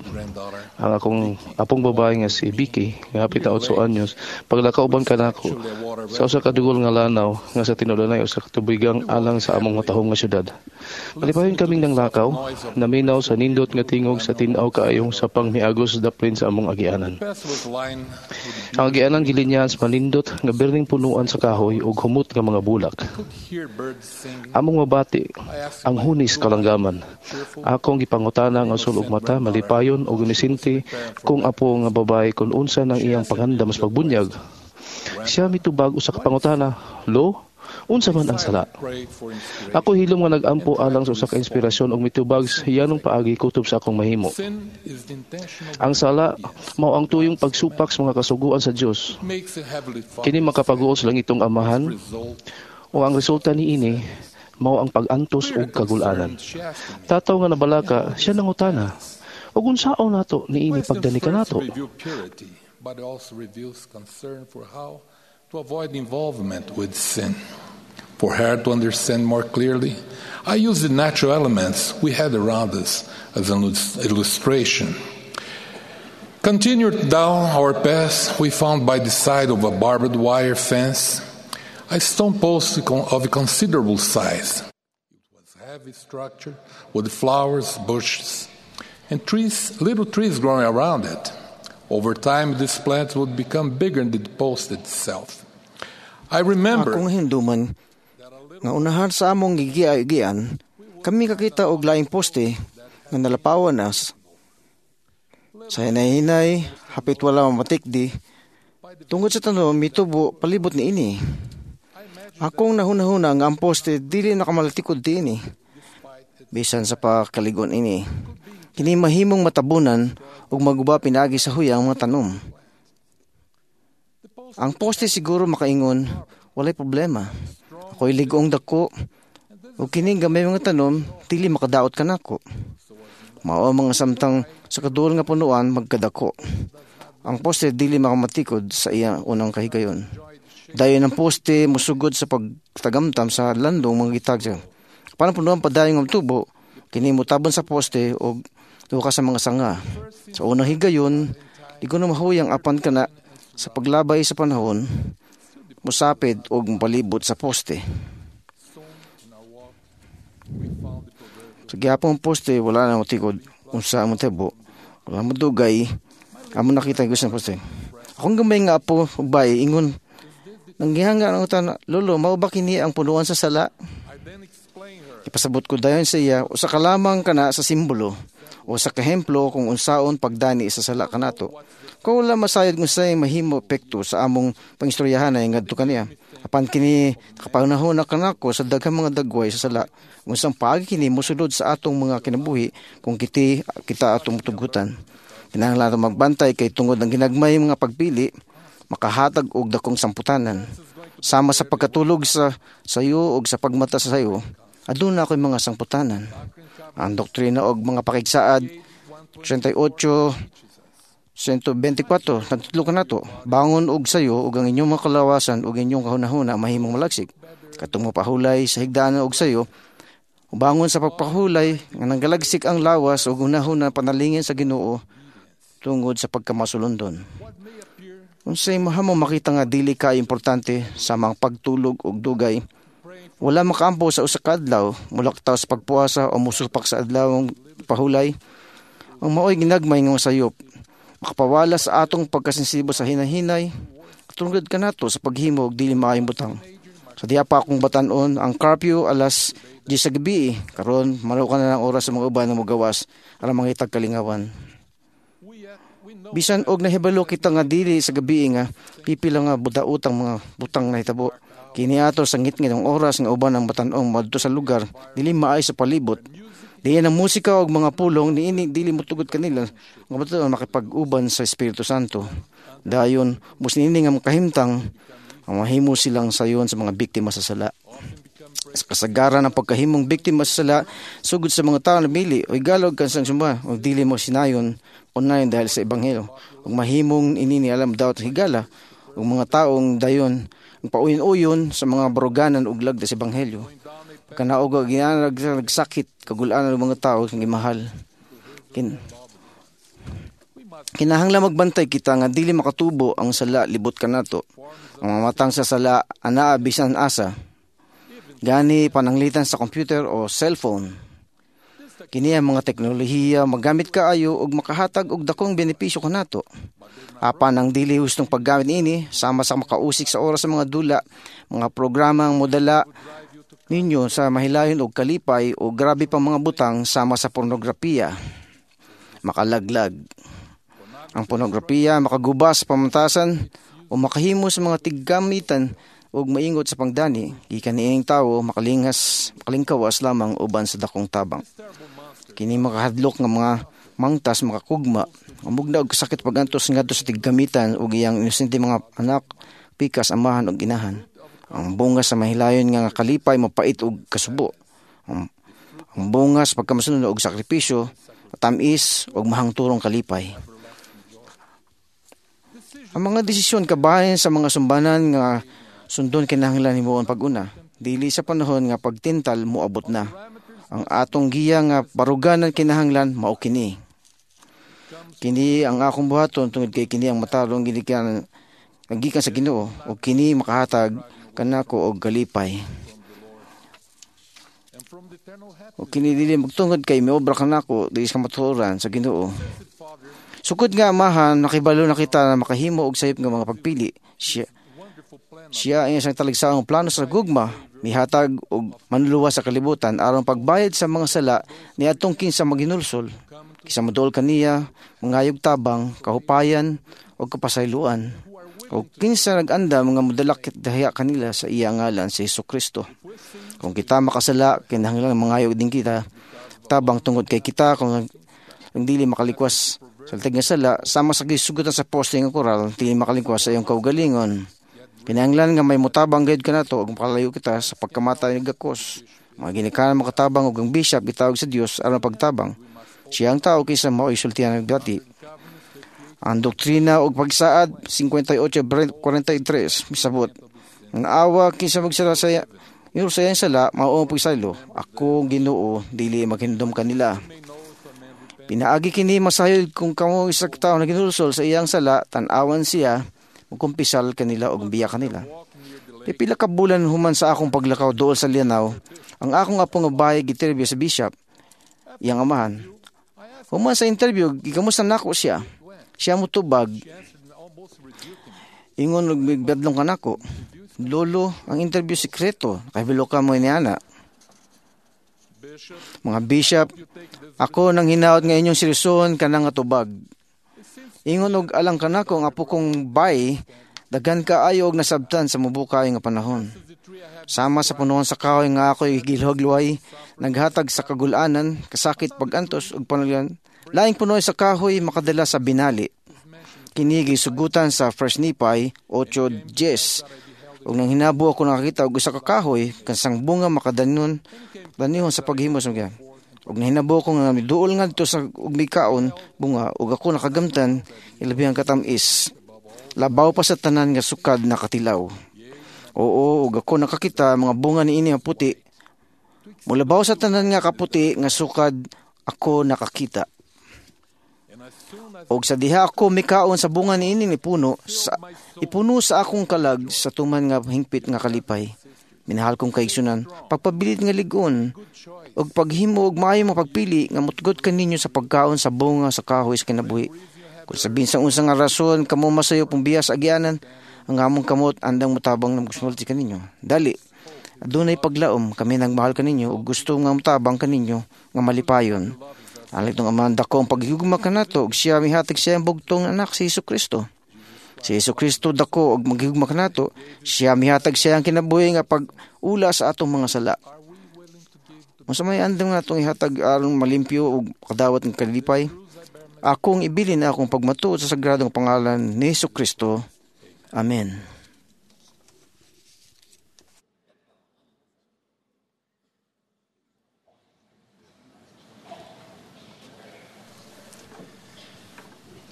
[SPEAKER 13] ang akong apong babae nga si Vicky nga hapit na otso anyos paglakaw uban kanako sa usa ka dugol nga lanaw nga sa tinulanay usa ka tubigang alang sa among matahom nga syudad. Malipayon kaming nanglakaw, naminaw sa nindot nga tingog sa tin-aw kaayong sa pangmiagos daplin sa among agianan. Ang agianan gilinyahan sa manindot nga birning punuan sa kahoy ug humot nga mga bulak. Among mabati ang hunis kalanggaman. Akong gipangutana nga usul og mata malipayon og nisinti kung apo nga babae kun unsa nang iyang pangandam sa pagbunyag. Siya mitubag usa ka pangutana, "Lo, Unsa man ang sala? Ako hilom nga nagampo alang sa usa ka inspirasyon og mitubag sa hiyanong paagi kutob sa akong mahimo. Ang sala mao ang tuyong pagsupak sa mga kasuguan sa Dios. Kini makapaguol sa langitong Amahan o ang resulta niini mao ang pag-antos ug kagul-anan. Tataw nga nabalaka, siya nangutana, ug unsaon nato niini pagdani kanato?
[SPEAKER 12] But also reveals concern for how to avoid involvement with sin. For her to understand more clearly, I used the natural elements we had around us as an illustration. Continued down our path, we found by the side of a barbed wire fence a stone post of considerable size. It was heavy structure with flowers, bushes, and trees, little trees growing around it. Over time, these plants would become bigger than the post itself. I remember
[SPEAKER 14] Akong hinduman nga unahan sa among gigian, kami kakita og laing poste nga nalapawan na. Sa hinay-hinay, hapit wala mamatikdi, tungod sa tanom mitubo palibot niini. Akong nahunahuna nga ang poste dili na kamalatikod niini. Bisan sa pagkaligon ini. Kini mahimong matabunan ug maguba pinaagi sa huyang mga tanom. Ang poste siguro makaingon, walay problema. Ako'y lig-ong dako, ug kining gamay mga tanom, dili makadaot kanako. Mao ang mga samtang sa kaduol nga punuan magkadako. Ang poste dili makamatikod sa iya unang kahigayon. Dayon ang poste musugod sa pagtagamtam sa landong mga gitag. Paano punuan padayon ang tubo, kini motabon sa poste og duka sa mga sanga. Sa unang higayon, di ko na mahuyang apan kana sa paglabay sa panahon, musapid og mopalibot sa poste. Sa gihapon poste, wala na motikod unsa among tebo. Wala mo dugay, amo nakita ang gusto ng poste. Akong gamay nga apo, bay, ingon, nanggihanga ang utan, Lolo, mao ba kini ang punuan sa sala? Ipasabot ko dayon sa iya, usa ka lamang kana sa simbolo o sa kahemplo kung unsaon pagdani sa sala kanato. Kung wala masayod kung sa'y mahimo epekto sa among pangistoryahan ay ngadto kaniya. Apan kini nakapanahon na kanako sa daghang mga dagway sa sala kung sang paagi kini mosulod sa atong mga kinabuhi kung kiti kita atong tugutan. Kinahanglan ato magbantay kay tungod ang ginagmay mga pagpili makahatag og dakong samputanan. Sama sa pagkatulog sa sayo og sa pagmata sa sayo, aduna ako'y mga sangputanan. Ang doktrina og mga pakigsaad thirty-eight one twenty-four nagtudlo kanato, bangon og sayo ug ang inyong mga kalawasan ug inyong kahunahuna mahimong malagsik. Katong mapahulay sa higdaan og sayo, bangon sa pagpahulay nga nanggalagsik ang lawas ug hunahuna panalingin sa Ginoo tungod sa pagkamasulondon. Unsay mahamo makita nga dili ka importante sa mga pagtulog og dugay, wala makaampo sa usa ka adlaw, mulaktaw sa pagpuasa o musupak sa adlawng pahulay. Ang maoy ginagmay nga sayop, makapawala sa atong pagkasensibo sa hinahinay, tungod kanato sa paghimo og dili maayong butang. Sa diha pa akong batan-on, ang curfew alas diyes sa gabi, karon manukan na ng oras sa mga uban nga mogawas aron mangitag kalingawan. Bisan og nahibalo kita nga dili sa gabi nga pipila nga budautang mga butang nahitabo. Kini ato sa ngitngit ang oras nga uban ang batan-ong madto sa lugar dili maay sa palibot. Diyan ang musika og mga pulong niini dili motugod kanila nga batan makipag-uban sa Espiritu Santo. Dayon mus niini nga makahimtang ang mahimo silang sayon sa mga biktima sa sala. Sa kasagaran ang pagkahimong biktima sa sala sugod sa mga tao na mili o igalog kansang sumba o dili mo sinayon unayon dahil sa ebanghelyo. Ug mahimong inini alam daw higala ug mga taong dayon ang pauyon-uyon sa mga baruganan ug lagda sa ebanghelyo. Kanaog ginanag nagsakit kagulaan ng mga tao nga gimahal. Kin Kinahanglan magbantay kita nga dili makatubo ang sala libot kanato. Ang mga matang sa sala anaa bisan asa. Gani pananglitan sa computer o cellphone. Kini ang mga teknolohiya magamit kaayo og makahatag og dakong benepisyo kanato. Apan ang dili hustong paggamit niini sama sa makausik sa oras sa mga dula, mga programa ang modala ninyo sa mahilayon og kalipay o grabe pang mga butang sama sa pornografiya. Makalaglag. Ang pornografiya makaguba sa pamantasan o makahimo sa mga tiggamitan ug maingot sa pangdani, gikan niining tawo makalingas, makalingkawas lamang uban sa dakong tabang. Kini makahadlok nga mga mangtas makakugma, mugna og kasakit pagantos ngadto sa tiggamitan ug iyang inosente mga anak, pikas amahan ug inahan. Ang bunga sa mahilayon nga kalipay mapait og kasubo. Ang, ang bunga sa pagkamasunod og sakripisyo, tamis ug mahangturong kalipay. Ang mga desisyon kabahin sa mga sumbanan nga sundon kinahanglan himuon pag-una, dili sa panahon nga pagtintal moabot na. Ang atong giya nga baruganan kinahanglan mao kini. Kini ang akong buhaton tungod kay kini ang matarong gilikan gikan sa Ginoo ug kini makahatag kanako og kalipay. Ug kini dili magtungod kay miobra kanako dili sa kamatuoran sa Ginoo. Sukod nga amahan nakibalo na kita na makahimo og sayop nga mga pagpili. Siya Siya ang isang talagsaong plano sa gugma, mihatag og manluluwas sa kalibutan aron pagbayad sa mga sala niadtong kinsa maghinulsol, kinsa moduol kaniya, mangayog tabang, kahupayan ug kapasayloan. O kinsa nag-andam nga modalak dahiya kanila sa iya ngalan sa Hesus Kristo. Kung kita makasala, kinahanglan mangayog din kita tabang tungod kay kita kung ang dili makalikwas sa tig nga sala, sama sa gisugutan sa poste nga koral, dili makalikwas sa iyong kaugalingon. Kinahanglan nga may mutabang gayud kanato ug makalayo kita sa pagkamatay ni gakos. Mga ginikanan makatabang ug ang bishop gitawag sa Dios aron pagtabang. Siya ang tao kaysa mao'y sultihan ng dati. Ang doktrina ug pagsaad fifty-eight forty-three misabot. Ang awa kinsa magsala sa ingon sa iyang sala mao ang pagsaylo. Ako Ginoo dili maghindom kanila. Pinaagi kini masayod kung kamo isa ka tawo naginulsol sa iyang sala, tan-awan siya magkumpisal kanila og biya kanila. Pipila ka bulan human sa akong paglakaw dool sa Lianaw, ang akong apo nga bahay giterview sa bishop, iyang amahan. Human sa interview, gikamusta nako siya. Siya motubag. Ingon og migbadlong kanako. Lolo, ang interview sekreto, nakahibalo ka mo niana. Mga bishop, ako nang hinaot nga inyong seryosohon kanang nga tubag. Ingon og alang kanako ang apo kong bay, daghan kaayo og nasabtan sa mubukay nga panahon. Sama sa punuan sa kahoy nga ako'y gilhogluay, naghatag sa kagulanan, kasakit pagantos ug panulyan. Laing punuan sa kahoy makadala sa binali. Kini gisugutan sa First Nephi eight ten. Ug nang hinabo ako nakakita og usa ka kahoy kansang bunga makadanon danihon sa paghimo sa mga. Ug nahinabo ko nga miduol ngadto sa ug mikaon bunga ug ako nakagamtan ilabihang katam-is. Labaw pa sa tanan nga sukad na katilaw. Oo, ug ako nakakita mga bunga niini nga puti. Mulabaw sa tanan nga kaputi nga sukad ako nakakita. Og sa diha ako mikaon sa bunga niini ni puno sa, ipuno sa akong kalag sa tuman nga hingpit nga kalipay. Minahal kong kaigsunan, pagpabilit nga ligon, ug paghimo og maayo mga pagpili nga mutgot kaninyo sa pagkaon sa bunga sa kahoy sa kinabuhi. Kung sabihin sa unsa nga rason kamo masayo pong biya sa agianan, ang among kamot andang mutabang ng gusmulti kaninyo. Dali, adunay paglaom kami nagmahal kaninyo ug gusto nga mutabang kaninyo nga malipayon. Alit ng amahan dako ang paghigugma kanato ug siya mihatag siya ang bugtong anak si Hesus Kristo. Si Hesus Kristo dako og maghigugma kanato, siya mihatag siya ang kinabuhi nga pag-ula sa atong mga sala. Unsa may andam nga atong ihatag aron malimpyo ug kadawat ng kalipay? Akong ibilin na akong pagmatuod sa sagradong pangalan ni Hesus Kristo. Amen.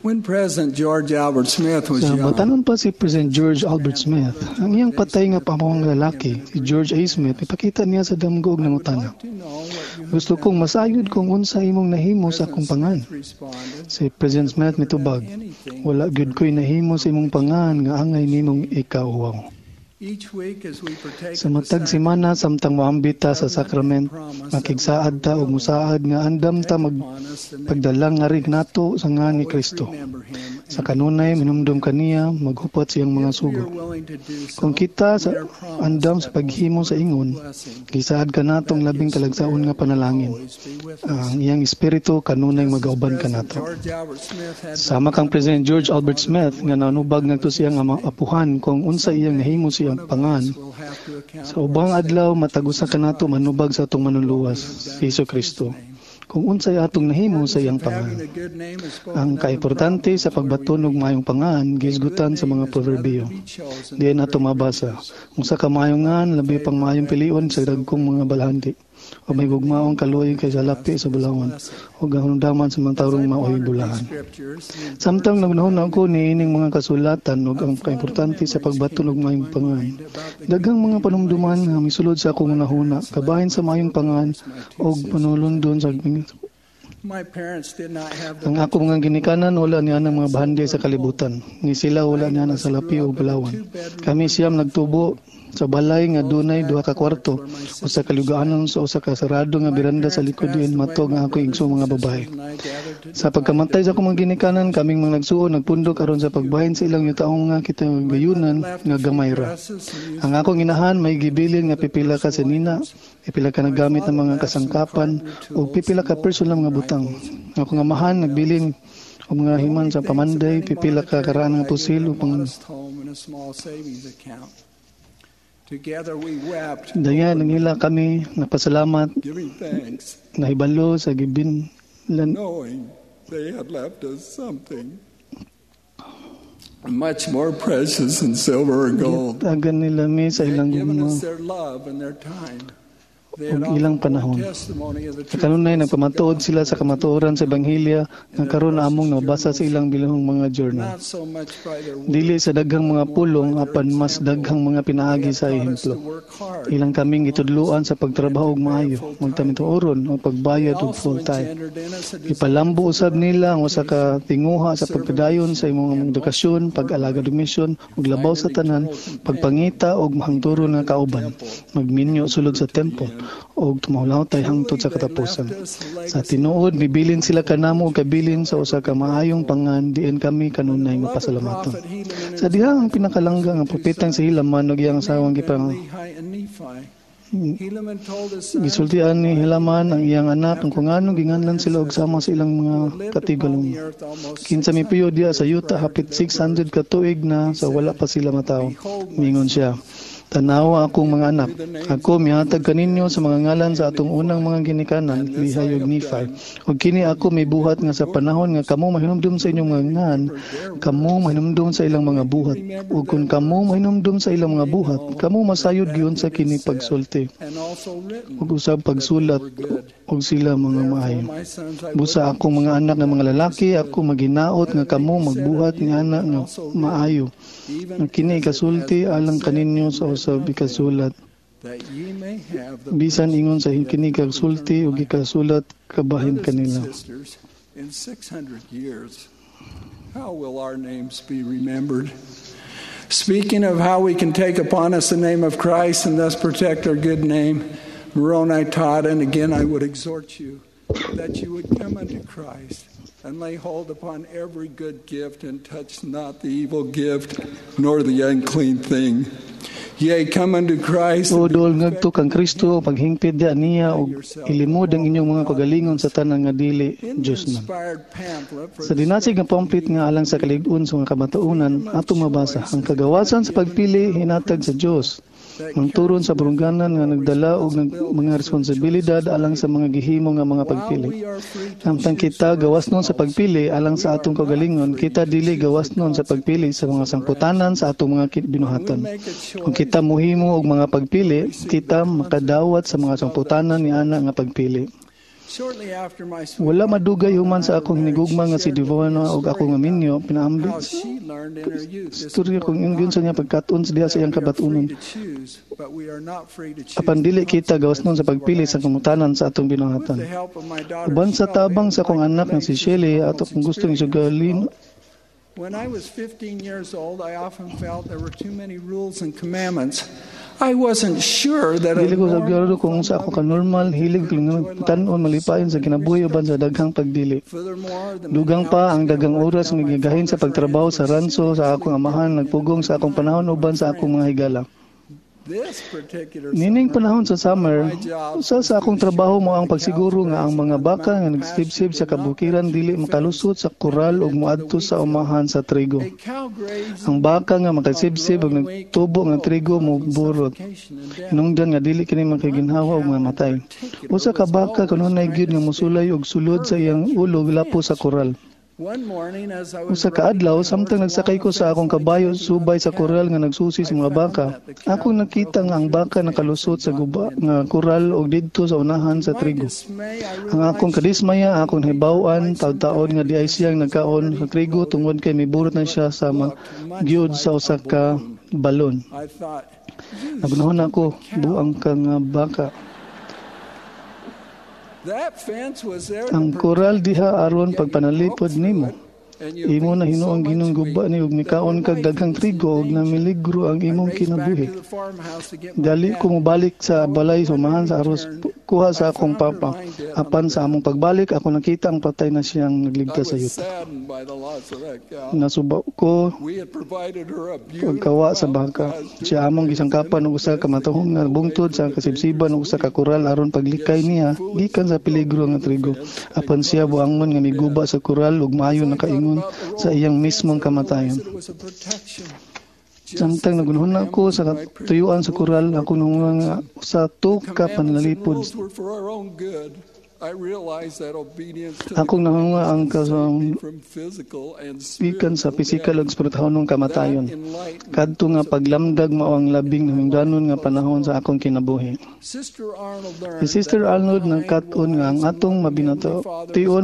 [SPEAKER 15] When President George Albert Smith was
[SPEAKER 16] Sa
[SPEAKER 15] young,
[SPEAKER 16] batanon pa si President George Albert Smith, ang iyang patay nga pamawang lalaki, si George A. Smith, ipakita niya sa damgo og nangutana. Gusto kong masayod kung unsa imong nahimo sa akong pangan. Si President Smith mitubag, wala gyud ko'y nahimo sa imong pangan nga angay nimong ikauwaw.
[SPEAKER 15] each week as we partake
[SPEAKER 16] Sa
[SPEAKER 15] of the
[SPEAKER 16] matag semana samtang moambit ta sa sakrament, makigsaad ta og musaad nga andam ta mag pagdalang nga nato sa ngan ni Kristo. Sa kanunay minumdum kaniya maghupot siyang mga sugo. Kung kita sa andam sa paghimo sa ingon, gisaad kanatong labing talagsaon nga panalangin. Ang iyang espiritu kanunay magauban kanato.
[SPEAKER 15] George Albert Smith had
[SPEAKER 16] Sama kang President George Albert Smith nga nanubag ngadto siyang ama apuhan kung unsa iyang nahimo sa pangan, sa ubang adlaw matag usa kanato manubag sa atong manluluwas, si Hesus Kristo, kung unsay atong nahimo sa iyang pangan. Ang kaimportante sa pagbaton og maayong pangan gihisgutan sa mga proverbio. Diin ato mabasa, usa ka maayong ngan labi pang maayong pilion sa dagkong mga balahandi, o may gugmaong kaluoy kaysa lapi sa bulawan, o kahinumdaman sa mga tarong maoy bulahan. Samtang naghunahuna ko niining mga kasulatan ug ang kaimportante sa pagbaton og maayong pangan, daghang mga panumduman nga misulod sa akong hunahuna kabahin sa maayong pangan og panulundon sa
[SPEAKER 15] My parents did not have the
[SPEAKER 16] Ang ako mga ginikanan wala niya ng mga bahandi sa kalibutan. Ni sila wala niya sa lapi o bulawan. Kami siyam nagtubo sa balay nga dunay duha ka kwarto, usa ka lugaanon sa usa ka sarado nga biranda sa likod diin matog ang ako igsoong mga babae. Sa pagkamatay sa akong mga ginikanan, kaming mga nagsuon nagpundok aron sa pagbahin sa ilang yutaong nga kita gayunan nga gamay ra. Ang akong inahan may gibilin nga pipila ka sanina, pipila ka nagamit ng mga kasangkapan ug pipila ka personal mga butang. Ang akong amahan nagbilin og mga himan sa pamanday, pipila ka karaan nga pusil ug pang
[SPEAKER 15] modest home and a small savings account. Together we wept,
[SPEAKER 16] Dayan nangila kami nagpasalamat
[SPEAKER 15] giving thanks,
[SPEAKER 16] nahibalo sa gibinlan
[SPEAKER 15] knowing they had left us something much more precious than silver or gold.
[SPEAKER 16] Gitagan nila mi sa
[SPEAKER 15] They had
[SPEAKER 16] ilang
[SPEAKER 15] given
[SPEAKER 16] gugma
[SPEAKER 15] us their love and their time. They had
[SPEAKER 16] ug ilang
[SPEAKER 15] offered
[SPEAKER 16] panahon.
[SPEAKER 15] testimony of the
[SPEAKER 16] Sa kanunay nagpamatuod sila sa kamatuoran sa ebanghelyo nga karon among nabasa sa ilang bilahong mga journal.
[SPEAKER 15] not so much by their words,
[SPEAKER 16] Dili sa daghang mga pulong apan mas daghang mga pinaagi sa ehemplo. Ilang kaming gitudloan sa pagtrabaho og maayo, magtamituoron o pagbayad og full time. Ipalambo usab nila ang usa ka tinguha sa pagpadayon sa imong edukasyon, pag-alagad og misyon ug labaw sa tanan, pagpangita og mahangturon nga kauban, magminyo sulod sa temple ug tumahulawtay hangtod sa katapusan. Sa tinuod mibilin sila kanamo og kabilin sa usa ka maayong pangan diin kami kanunay mapasalamaton. Sa diha ang pinakalangga nga propetang si Helaman ug iyang asawang gipang
[SPEAKER 15] Lehi and Nephi. Helaman told his son
[SPEAKER 16] gisultian ni Helaman ang iyang anak kung nganong ginganlan sila og sama sa ilang mga katigulangan. Kinsa mipuyo diha sa yuta hapit six hundred ka tuig na sa wala pa sila matawo. Mingon siya, "Tanawa akong mga anak, ako mihatag kaninyo sa mga ngalan sa atong unang mga ginikanan, Lehi ug Nephi. Ug kini ako mibuhat nga sa panahon nga kamo mahinumdum sa inyong mga ngan, kamo mahinumdum sa ilang mga buhat. Ug kun kamo mahinumdum sa ilang mga buhat, kamo masayod gyud sa kini pagsulti
[SPEAKER 15] and also written
[SPEAKER 16] ug usab pagsulat ug sila mga maayo. Busa akong mga anak nga mga lalaki, ako maghinaot nga kamo magbuhat ni ana nga maayo. Nga kini ikasulti alang kaninyo sa usab ikasulat.
[SPEAKER 15] that ye may have the
[SPEAKER 16] Bisan ingon sa kini kasulti ug ikasulat kabahin
[SPEAKER 15] Brothers and
[SPEAKER 16] kanila."
[SPEAKER 15] sisters, in six hundred years, how will our names be remembered? Speaking of how we can take upon us the name of Christ and thus protect our good name, Moroni taught, and again I would exhort you, that you would come unto Christ and lay hold upon every good gift and touch not the evil gift nor the unclean thing. Yea, come unto Christ
[SPEAKER 16] O dool ngadto kang Kristo, paghingpit diha niya ug ilimod ang inyong mga kagalingon sa tanan nga dili Dios na.
[SPEAKER 15] Inspired pamphlet for
[SPEAKER 16] Sa dinasig nga pamphlet nga alang sa kalig-on sa mga kamatuonan, atong mabasa ang kagawasan sa pagpili hinatag sa Dios. Ang turon sa barungganan nga nagdala og nag, mga responsibilidad alang sa mga gihimo nga mga pagpili. Samtang kita gawas nun sa pagpili alang sa atong kagalingon, kita dili gawas nun sa pagpili sa mga sangputanan sa atong mga ki- binuhatan. Kung kita muhimo og mga pagpili, kita makadawat sa mga sangputanan ni ana nga pagpili.
[SPEAKER 15] Shortly after my
[SPEAKER 16] Wala madugay human sa akong hinigugma nga si Devona og ako nga minyo, pinaambit
[SPEAKER 15] how she learned in her youth this
[SPEAKER 16] istorya kung ingon sa niya pagkat-on sa diha sa iyang kabatunon.
[SPEAKER 15] To choose, but we are not free to choose.
[SPEAKER 16] Apan dili kita gawas nun sa pagpili sa kamutanan sa atong binuhatan.
[SPEAKER 15] The help of my daughter
[SPEAKER 16] Uban sa tabang sa akong anak nga si Shelley ato kung gustong isugalin
[SPEAKER 15] When I was fifteen years old, I often felt there were too many rules and commandments. I wasn't sure that a
[SPEAKER 16] Dili ko
[SPEAKER 15] normal
[SPEAKER 16] sigurado kung sa ako ka normal, hilig ko tan-on malipayon sa kinabuhi uban sa daghang pagdili. Dugang pa ang daghang oras nga gigahin sa pagtrabaho sa ranso sa akong amahan nagpugong sa akong panahon uban sa akong mga higala. Nining panahon sa summer, usa sa akong trabaho mao ang pagsiguro nga ang mga baka nga nagsibsib sa kabukiran dili makalusot sa koral ug moadto sa umahan sa trigo. Ang baka nga makasibsib ug nagtubo nga trigo moburot. Hinungdan nga dili kini makaginhawa ug mamatay. Usa ka baka kanunay gyud nga mosulay og sulod sa iyang ulo lapo sa koral. Usa ka adlaw, samtang nagsakay ko sa akong kabayo subay sa koral nga nagsusi sa mga baka, akong nakita nga ang baka nakalusot sa guba nga koral og didto sa unahan sa trigo. Ang akong kadismaya, akong hibaw-an, taud-taod nga diay siyang nagkaon sa trigo tungod kay miburot na siya sa magyud sa usa ka balon. Nagunahon ako, buang ka nga baka. Ang koral diha aron pagpanalipod nimo. Imo na hinuong Ginoong guba ni ug mikaon kag daghang trigo ug namiligro ang imong kinabuhi. Dali ko mobalik sa balay sumahan sa aros kuha sa akong papa. Apan sa among pagbalik ako nakita ang patay na siyang nagligtas sa yuta. Nasuba ko pagkawa sa baka. Siya among gisangkapan og usa ka matuhong nga bungtod sa kasibsiban og usa ka koral aron paglikay niya gikan sa peligro nga trigo. Apan siya buangon nga miguba sa koral ug maayo nakaingon sa iyang mismong kamatayon. Samtang nagunhuna ko sa katuyuan sa koral, ako nung nga usa to ka panlalipod. Akong nahunga ang kasang gikan sa pisikal ug espirituhanong kamatayon. Kadto nga paglamdag mao ang labing nahimdanon nga panahon sa akong kinabuhi. Si Sister Arnold nagkat-on nga ang atong mabination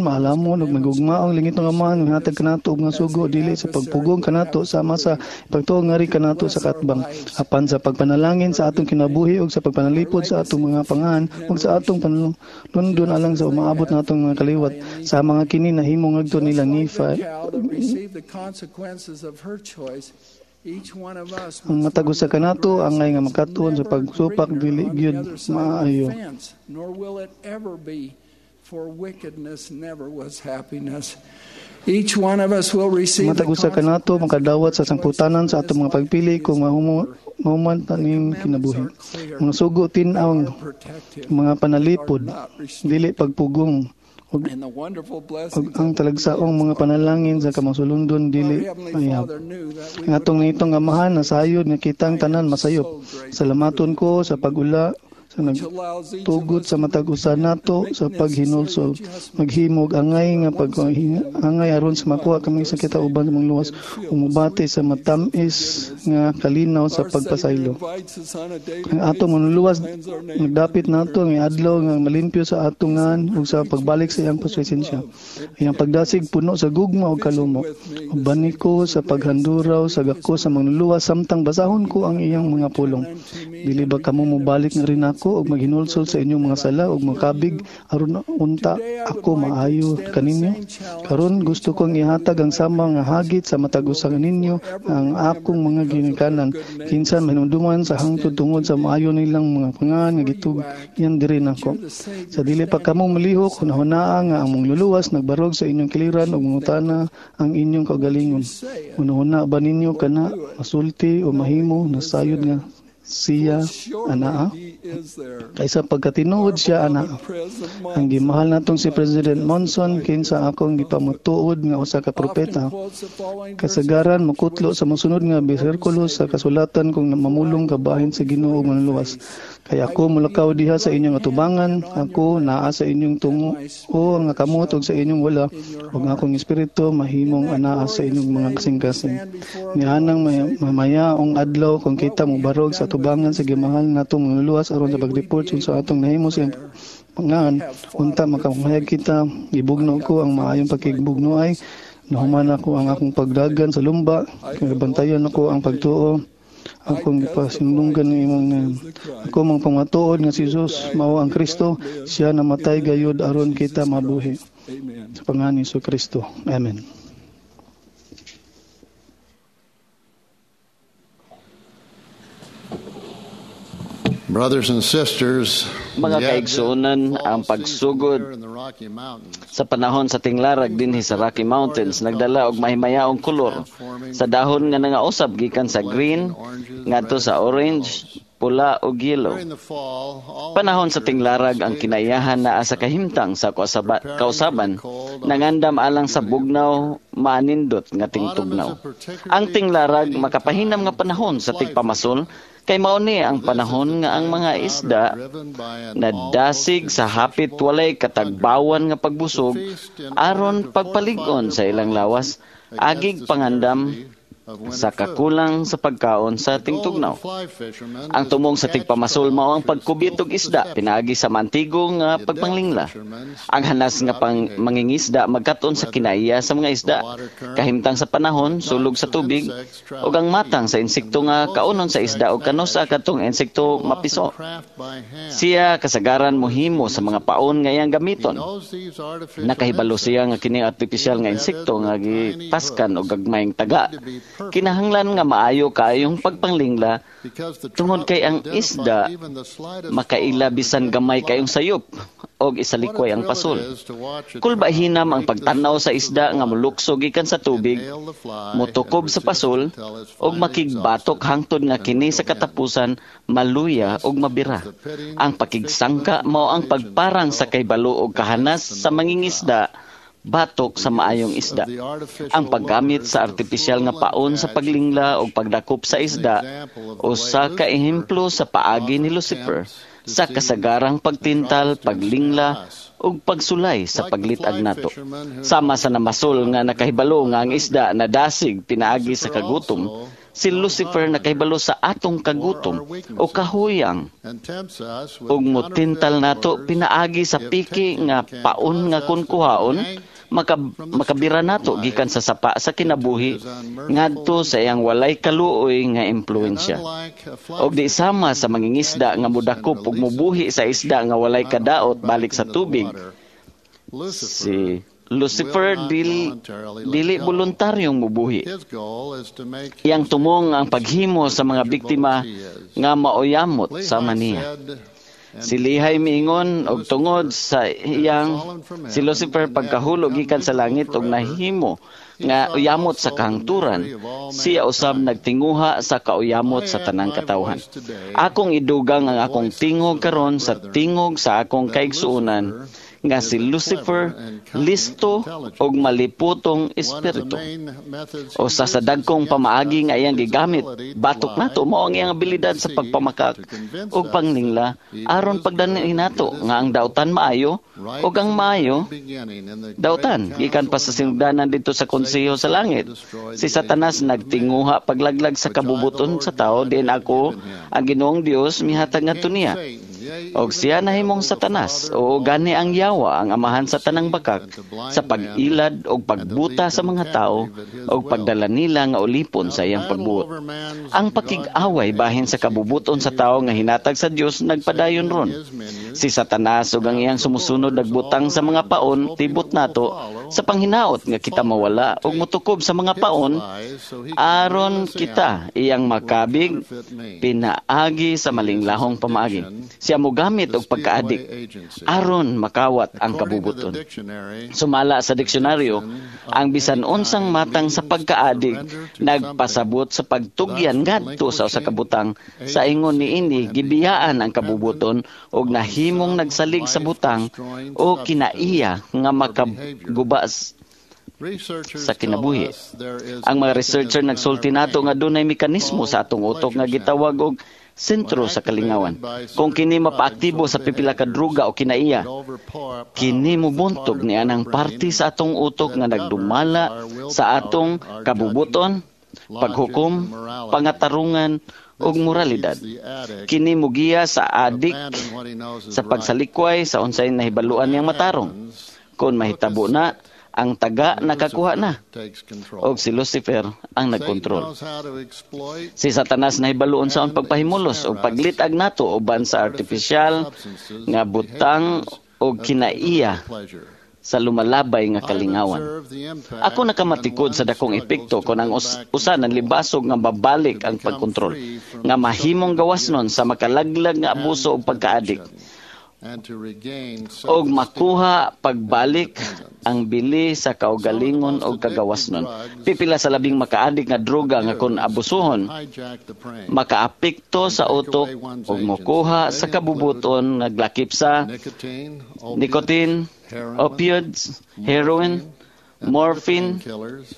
[SPEAKER 16] maalamon ug magugmaong lingitong Amahan mihatag kanato og nga sugo dili sa pagpugong kanato sama sa pagtuo ngari kanato sa katbang, apan sa pagpanalangin sa atong kinabuhi ug sa pagpanalipod sa atong mga pangahan ug sa atong panlundon alang sa umaabot natong mga kaliwat. Sa mga kini nahimo ngadto nila Nephi. Ang matag usa kanato angay nga makatuon sa pagsupak dili gyud maayo. Matag usa kanato makadawat sa sangputanan sa atong mga pagpili kung mahumo mahuman taning kinabuhi. Mga sugo tin-aw mga panalipod dili pagpugong ug ang talagsaong mga panalangin sa kamasulundon dili mayab. Ang atong nitong Amahan nasayod nga kitang tanan masayop. Salamaton ko sa pag-ula sa nagtugot sa matag usa nato sa paghinulsol, maghimog angay nga pag angay aron sa makuha kami sa kita uban sa mga luwas, umubate sa matamis nga kalinaw sa pagpasaylo. Ang atong manluluwas nagdapit nato ang adlaw nga malimpyo sa atong ngan ug sa pagbalik sa iyang presensya. Iyang pagdasig puno sa gugma ug kalumo. Uban ko sa paghanduraw sa gako sa manluluwas samtang basahon ko ang iyang mga pulong. Dili ba kamo mobalik nga rin ako og maghinulsol sa inyong mga sala ug makabig aron unta ako maayo kaninyo? Karon gusto kong ihatag ang sama nga hagit sa matag usa ninyo ang akong mga ginikanan, kinsa mahinumduman sa hangtod tungod sa maayo nilang mga pangan nga gitugyan diri nako. Sa dili pa kamo malihok, hunahunaa nga ang mangluluwas nagbarog sa inyong kiliran ug mangutana ang inyong kaugalingon. Hunahuna ba ninyo kana masulti o mahimo nasayod nga siya anaa? Kaysa pagkatinuod siya anaa. Ang gimahal natong si President Monson kinsa akong gipamutuod nga usa ka propeta, kasagaran mokutlo sa mosunod nga bersikulo sa kasulatan kung mamulong kabahin sa Ginoo ug manluluwas. Kay ako mulakaw diha sa inyong atubangan, ako naa sa inyong tungo o nga kamot ug sa inyong wala, ug ang akong espiritu mahimong anaa sa inyong mga kasing-kasing. Nianang mamayaong adlaw kung kita mobarog sa atubangan sa gimahal natong manluluwas aron sa pagreport sa atong nahimo sa pangahan, unta makamahayag kita, gibugno ko ang maayong pakigbugnoay, nahuman ako ang akong pagdagan sa lumba, bantayan ako ang pagtuo, akong gipasinunggan ng imong ngayon. Ako mang pamatuod nga si Jesus mao ang Kristo, siya namatay gayud aron kita mabuhi. Sa pangalan ni Jesucristo. Amen.
[SPEAKER 17] Brothers and sisters,
[SPEAKER 4] mga kaigsuonan, ang pagsugod sa panahon sa tinglarag dinhi sa Rocky Mountains nagdala og mahimayaong kolor sa dahon nga nangausab gikan sa green ngadto sa orange pula ug yellow. Panahon sa tinglarag ang kinaiyahan naa sa kahimtang sa kausaban nangandam alang sa bugnaw maanindot nga tingtugnaw. Ang tinglarag makapahinam nga panahon sa tigpamasol kay mao ni ang panahon nga ang mga isda nadasig sa hapit walay katagbawan nga pagbusog aron pagpalig-on sa ilang lawas agig pangandam sa kakulang sa pagkaon sa tingtugnaw. Ang tumong sa tigpamasol mao ang pagkubit og isda pinaagi sa mantigo nga pagpanglingla. Ang hanas nga pang mangingisda magkat-on sa kinaiya sa mga isda, kahimtang sa panahon, sulog sa tubig, ug ang matang sa insekto nga kaunon sa isda ug kanusa kadtong insekto mapiso. Siya kasagaran mohimo sa mga paon nga iyang gamiton. Nakahibalo siya nga kini artipisyal nga insekto nga gipaskan og gagmayng taga. Kinahanglan nga maayo kaayong pagpanglingla tungod kay ang isda makaila bisan gamay kayong sayop og isalikway ang pasol. Kulba hinam ang pagtan-aw sa isda nga molukso gikan sa tubig, motukob sa pasol og makigbatok hangtod nga kini sa katapusan maluya og mabira. Ang pakigsangka mao ang pagparang sa kahibalo og kahanas sa mangingisda batok sa maayong isda. Ang paggamit sa artipisyal nga paon sa paglingla o pagdakop sa isda usa ka ehemplo sa paagi ni Lucifer sa kasagarang pagtintal, paglingla ug pagsulay sa paglit-ag nato. Sama sa namasol nga nakahibalo nga ang isda nadasig pinaagi sa kagutom, si Lucifer nakahibalo sa atong kagutom o kahuyang ug motintal nato pinaagi sa piki nga paon nga kun kuhaon maka, makabira nato gikan sa sapa sa kinabuhi ngadto sa iyang walay kaluoy nga impluwensya. Og di sama sa mangingisda nga modakop ug mobuhi sa isda nga walay kadaot balik sa tubig, si Lucifer dili, dili voluntaryong mubuhi. Iyang tumong ang paghimo sa mga biktima nga mauyamot sama niya. Si Lihay miingon og tungod sa iyang si Lucifer pagkahulog gikan sa langit og nahimo nga uyamot sa kahangturan, siya usab nagtinguha sa kauyamot sa tanang katawhan. Akong idugang ang akong tingog karon sa tingog sa akong kaigsuonan nga si Lucifer listo og maliputong espiritu. O sa sa dagkong pamaagi nga iyang gigamit batok nato mao ang iyang abilidad sa pagpamakak og panglingla aron pagdani nato nga ang dautan maayo og ang maayo dautan gikan pa sa sinugdanan didto sa konseho sa langit. Si Satanas nagtinguha paglaglag sa kabubuton sa tao diin ako ang Ginoong Dios mihatag ngadto niya. Og siya nahimong Satanas o gani ang yawa ang amahan sa tanang bakak sa pag-ilad og pagbuta sa mga tao og pagdala nila nga ulipon sa iyang pagbuot. Ang pakig-away bahin sa kabubuton sa tao nga hinatag sa Dios nagpadayon ron. Si Satanas ug ang iyang sumusunod nagbutang sa mga paon tibot nato sa panghinaot nga kita mawala og motukob sa mga paon aron kita iyang makabig pinaagi sa malinglahong pamaagi. Siya mogamit og pagkaadik aron makawat ang kabubuton. Sumala sa diksyonaryo, ang bisan unsang matang sa pagkaadik nagpasabot sa pagtugyan ngadto sa usa ka butang sa ingon niini gibiyaan ang kabubuton og nahimong nagsalig sa butang o kinaiya nga makaguba sa kinabuhi. Ang mga researcher nagsulti nato nga dunay mekanismo sa atong utok nga gitawag og sentro sa kalingawan. Kung kini mapaaktibo sa pipila ka druga o kinaiya, kini mobuntog ni anang parte sa atong utok nga nagdumala sa atong kabubuton, paghukom, pangatarungan ug moralidad. Kini mugiya sa adik sa pagsalikway sa unsay nahibaluan niyang matarong. Kung mahitabo na, ang taga nakakuha na og si Lucifer ang nagkontrol. Si Satanas nahibaluon sa pagpahimulos og paglit-ag nato uban sa artipisyal nga butang og kinaiya sa lumalabay nga kalingawan. Ako nakamatikod sa dakong epekto kon ang us usa ng libasog nga babalik ang pagkontrol nga mahimong gawas nun sa makalaglag nga abuso og pagkaadik. Og makuha pagbalik ang bili sa kaugalingon og kagawasnon. Pipila sa labing makaadik nga droga nga kon abusuhon, makaapekto sa utok ug mokuha sa kabubuton, naglakip sa nicotine, opioids, heroin, morphine,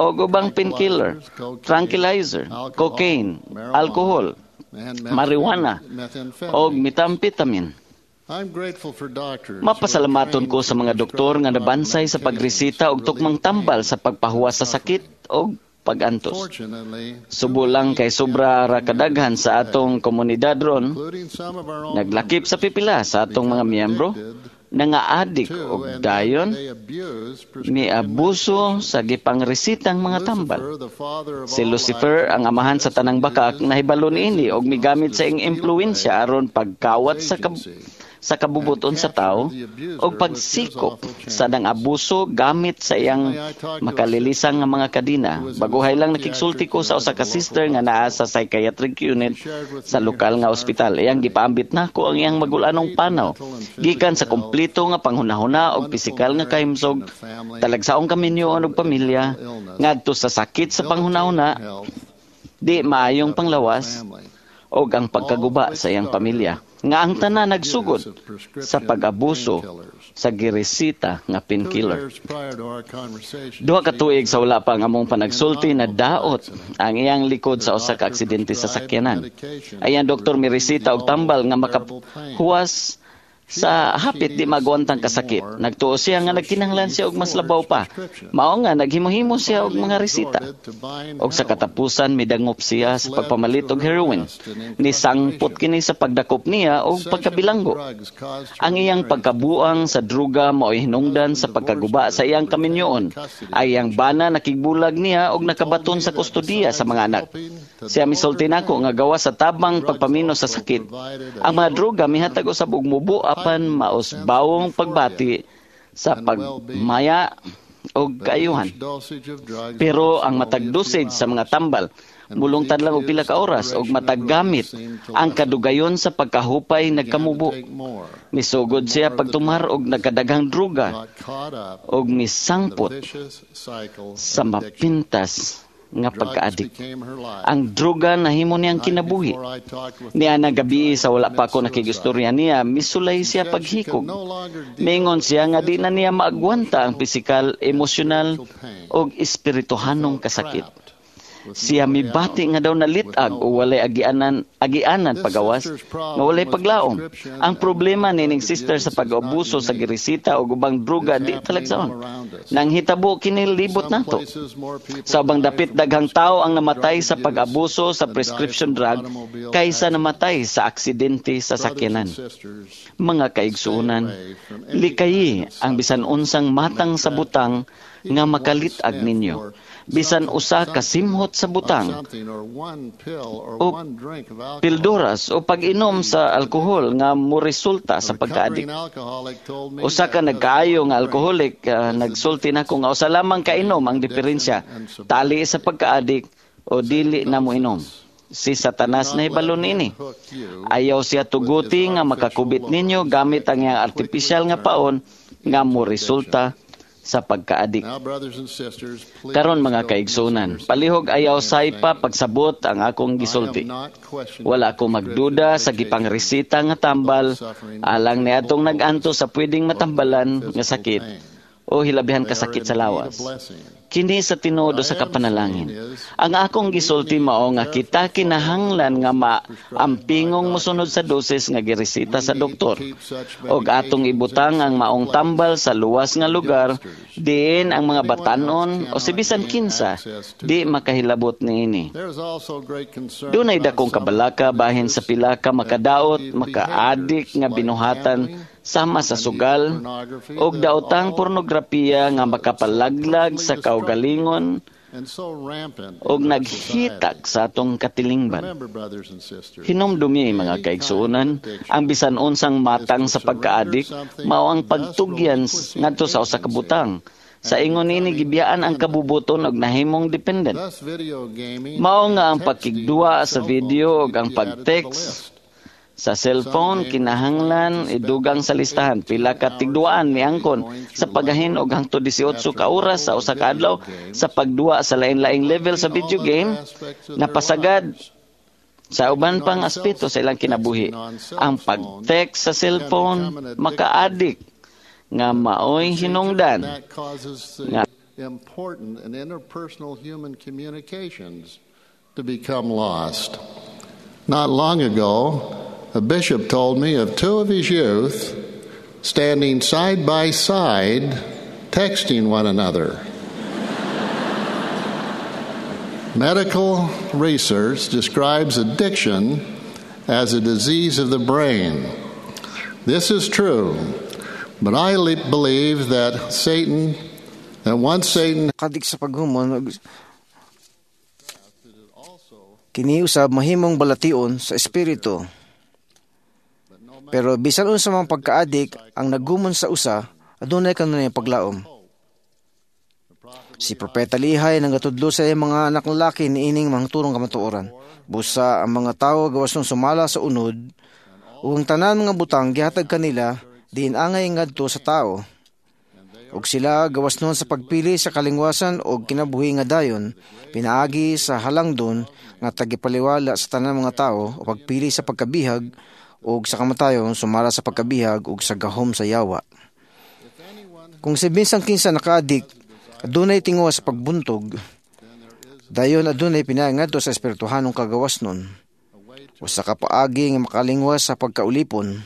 [SPEAKER 4] o ubang painkiller, tranquilizer, cocaine, alcohol, marijuana, o methamphetamine. Mapasalamaton ko sa mga doktor nga nabansay sa pagresita og tukmang tambal sa pagpahuwas sa sakit o pag-antos. Subo lang kay sobra ra kadaghan sa atong komunidad ron, naglakip sa pipila sa atong mga miyembro, nangaadik og dayon miabuso sa gipangresitang mga tambal. Si Lucifer, ang amahan sa tanang bakak, nahibalo niini og migamit sa iyang impluwensya aron pagkawat sa kab- sa kabubuton sa tao og pagsikop sa nang abuso gamit sa iyang makalilisang nga mga kadina. Baguhay lang nakigsulti ko sa usa ka sister nga naa sa psychiatric unit sa lokal nga ospital. Iyang gipaambit nako ang iyang magulanong panaw gikan sa kompleto nga panghunahuna og pisikal nga kahimsog, talagsaong kaminyoon og pamilya, ngadto sa sakit sa panghunahuna, di maayong panglawas, og ang pagkaguba sa iyang pamilya, nga ang tanan nagsugod sa pag-abuso sa giresita nga painkiller. Duha ka tuig sa wala pa ang among panagsulti, na daot ang iyang likod sa usa ka aksidente sa sakyanan. Ayan doktor miresita og tambal nga makahuwas sa hapit di magwantang kasakit. Nagtuo siya nga nagkinahanglan siya og mas labaw pa. Mao nga naghimo-himo siya og mga resita. Og sa katapusan midangop siya sa pagpamalit og heroin. Nisangpot kini sa pagdakop niya og pagkabilanggo. Ang iyang pagkabuang sa druga mao'y hinungdan sa pagkaguba sa iyang kaminyoon. Ay iyang bana nakigbulag niya og nakabaton sa kustodiya sa mga anak. Siya misulti nako nga gawa sa tabang pagpamino sa sakit. Ang mga druga mihatag usab og mubo apan mausbawong pagbati sa pagmaya o kaayuhan. Pero ang matag dosage sa mga tambal mulungtad lang og pila ka oras og matag gamit ang kadugayon sa pagkahupay nagkamubo. Misugod siya pagtumar og nagkadaghang druga og misangpot sa mapintas nga pagkaadik. Ang droga nahimo niyang kinabuhi. Niya na gabi sa wala pa ako nakig-istorya niya, misulay siya paghikog. Mingon siya nga di na niya maagwanta ang pisikal, emosyonal og espirituhanong kasakit. Siya mibati nga daw nalitag o walay agianan, agianan pagawas, nga walay paglaom. Ang problema nining sister sa pag-abuso sa giresita o ubang druga di talagsaon. Nang hitabo kini libot nato. Sa ubang dapit daghang tao ang namatay sa pag-abuso sa prescription drug kaysa namatay sa aksidente sa sakyanan. Mga kaigsuonan, likayi ang bisan unsang matang sa butang nga makalit-ag ninyo. Bisan usa ka simhot sa butang o pilduras o pag-inom sa alkohol nga moresulta sa pagkaadik. Usa ka nagkaayo nga alkoholik, uh, nagsulti nako nga usa lamang kainom ang diferensya, tali sa pagkaadik o dili na moinom. Si Satanas na hibalo niini. Ayaw siya tuguti nga makakubit ninyo gamit ang iyang artipisyal nga paon nga moresulta sa pagkaadik. Karon mga kaigsunan, palihog ayaw saypa pagsabot ang akong gisulti. Wala ko magduda sa gipangresita nga tambal alang niadtong nag-antos sa pwedeng matambalan nga sakit o hilabihan kasakit sa lawas. Kini sa tinuod sa kapanalangin. Ang akong gisulti mao nga kita kinahanglan nga maampingong mosunod sa dosis nga giresita sa doktor og atong ibutang ang maong tambal sa luwas nga lugar diin ang mga batanon o si bisan kinsa di makahilabot niini. Dunay dakong kabalaka bahin sa pila ka makadaot, makaadik nga binuhatan sama sa sugal og daotang pornografiya nga makapalaglag sa kaugalingon og naghitak sa atong katilingban. Hinumdumi mga kaigsuonan, ang bisan unsang matang sa pagkaadik mao ang pagtugyan ngadto sa usa ka butang. Sa ingon niini gibiyaan ang kabubuton og nahimong dependent. Mao nga ang pagkigduwa sa video og ang pag-text Sa cellphone kinahanglan idugang sa listahan pila ka tigduaan miangkon sa paggahin og hangtod eighteen ka oras sa usa ka adlaw sa pagduwa sa lain-laing level sa video game napasagad sa uban pang aspeto sa ilang kinabuhi. Ang pag-text sa cellphone maka-addict nga maoy hinungdan nga
[SPEAKER 17] important and interpersonal human communications to become lost. Not long ago, a bishop told me of two of his youth standing side by side texting one another. Medical research describes addiction as a disease of the brain. This is true, but I believe that Satan, that once Satan
[SPEAKER 14] kadik sa paghumon, kini usab mahimong balation sa espiritu. Pero bisan unsa man pagkaadik ang nagumon sa usa, adunay kanunay paglaom. Si Propeta Lihay nangatudlo sa iyang mga anak lalaki niining mangturong kamatuoran. Busa ang mga tawo gawas nung sumala sa unod, ug ang tanan mga butang gihatag kanila diin angay ngadto sa tao. Ug sila gawas nun sa pagpili sa kalingwasan og kinabuhi nga dayon, pinaagi sa halangdon nga tagipaliwala sa tanan mga tao o pagpili sa pagkabihag og sa kamatayon sumala sa pagkabihag ug sa gahom sa yawa. Kung si binsang kinsa nakaadik, adunay tinguha sa pagbuntog, dayon adunay pinaangadto sa espirituhanong kagawas nun. Usa ka paagi nga makalingwas sa pagkaulipon,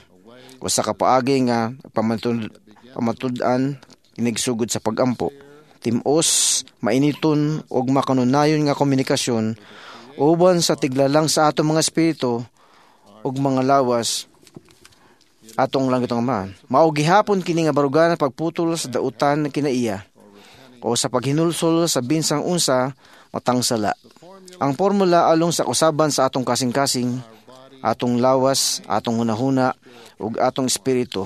[SPEAKER 14] usa ka paagi nga pamatud, pamatud-an kinigsugod sa pagampo. Timos, mainiton ug makanunayon nga komunikasyon uban sa tiglalang sa atong mga espiritu ug mga lawas atong langitong Amahan. Mao gihapon kini nga baruganan pagputol sa dautan kinaiya o sa paghinulsol sa binsang unsa matang sala. Ang formula along sa usaban sa atong kasing-kasing, atong lawas, atong hunahuna ug atong espiritu.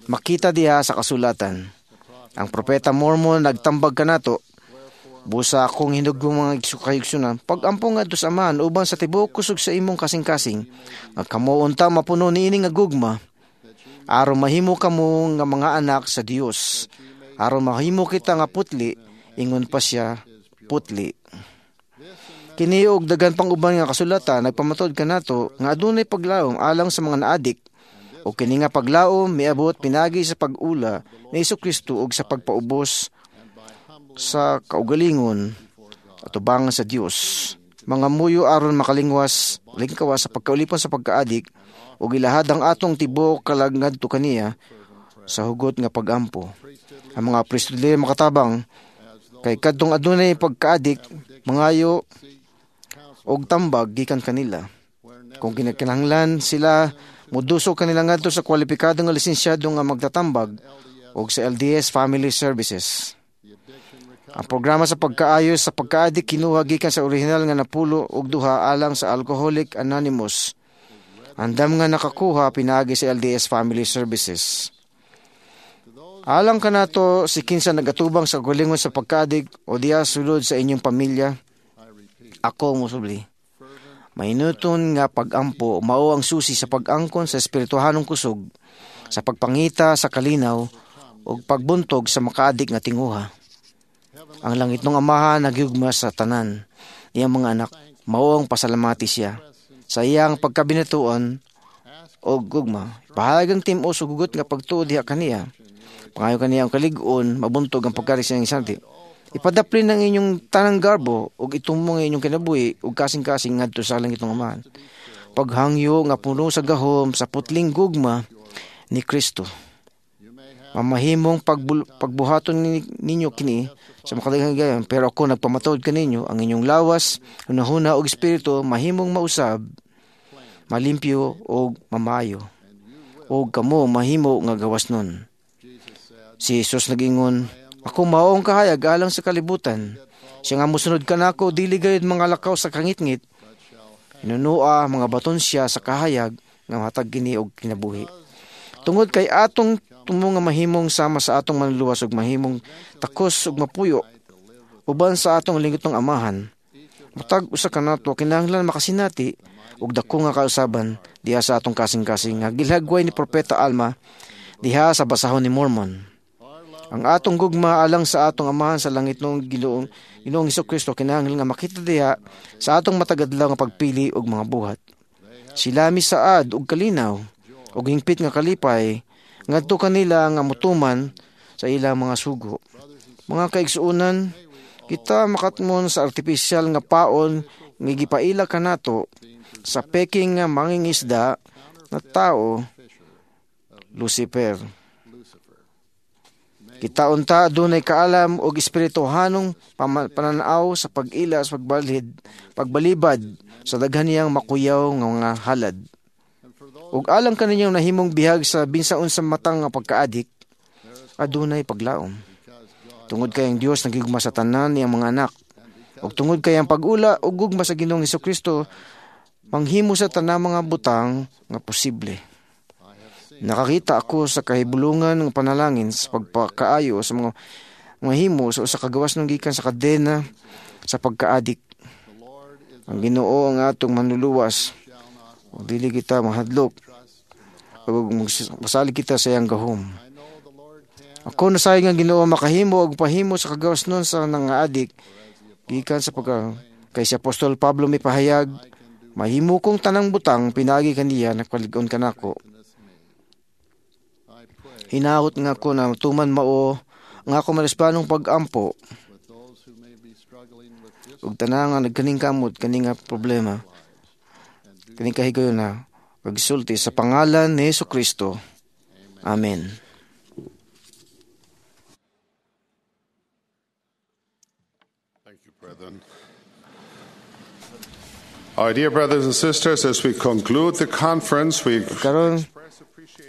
[SPEAKER 14] Makita diha sa kasulatan. Ang propeta Mormon nagtambag kanato, busa akong hinugong mga kahigsunan, pag-ampo ngadto sa Amahan uban sa tibuok kusog sa imong kasing-kasing, nga kamo unta mapuno niini nga gugma, aron mahimo kamo nga mga anak sa Dios, aron mahimo kita nga putli, ingon pa siya putli. Kini og daghan pang uban nga kasulatan nagpamatod kanato nga adunay paglaom alang sa mga naadik, o kini nga paglaom miabot pinagi sa pag-ula ni Hesukristo ug sa pagpaubos sa kaugalingon atubangan sa Dios. Mga muyo aron makalingwas lingkawas sa pagkaulipon sa pagkaadik ug ilahad ang atong tibuok kalag ngadto kaniya sa hugot nga pagampo. Ang mga priesthood leader makatabang kay kadtong adunay pagkaadik mangayo og tambag gikan kanila. Kung kinahanglan sila moduso kanila ngadto sa kwalipikado nga lisensyado nga magtatambag og sa L D S Family Services. Ang programa sa pagkaayos sa pagkaadik kinuha gikan sa orihinal nga napulo og duha alang sa Alcoholic Anonymous. Andam nga nakakuha pinaagi sa L D S Family Services. Alang kanato si kinsa nagatubang sa kaugalingon sa pagkaadik o diya sulod sa inyong pamilya, ako mosubli. Mainuton nga pagampo mao ang susi sa pag-angkon sa espirituhanong kusog, sa pagpangita sa kalinaw ug pagbuntog sa makaadik nga tinguha. Ang langit ng Amahan nagyugma sa tanan niyang mga anak, mao ang pasalamati siya sa iyang pagkabinatuan og gugma. Pahayag ang tim-os ug hugot nga pagtuo diha kaniya. Pangayo kaniya ang kalig-on, mabuntog ang pagkari sa iyang isanti. Ipadaplin ang inyong tanang garbo ug itumong ang inyong kinabuhi ug kasing-kasing ngadto sa langitong Amahan. Paghangyo nga puno sa gahom sa putling gugma ni Kristo. Mamahimong pagbul- pagbuhaton ninyo kini sa makadaghang higayon, pero ako nagpamatuod kaninyo ang inyong lawas, hunahuna ug espiritu mahimong mausab, malimpyo ug mamayo, ug kamo mahimo nga gawas nun. Si Jesus nag-ingon, ako mao ang kahayag alang sa kalibutan. Siya nga mosunod kanako, dili gayud mga lakaw sa kangitngit. Inunua mga baton siya sa kahayag nga matag kini og kinabuhi. Tungod kay atong tumo nga mahimong sama sa atong manluluwas ug mahimong takos ug mapuyo uban sa atong lingitong Amahan. Matag usa kanato kinahanglan makasinati ug dako nga kausaban diha sa atong kasing-kasing nga gilhagway ni Propeta Alma diha sa basahon ni Mormon. Ang atong gugma alang sa atong Amahan sa langit noong Ginoong Ginoong Hesukristo kinahanglan nga makita diha sa atong matag adlaw nga pagpili og mga buhat. Sila misaad og kalinaw og hingpit nga kalipay ngadto kanila nga motuman sa ilang mga sugo. Mga kaigsuonan, kita makatmon sa artipisyal nga paon nga gipaila kanato sa peking nga mangingisda na tao, Lucifer. Kita unta adunay kaalam og espirituhanong pananaw sa pag-ila sa pagbalhid, pagbalibad sa daghan niyang makuyaw nga mga halad. Ug alang kaninyong nahimong bihag sa binsaon sa matang nga pagkaadik, adunay paglaom. Tungod kay ang Dios nagigugma sa tanan niyang mga anak, ug tungod kay ang pag-ula ug gugma sa Ginoong Hesukristo manghimo sa tanang mga butang nga posible. Nakakita ako sa kahibulungan ng panalangin sa pagpakaayo sa mga mga himo sa usa ka gawas ng gikan sa kadena sa pagkaadik. Ang Ginoo ang atong manluluwas. Ug dili kita mahadlok ug masalig kita sa iyang gahom. Ako nasayang ang Ginoo makahimo og pahimo sa kagawas nun sa nangaadik gikan sa pagka kay si Apostol Pablo mipahayag, mahimo kong tanang butang pinagi kaniya nagpalig-on kanako. Hinahot nga ko na tuman mao nga ako marispanong pag-ampo ug tanan nga nagkaningkamot kani nga problema kani kahigayon na pagsulti sa pangalan ni Hesukristo. Amen.
[SPEAKER 3] Thank you, brethren. Our dear brothers and sisters, as we conclude the conference, we
[SPEAKER 14] karon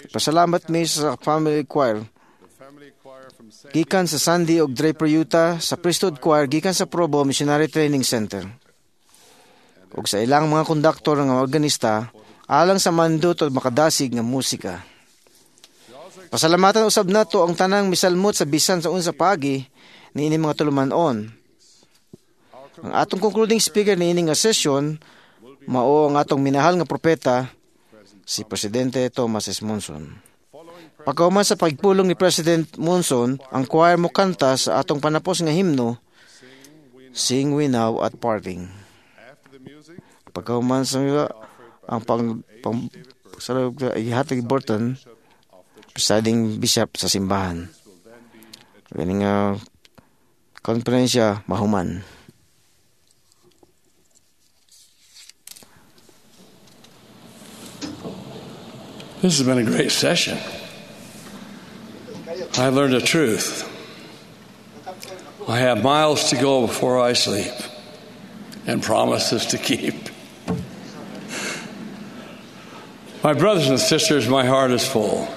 [SPEAKER 14] pasalamat mi sa family choir gikan sa Sandy og Draper, Utah, sa Priesthood Choir gikan sa Provo Missionary Training Center, ug sa ilang mga konduktor nga organista alang sa mandot ug makadasig nga musika. Pasalamatan usab nato ang tanang misalmot sa bisan sa unsa paagi niini mga tulumanon. Ang atong concluding speaker niini nga session mao ang atong minahal nga propeta, si Presidente Thomas S. Monson. Pagkahuman sa pagpulong ni President Monson, ang choir mo kanta sa atong panapos nga himno, Sing We Now at Parting. Pagkahuman sa ang pang, pang sa ihatag Burton, presiding bishop sa simbahan. Kani nga konferensya mahuman.
[SPEAKER 15] This has been a great session. I learned the truth. I have miles to go before I sleep and promises to keep. My brothers and sisters, my heart is full.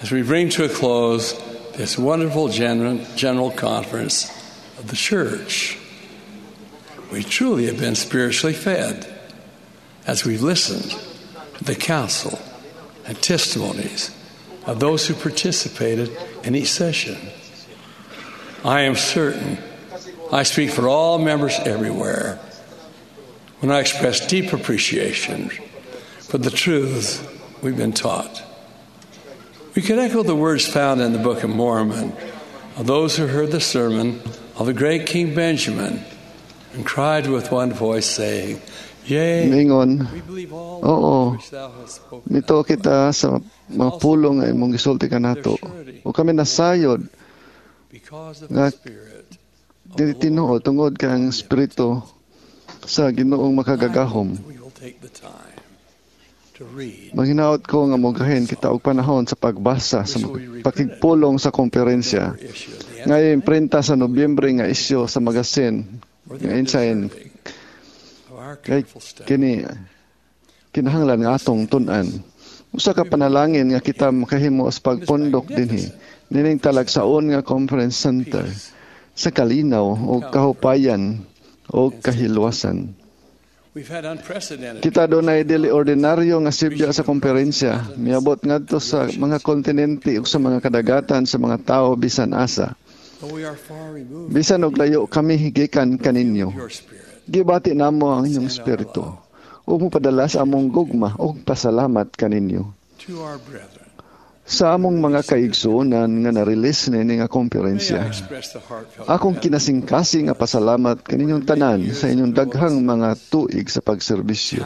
[SPEAKER 15] As we bring to a close this wonderful general, general conference of the church, we truly have been spiritually fed as we've listened to the counsel and testimonies of those who participated in each session. I am certain I speak for all members everywhere when I express deep appreciation for the truths we've been taught. We can echo the words found in the Book of Mormon of those who heard the sermon of the great King Benjamin and cried with one voice, saying, Yea,
[SPEAKER 5] Mingon,
[SPEAKER 15] we believe all
[SPEAKER 5] oo,
[SPEAKER 15] which thou hast spoken.
[SPEAKER 5] nito kita sa mga pulong nga imong gisulti kanato. O kami nasayod
[SPEAKER 15] Because of
[SPEAKER 5] nga
[SPEAKER 15] the Spirit
[SPEAKER 5] dili tinuod tungod kay ang espiritu sa Ginoong makagagahom.
[SPEAKER 15] we will take the time to read
[SPEAKER 5] Manghinaot ko nga mogahin kita og panahon sa pagbasa sa pakigpulong sa komperensya. Nga imprenta sa Nobyembre nga isyu sa magasin nga Ensign
[SPEAKER 15] of our
[SPEAKER 5] kay
[SPEAKER 15] careful study.
[SPEAKER 5] kini kinahanglan nga atong tun-an. Usa ka panalangin nga kita makahimo sa pagpundok dinhi nining talagsaon nga conference center sa kalinaw o kahupayan o kahilwasan.
[SPEAKER 15] We've had unprecedented
[SPEAKER 5] Kita dunay dili ordinaryo nga sibya sa komperensya. Miabot ngadto sa mga kontinente ug sa mga kadagatan sa mga tawo bisan asa.
[SPEAKER 15] though we are far removed
[SPEAKER 5] Bisan og layo kami gikan kaninyo.
[SPEAKER 15] your spirit.
[SPEAKER 5] Gibati namo ang inyong espiritu. ug mopadala sa among gugma ug pasalamat kaninyo. Sa among mga kaigsuonan nga na-release niini nga komperensya, akong kinasingkasing nga pasalamat kaninyong tanan sa inyong daghang mga tuig sa pagserbisyo.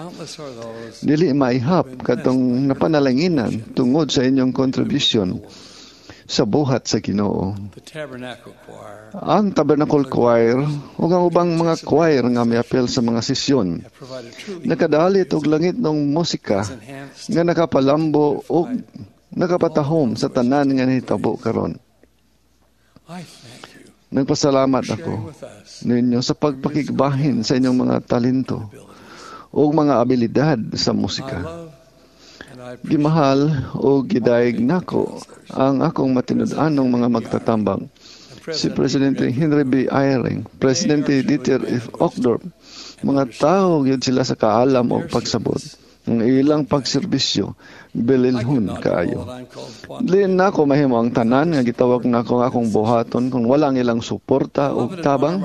[SPEAKER 5] Dili maihap kadtong napanalanginan tungod sa inyong contribution sa buhat sa Ginoo. Ang Tabernacle Choir ug ang ubang mga choir nga miapil sa mga sesyon nakadalit og langit ng musika nga nakapalambo og nakapatahom sa tanan nga nahitabo karon. Nagpasalamat ako ninyo sa pagpakigbahin sa inyong mga talento ug mga abilidad sa musika. Gimahal o gidayeg nako ang akong matinud-anong mga magtatambang, si Presidente Henry B. Eyring, Presidente Dieter F. Uchtdorf. Mga tao gyud sila sa kaalam o pagsabot. Ang ilang pagserbisyo bililhon kaayo. Dili nako mahimo ang tanan nga gitawag nako ang akong buhaton kung wala ang ilang suporta o tabang.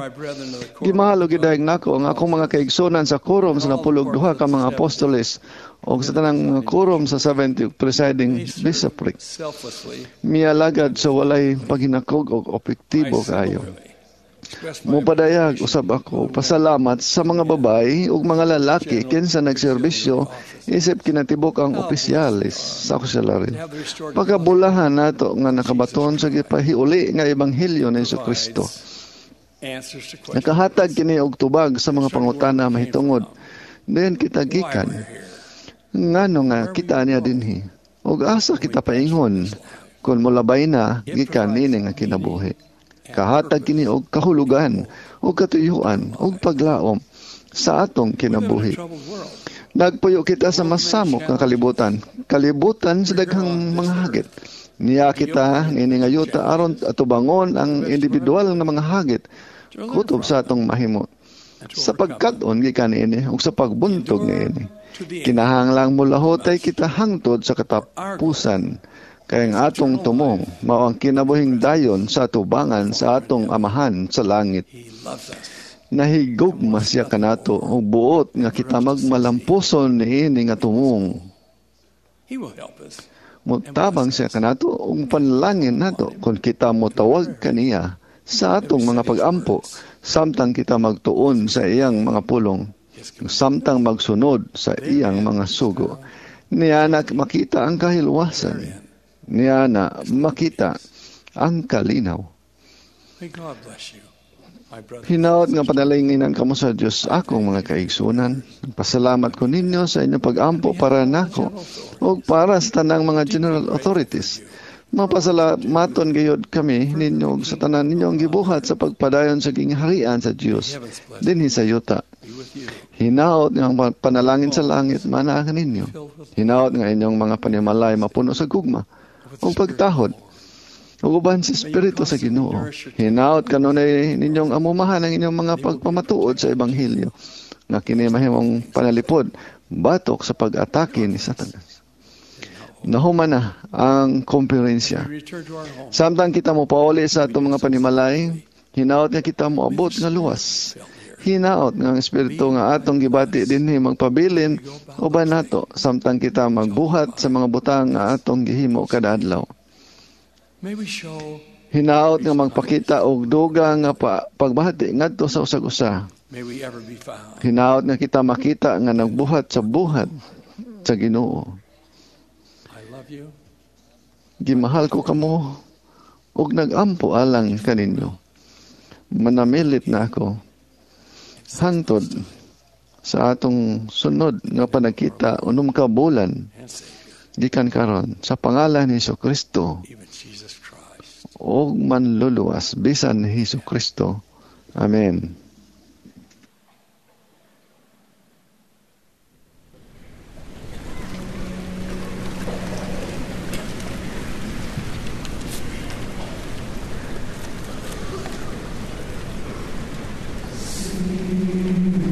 [SPEAKER 5] Gimahal og gidayeg nako ang akong mga kaigsunan sa quorum sa napulog duha ka mga apostoles o sa tanang mga quorum sa seventy presiding bishopric. Mialagad sa walay paghinakog og epektibo kaayo. Mopadayag usab ako pasalamat sa mga babae ug mga lalaki kinsa nagserbisyo isip kinatibok ang opisyalis sa auxiliary. Pagkabulahan nato nga nakabaton sa gipahiuli nga ebanghelyo ni Jesucristo. Nakahatag kini og tubag sa mga pangutana mahitungod diin kita gikan, ngano nga kita niya dinhi, ug asa kita paingon kun molabay na gikan niini nga kinabuhi. Kahatag kini og kahulugan og katuyuan og paglaom sa atong kinabuhi. Nagpuyo kita sa masamok nga kalibutan, kalibutan sa daghang mga hagit. Niya kita niini nga yuta aron atubangon ang individual nga mga hagit kutob sa atong mahimo. Sa pagkat-on gikan niini ug sa pagbuntog niini, kinahanglang molahotay kita hangtod sa katapusan. Kaya ang atong tumong mao ang kinabuhing dayon sa atubangan sa atong Amahan sa langit. Nahigugma siya kanato og buot nga kita magmalampuson niini nga tumong. Motabang siya kanato ug panalangin nato kung kita motawag kaniya sa atong mga pag-ampo samtang kita magtuon sa iyang mga pulong, samtang magsunod sa iyang mga sugo. Niya na makita ang kahilwasan. Niya na makita ang kalinaw. Hinaot nga panalanginan kamo sa Dios akong mga kaigsunan. Pasalamat ko ninyo sa inyong pag-ampo para nako ug para sa tanang mga general authorities. Mapasalamaton gayud kami ninyo ug sa tanan ninyong gibuhat sa pagpadayon sa gingharian sa Dios dinhi sa yuta. Hinaot nga ang panalangin sa langit manaa ninyo. Hinaot nga inyong mga panimalay mapuno sa gugma ug pagtahod ug uban sa Espiritu sa Ginoo. Hinaot kanunay ninyong amumahan ang inyong mga pagpamatuod sa ebanghelyo nga kini mahimong panalipod batok sa pag-atake ni Satanas. Nahuman na ang komperensya. Samtang kita mo pauli sa atong mga panimalay, hinaot nga kita moabot nga luwas. Hinaot nga ang Espiritu nga atong gibati dinhi magpabilin uban nato samtang kita magbuhat sa mga butang nga atong gihimo kada adlaw. Hinaot nga magpakita og duga nga pa, pagbati ngadto sa usag-usa. Hinaot nga kita makita nga nagbuhat sa buhat sa Ginoo. Gimahal ko kamo ug nagampo alang kaninyo. Manamilit na ako hangtod sa atong sunod nga panagkita unom ka bulan gikan karon sa pangalan ni Jesucristo ug manluluwas bisan ni Jesucristo. Amen.
[SPEAKER 18] Through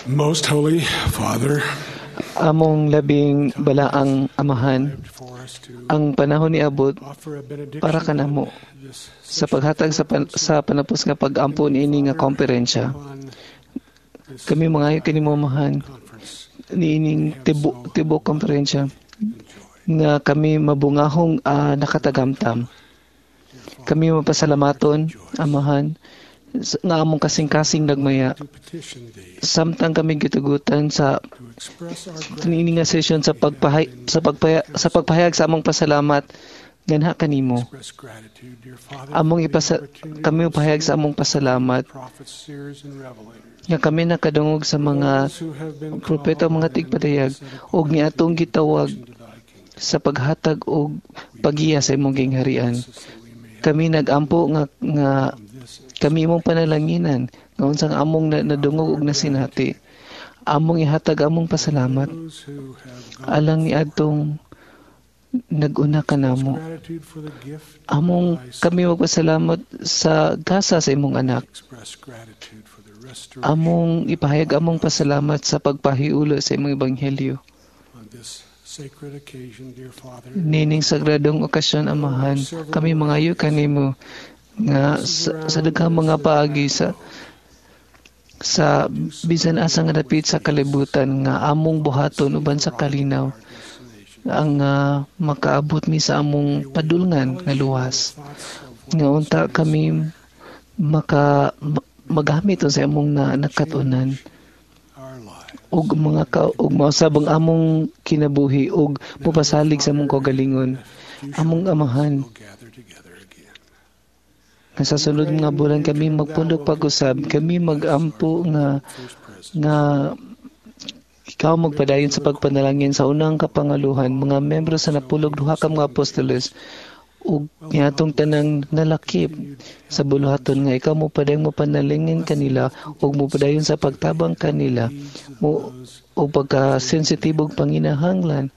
[SPEAKER 10] Most Holy Father,
[SPEAKER 7] among labing balaang amahan, ang panahon niabot para kanamo sa paghatag sa, pan, sa panapos nga pag-ampo niini nga komperensya. Kami mangayo kanimo Amahan niining tibo tibuok komperensya nga kami mabungahong uh, nakatagamtam. Kami mapasalamaton, Amahan, nga among kasing-kasing nagmaya. Samtang kami gitugutan sa niini nga session sa pagpahay sa pagpaya, sa pagpahayag sa among pasalamat ganha kanimo. Among ipasa, kami pahayag sa among pasalamat nga kami nakadungog sa mga propeta, mga tigpadayag og niatong gitawag sa paghatag og pagiya sa imong gingharian. Kami nagampo nga nga kami imong panalanginan nga unsang among nadungog og nasinati. Among ihatag among pasalamat alang niadtong nag-una kanamo. Among kami magpasalamat sa gasa sa imong anak. Among ipahayag among pasalamat sa pagpahiulo sa imong ebanghelyo. Nining sagradong okasyon, Amahan, kami mangayo kanimo nga sa, sa daghang mga paagi sa sa bisan asa nga dapit sa kalibutan nga among buhaton uban sa kalinaw ang uh, makaabot mi sa among padulngan nga luwas, nga unta kami maka magamit sa among na, nakatunan og mga ka, og mausab ang among kinabuhi og mopasalig sa among kaugalingon. Among Amahan, nga sa sunod nga bulan kami magpundok pag-usab, kami magampo nga nga ikaw magpadayon sa pagpanalangin sa unang kapangaluhan, mga membro sa napulog duha ka mga apostoles ug niatong tanang nalakip sa buluhaton nga ikaw mo padayong mopanalangin kanila ug mopadayon sa pagtabang kanila mo og pagka-sensitibog panginahanglan.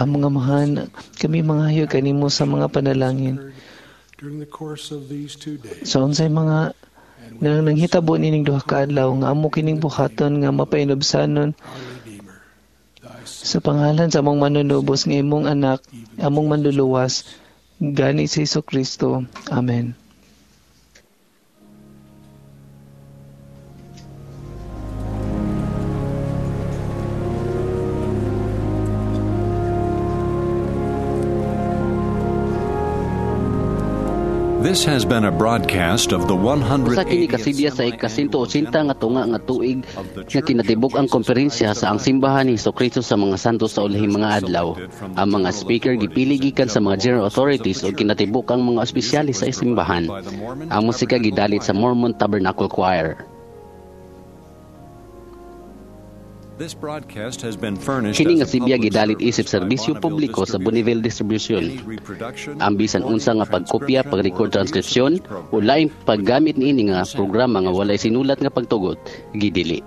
[SPEAKER 7] Ang mga amahan, kami mangayo kanimo sa mga panalangin sa unsay mga nang nanghitabo nining duha ka adlaw nga amo kining buhaton nga mapainubsanon sa pangalan sa among manunubos nga imong anak, among manluluwas, gani si Jesucristo. Amen.
[SPEAKER 9] This has been a broadcast of the one hundred
[SPEAKER 2] Usa kini kasidya sa ikasinto otsinta nga tunga nga tuig nga kinatibuk ang komperensya sa ang simbahan ni Hesukristo sa mga santos sa ulahing mga adlaw. Ang mga speaker gipili gikan sa mga general authorities ug kinatibuk ang mga espesyalista sa simbahan. Ang musika gidalit sa Mormon Tabernacle Choir.
[SPEAKER 9] This broadcast has been furnished
[SPEAKER 2] Kini nga
[SPEAKER 9] as a
[SPEAKER 2] sibya
[SPEAKER 9] public
[SPEAKER 2] gidalit
[SPEAKER 9] service
[SPEAKER 2] isip
[SPEAKER 9] by
[SPEAKER 2] serbisyo
[SPEAKER 9] Bonneville
[SPEAKER 2] publiko sa
[SPEAKER 9] Distribution.
[SPEAKER 2] Bonneville Distribution.
[SPEAKER 9] Any reproduction,
[SPEAKER 2] Ang bisan unsa nga pagkopya, pag-record transcription o laing paggamit niini nga programa nga walay sinulat nga pagtugot, gidili.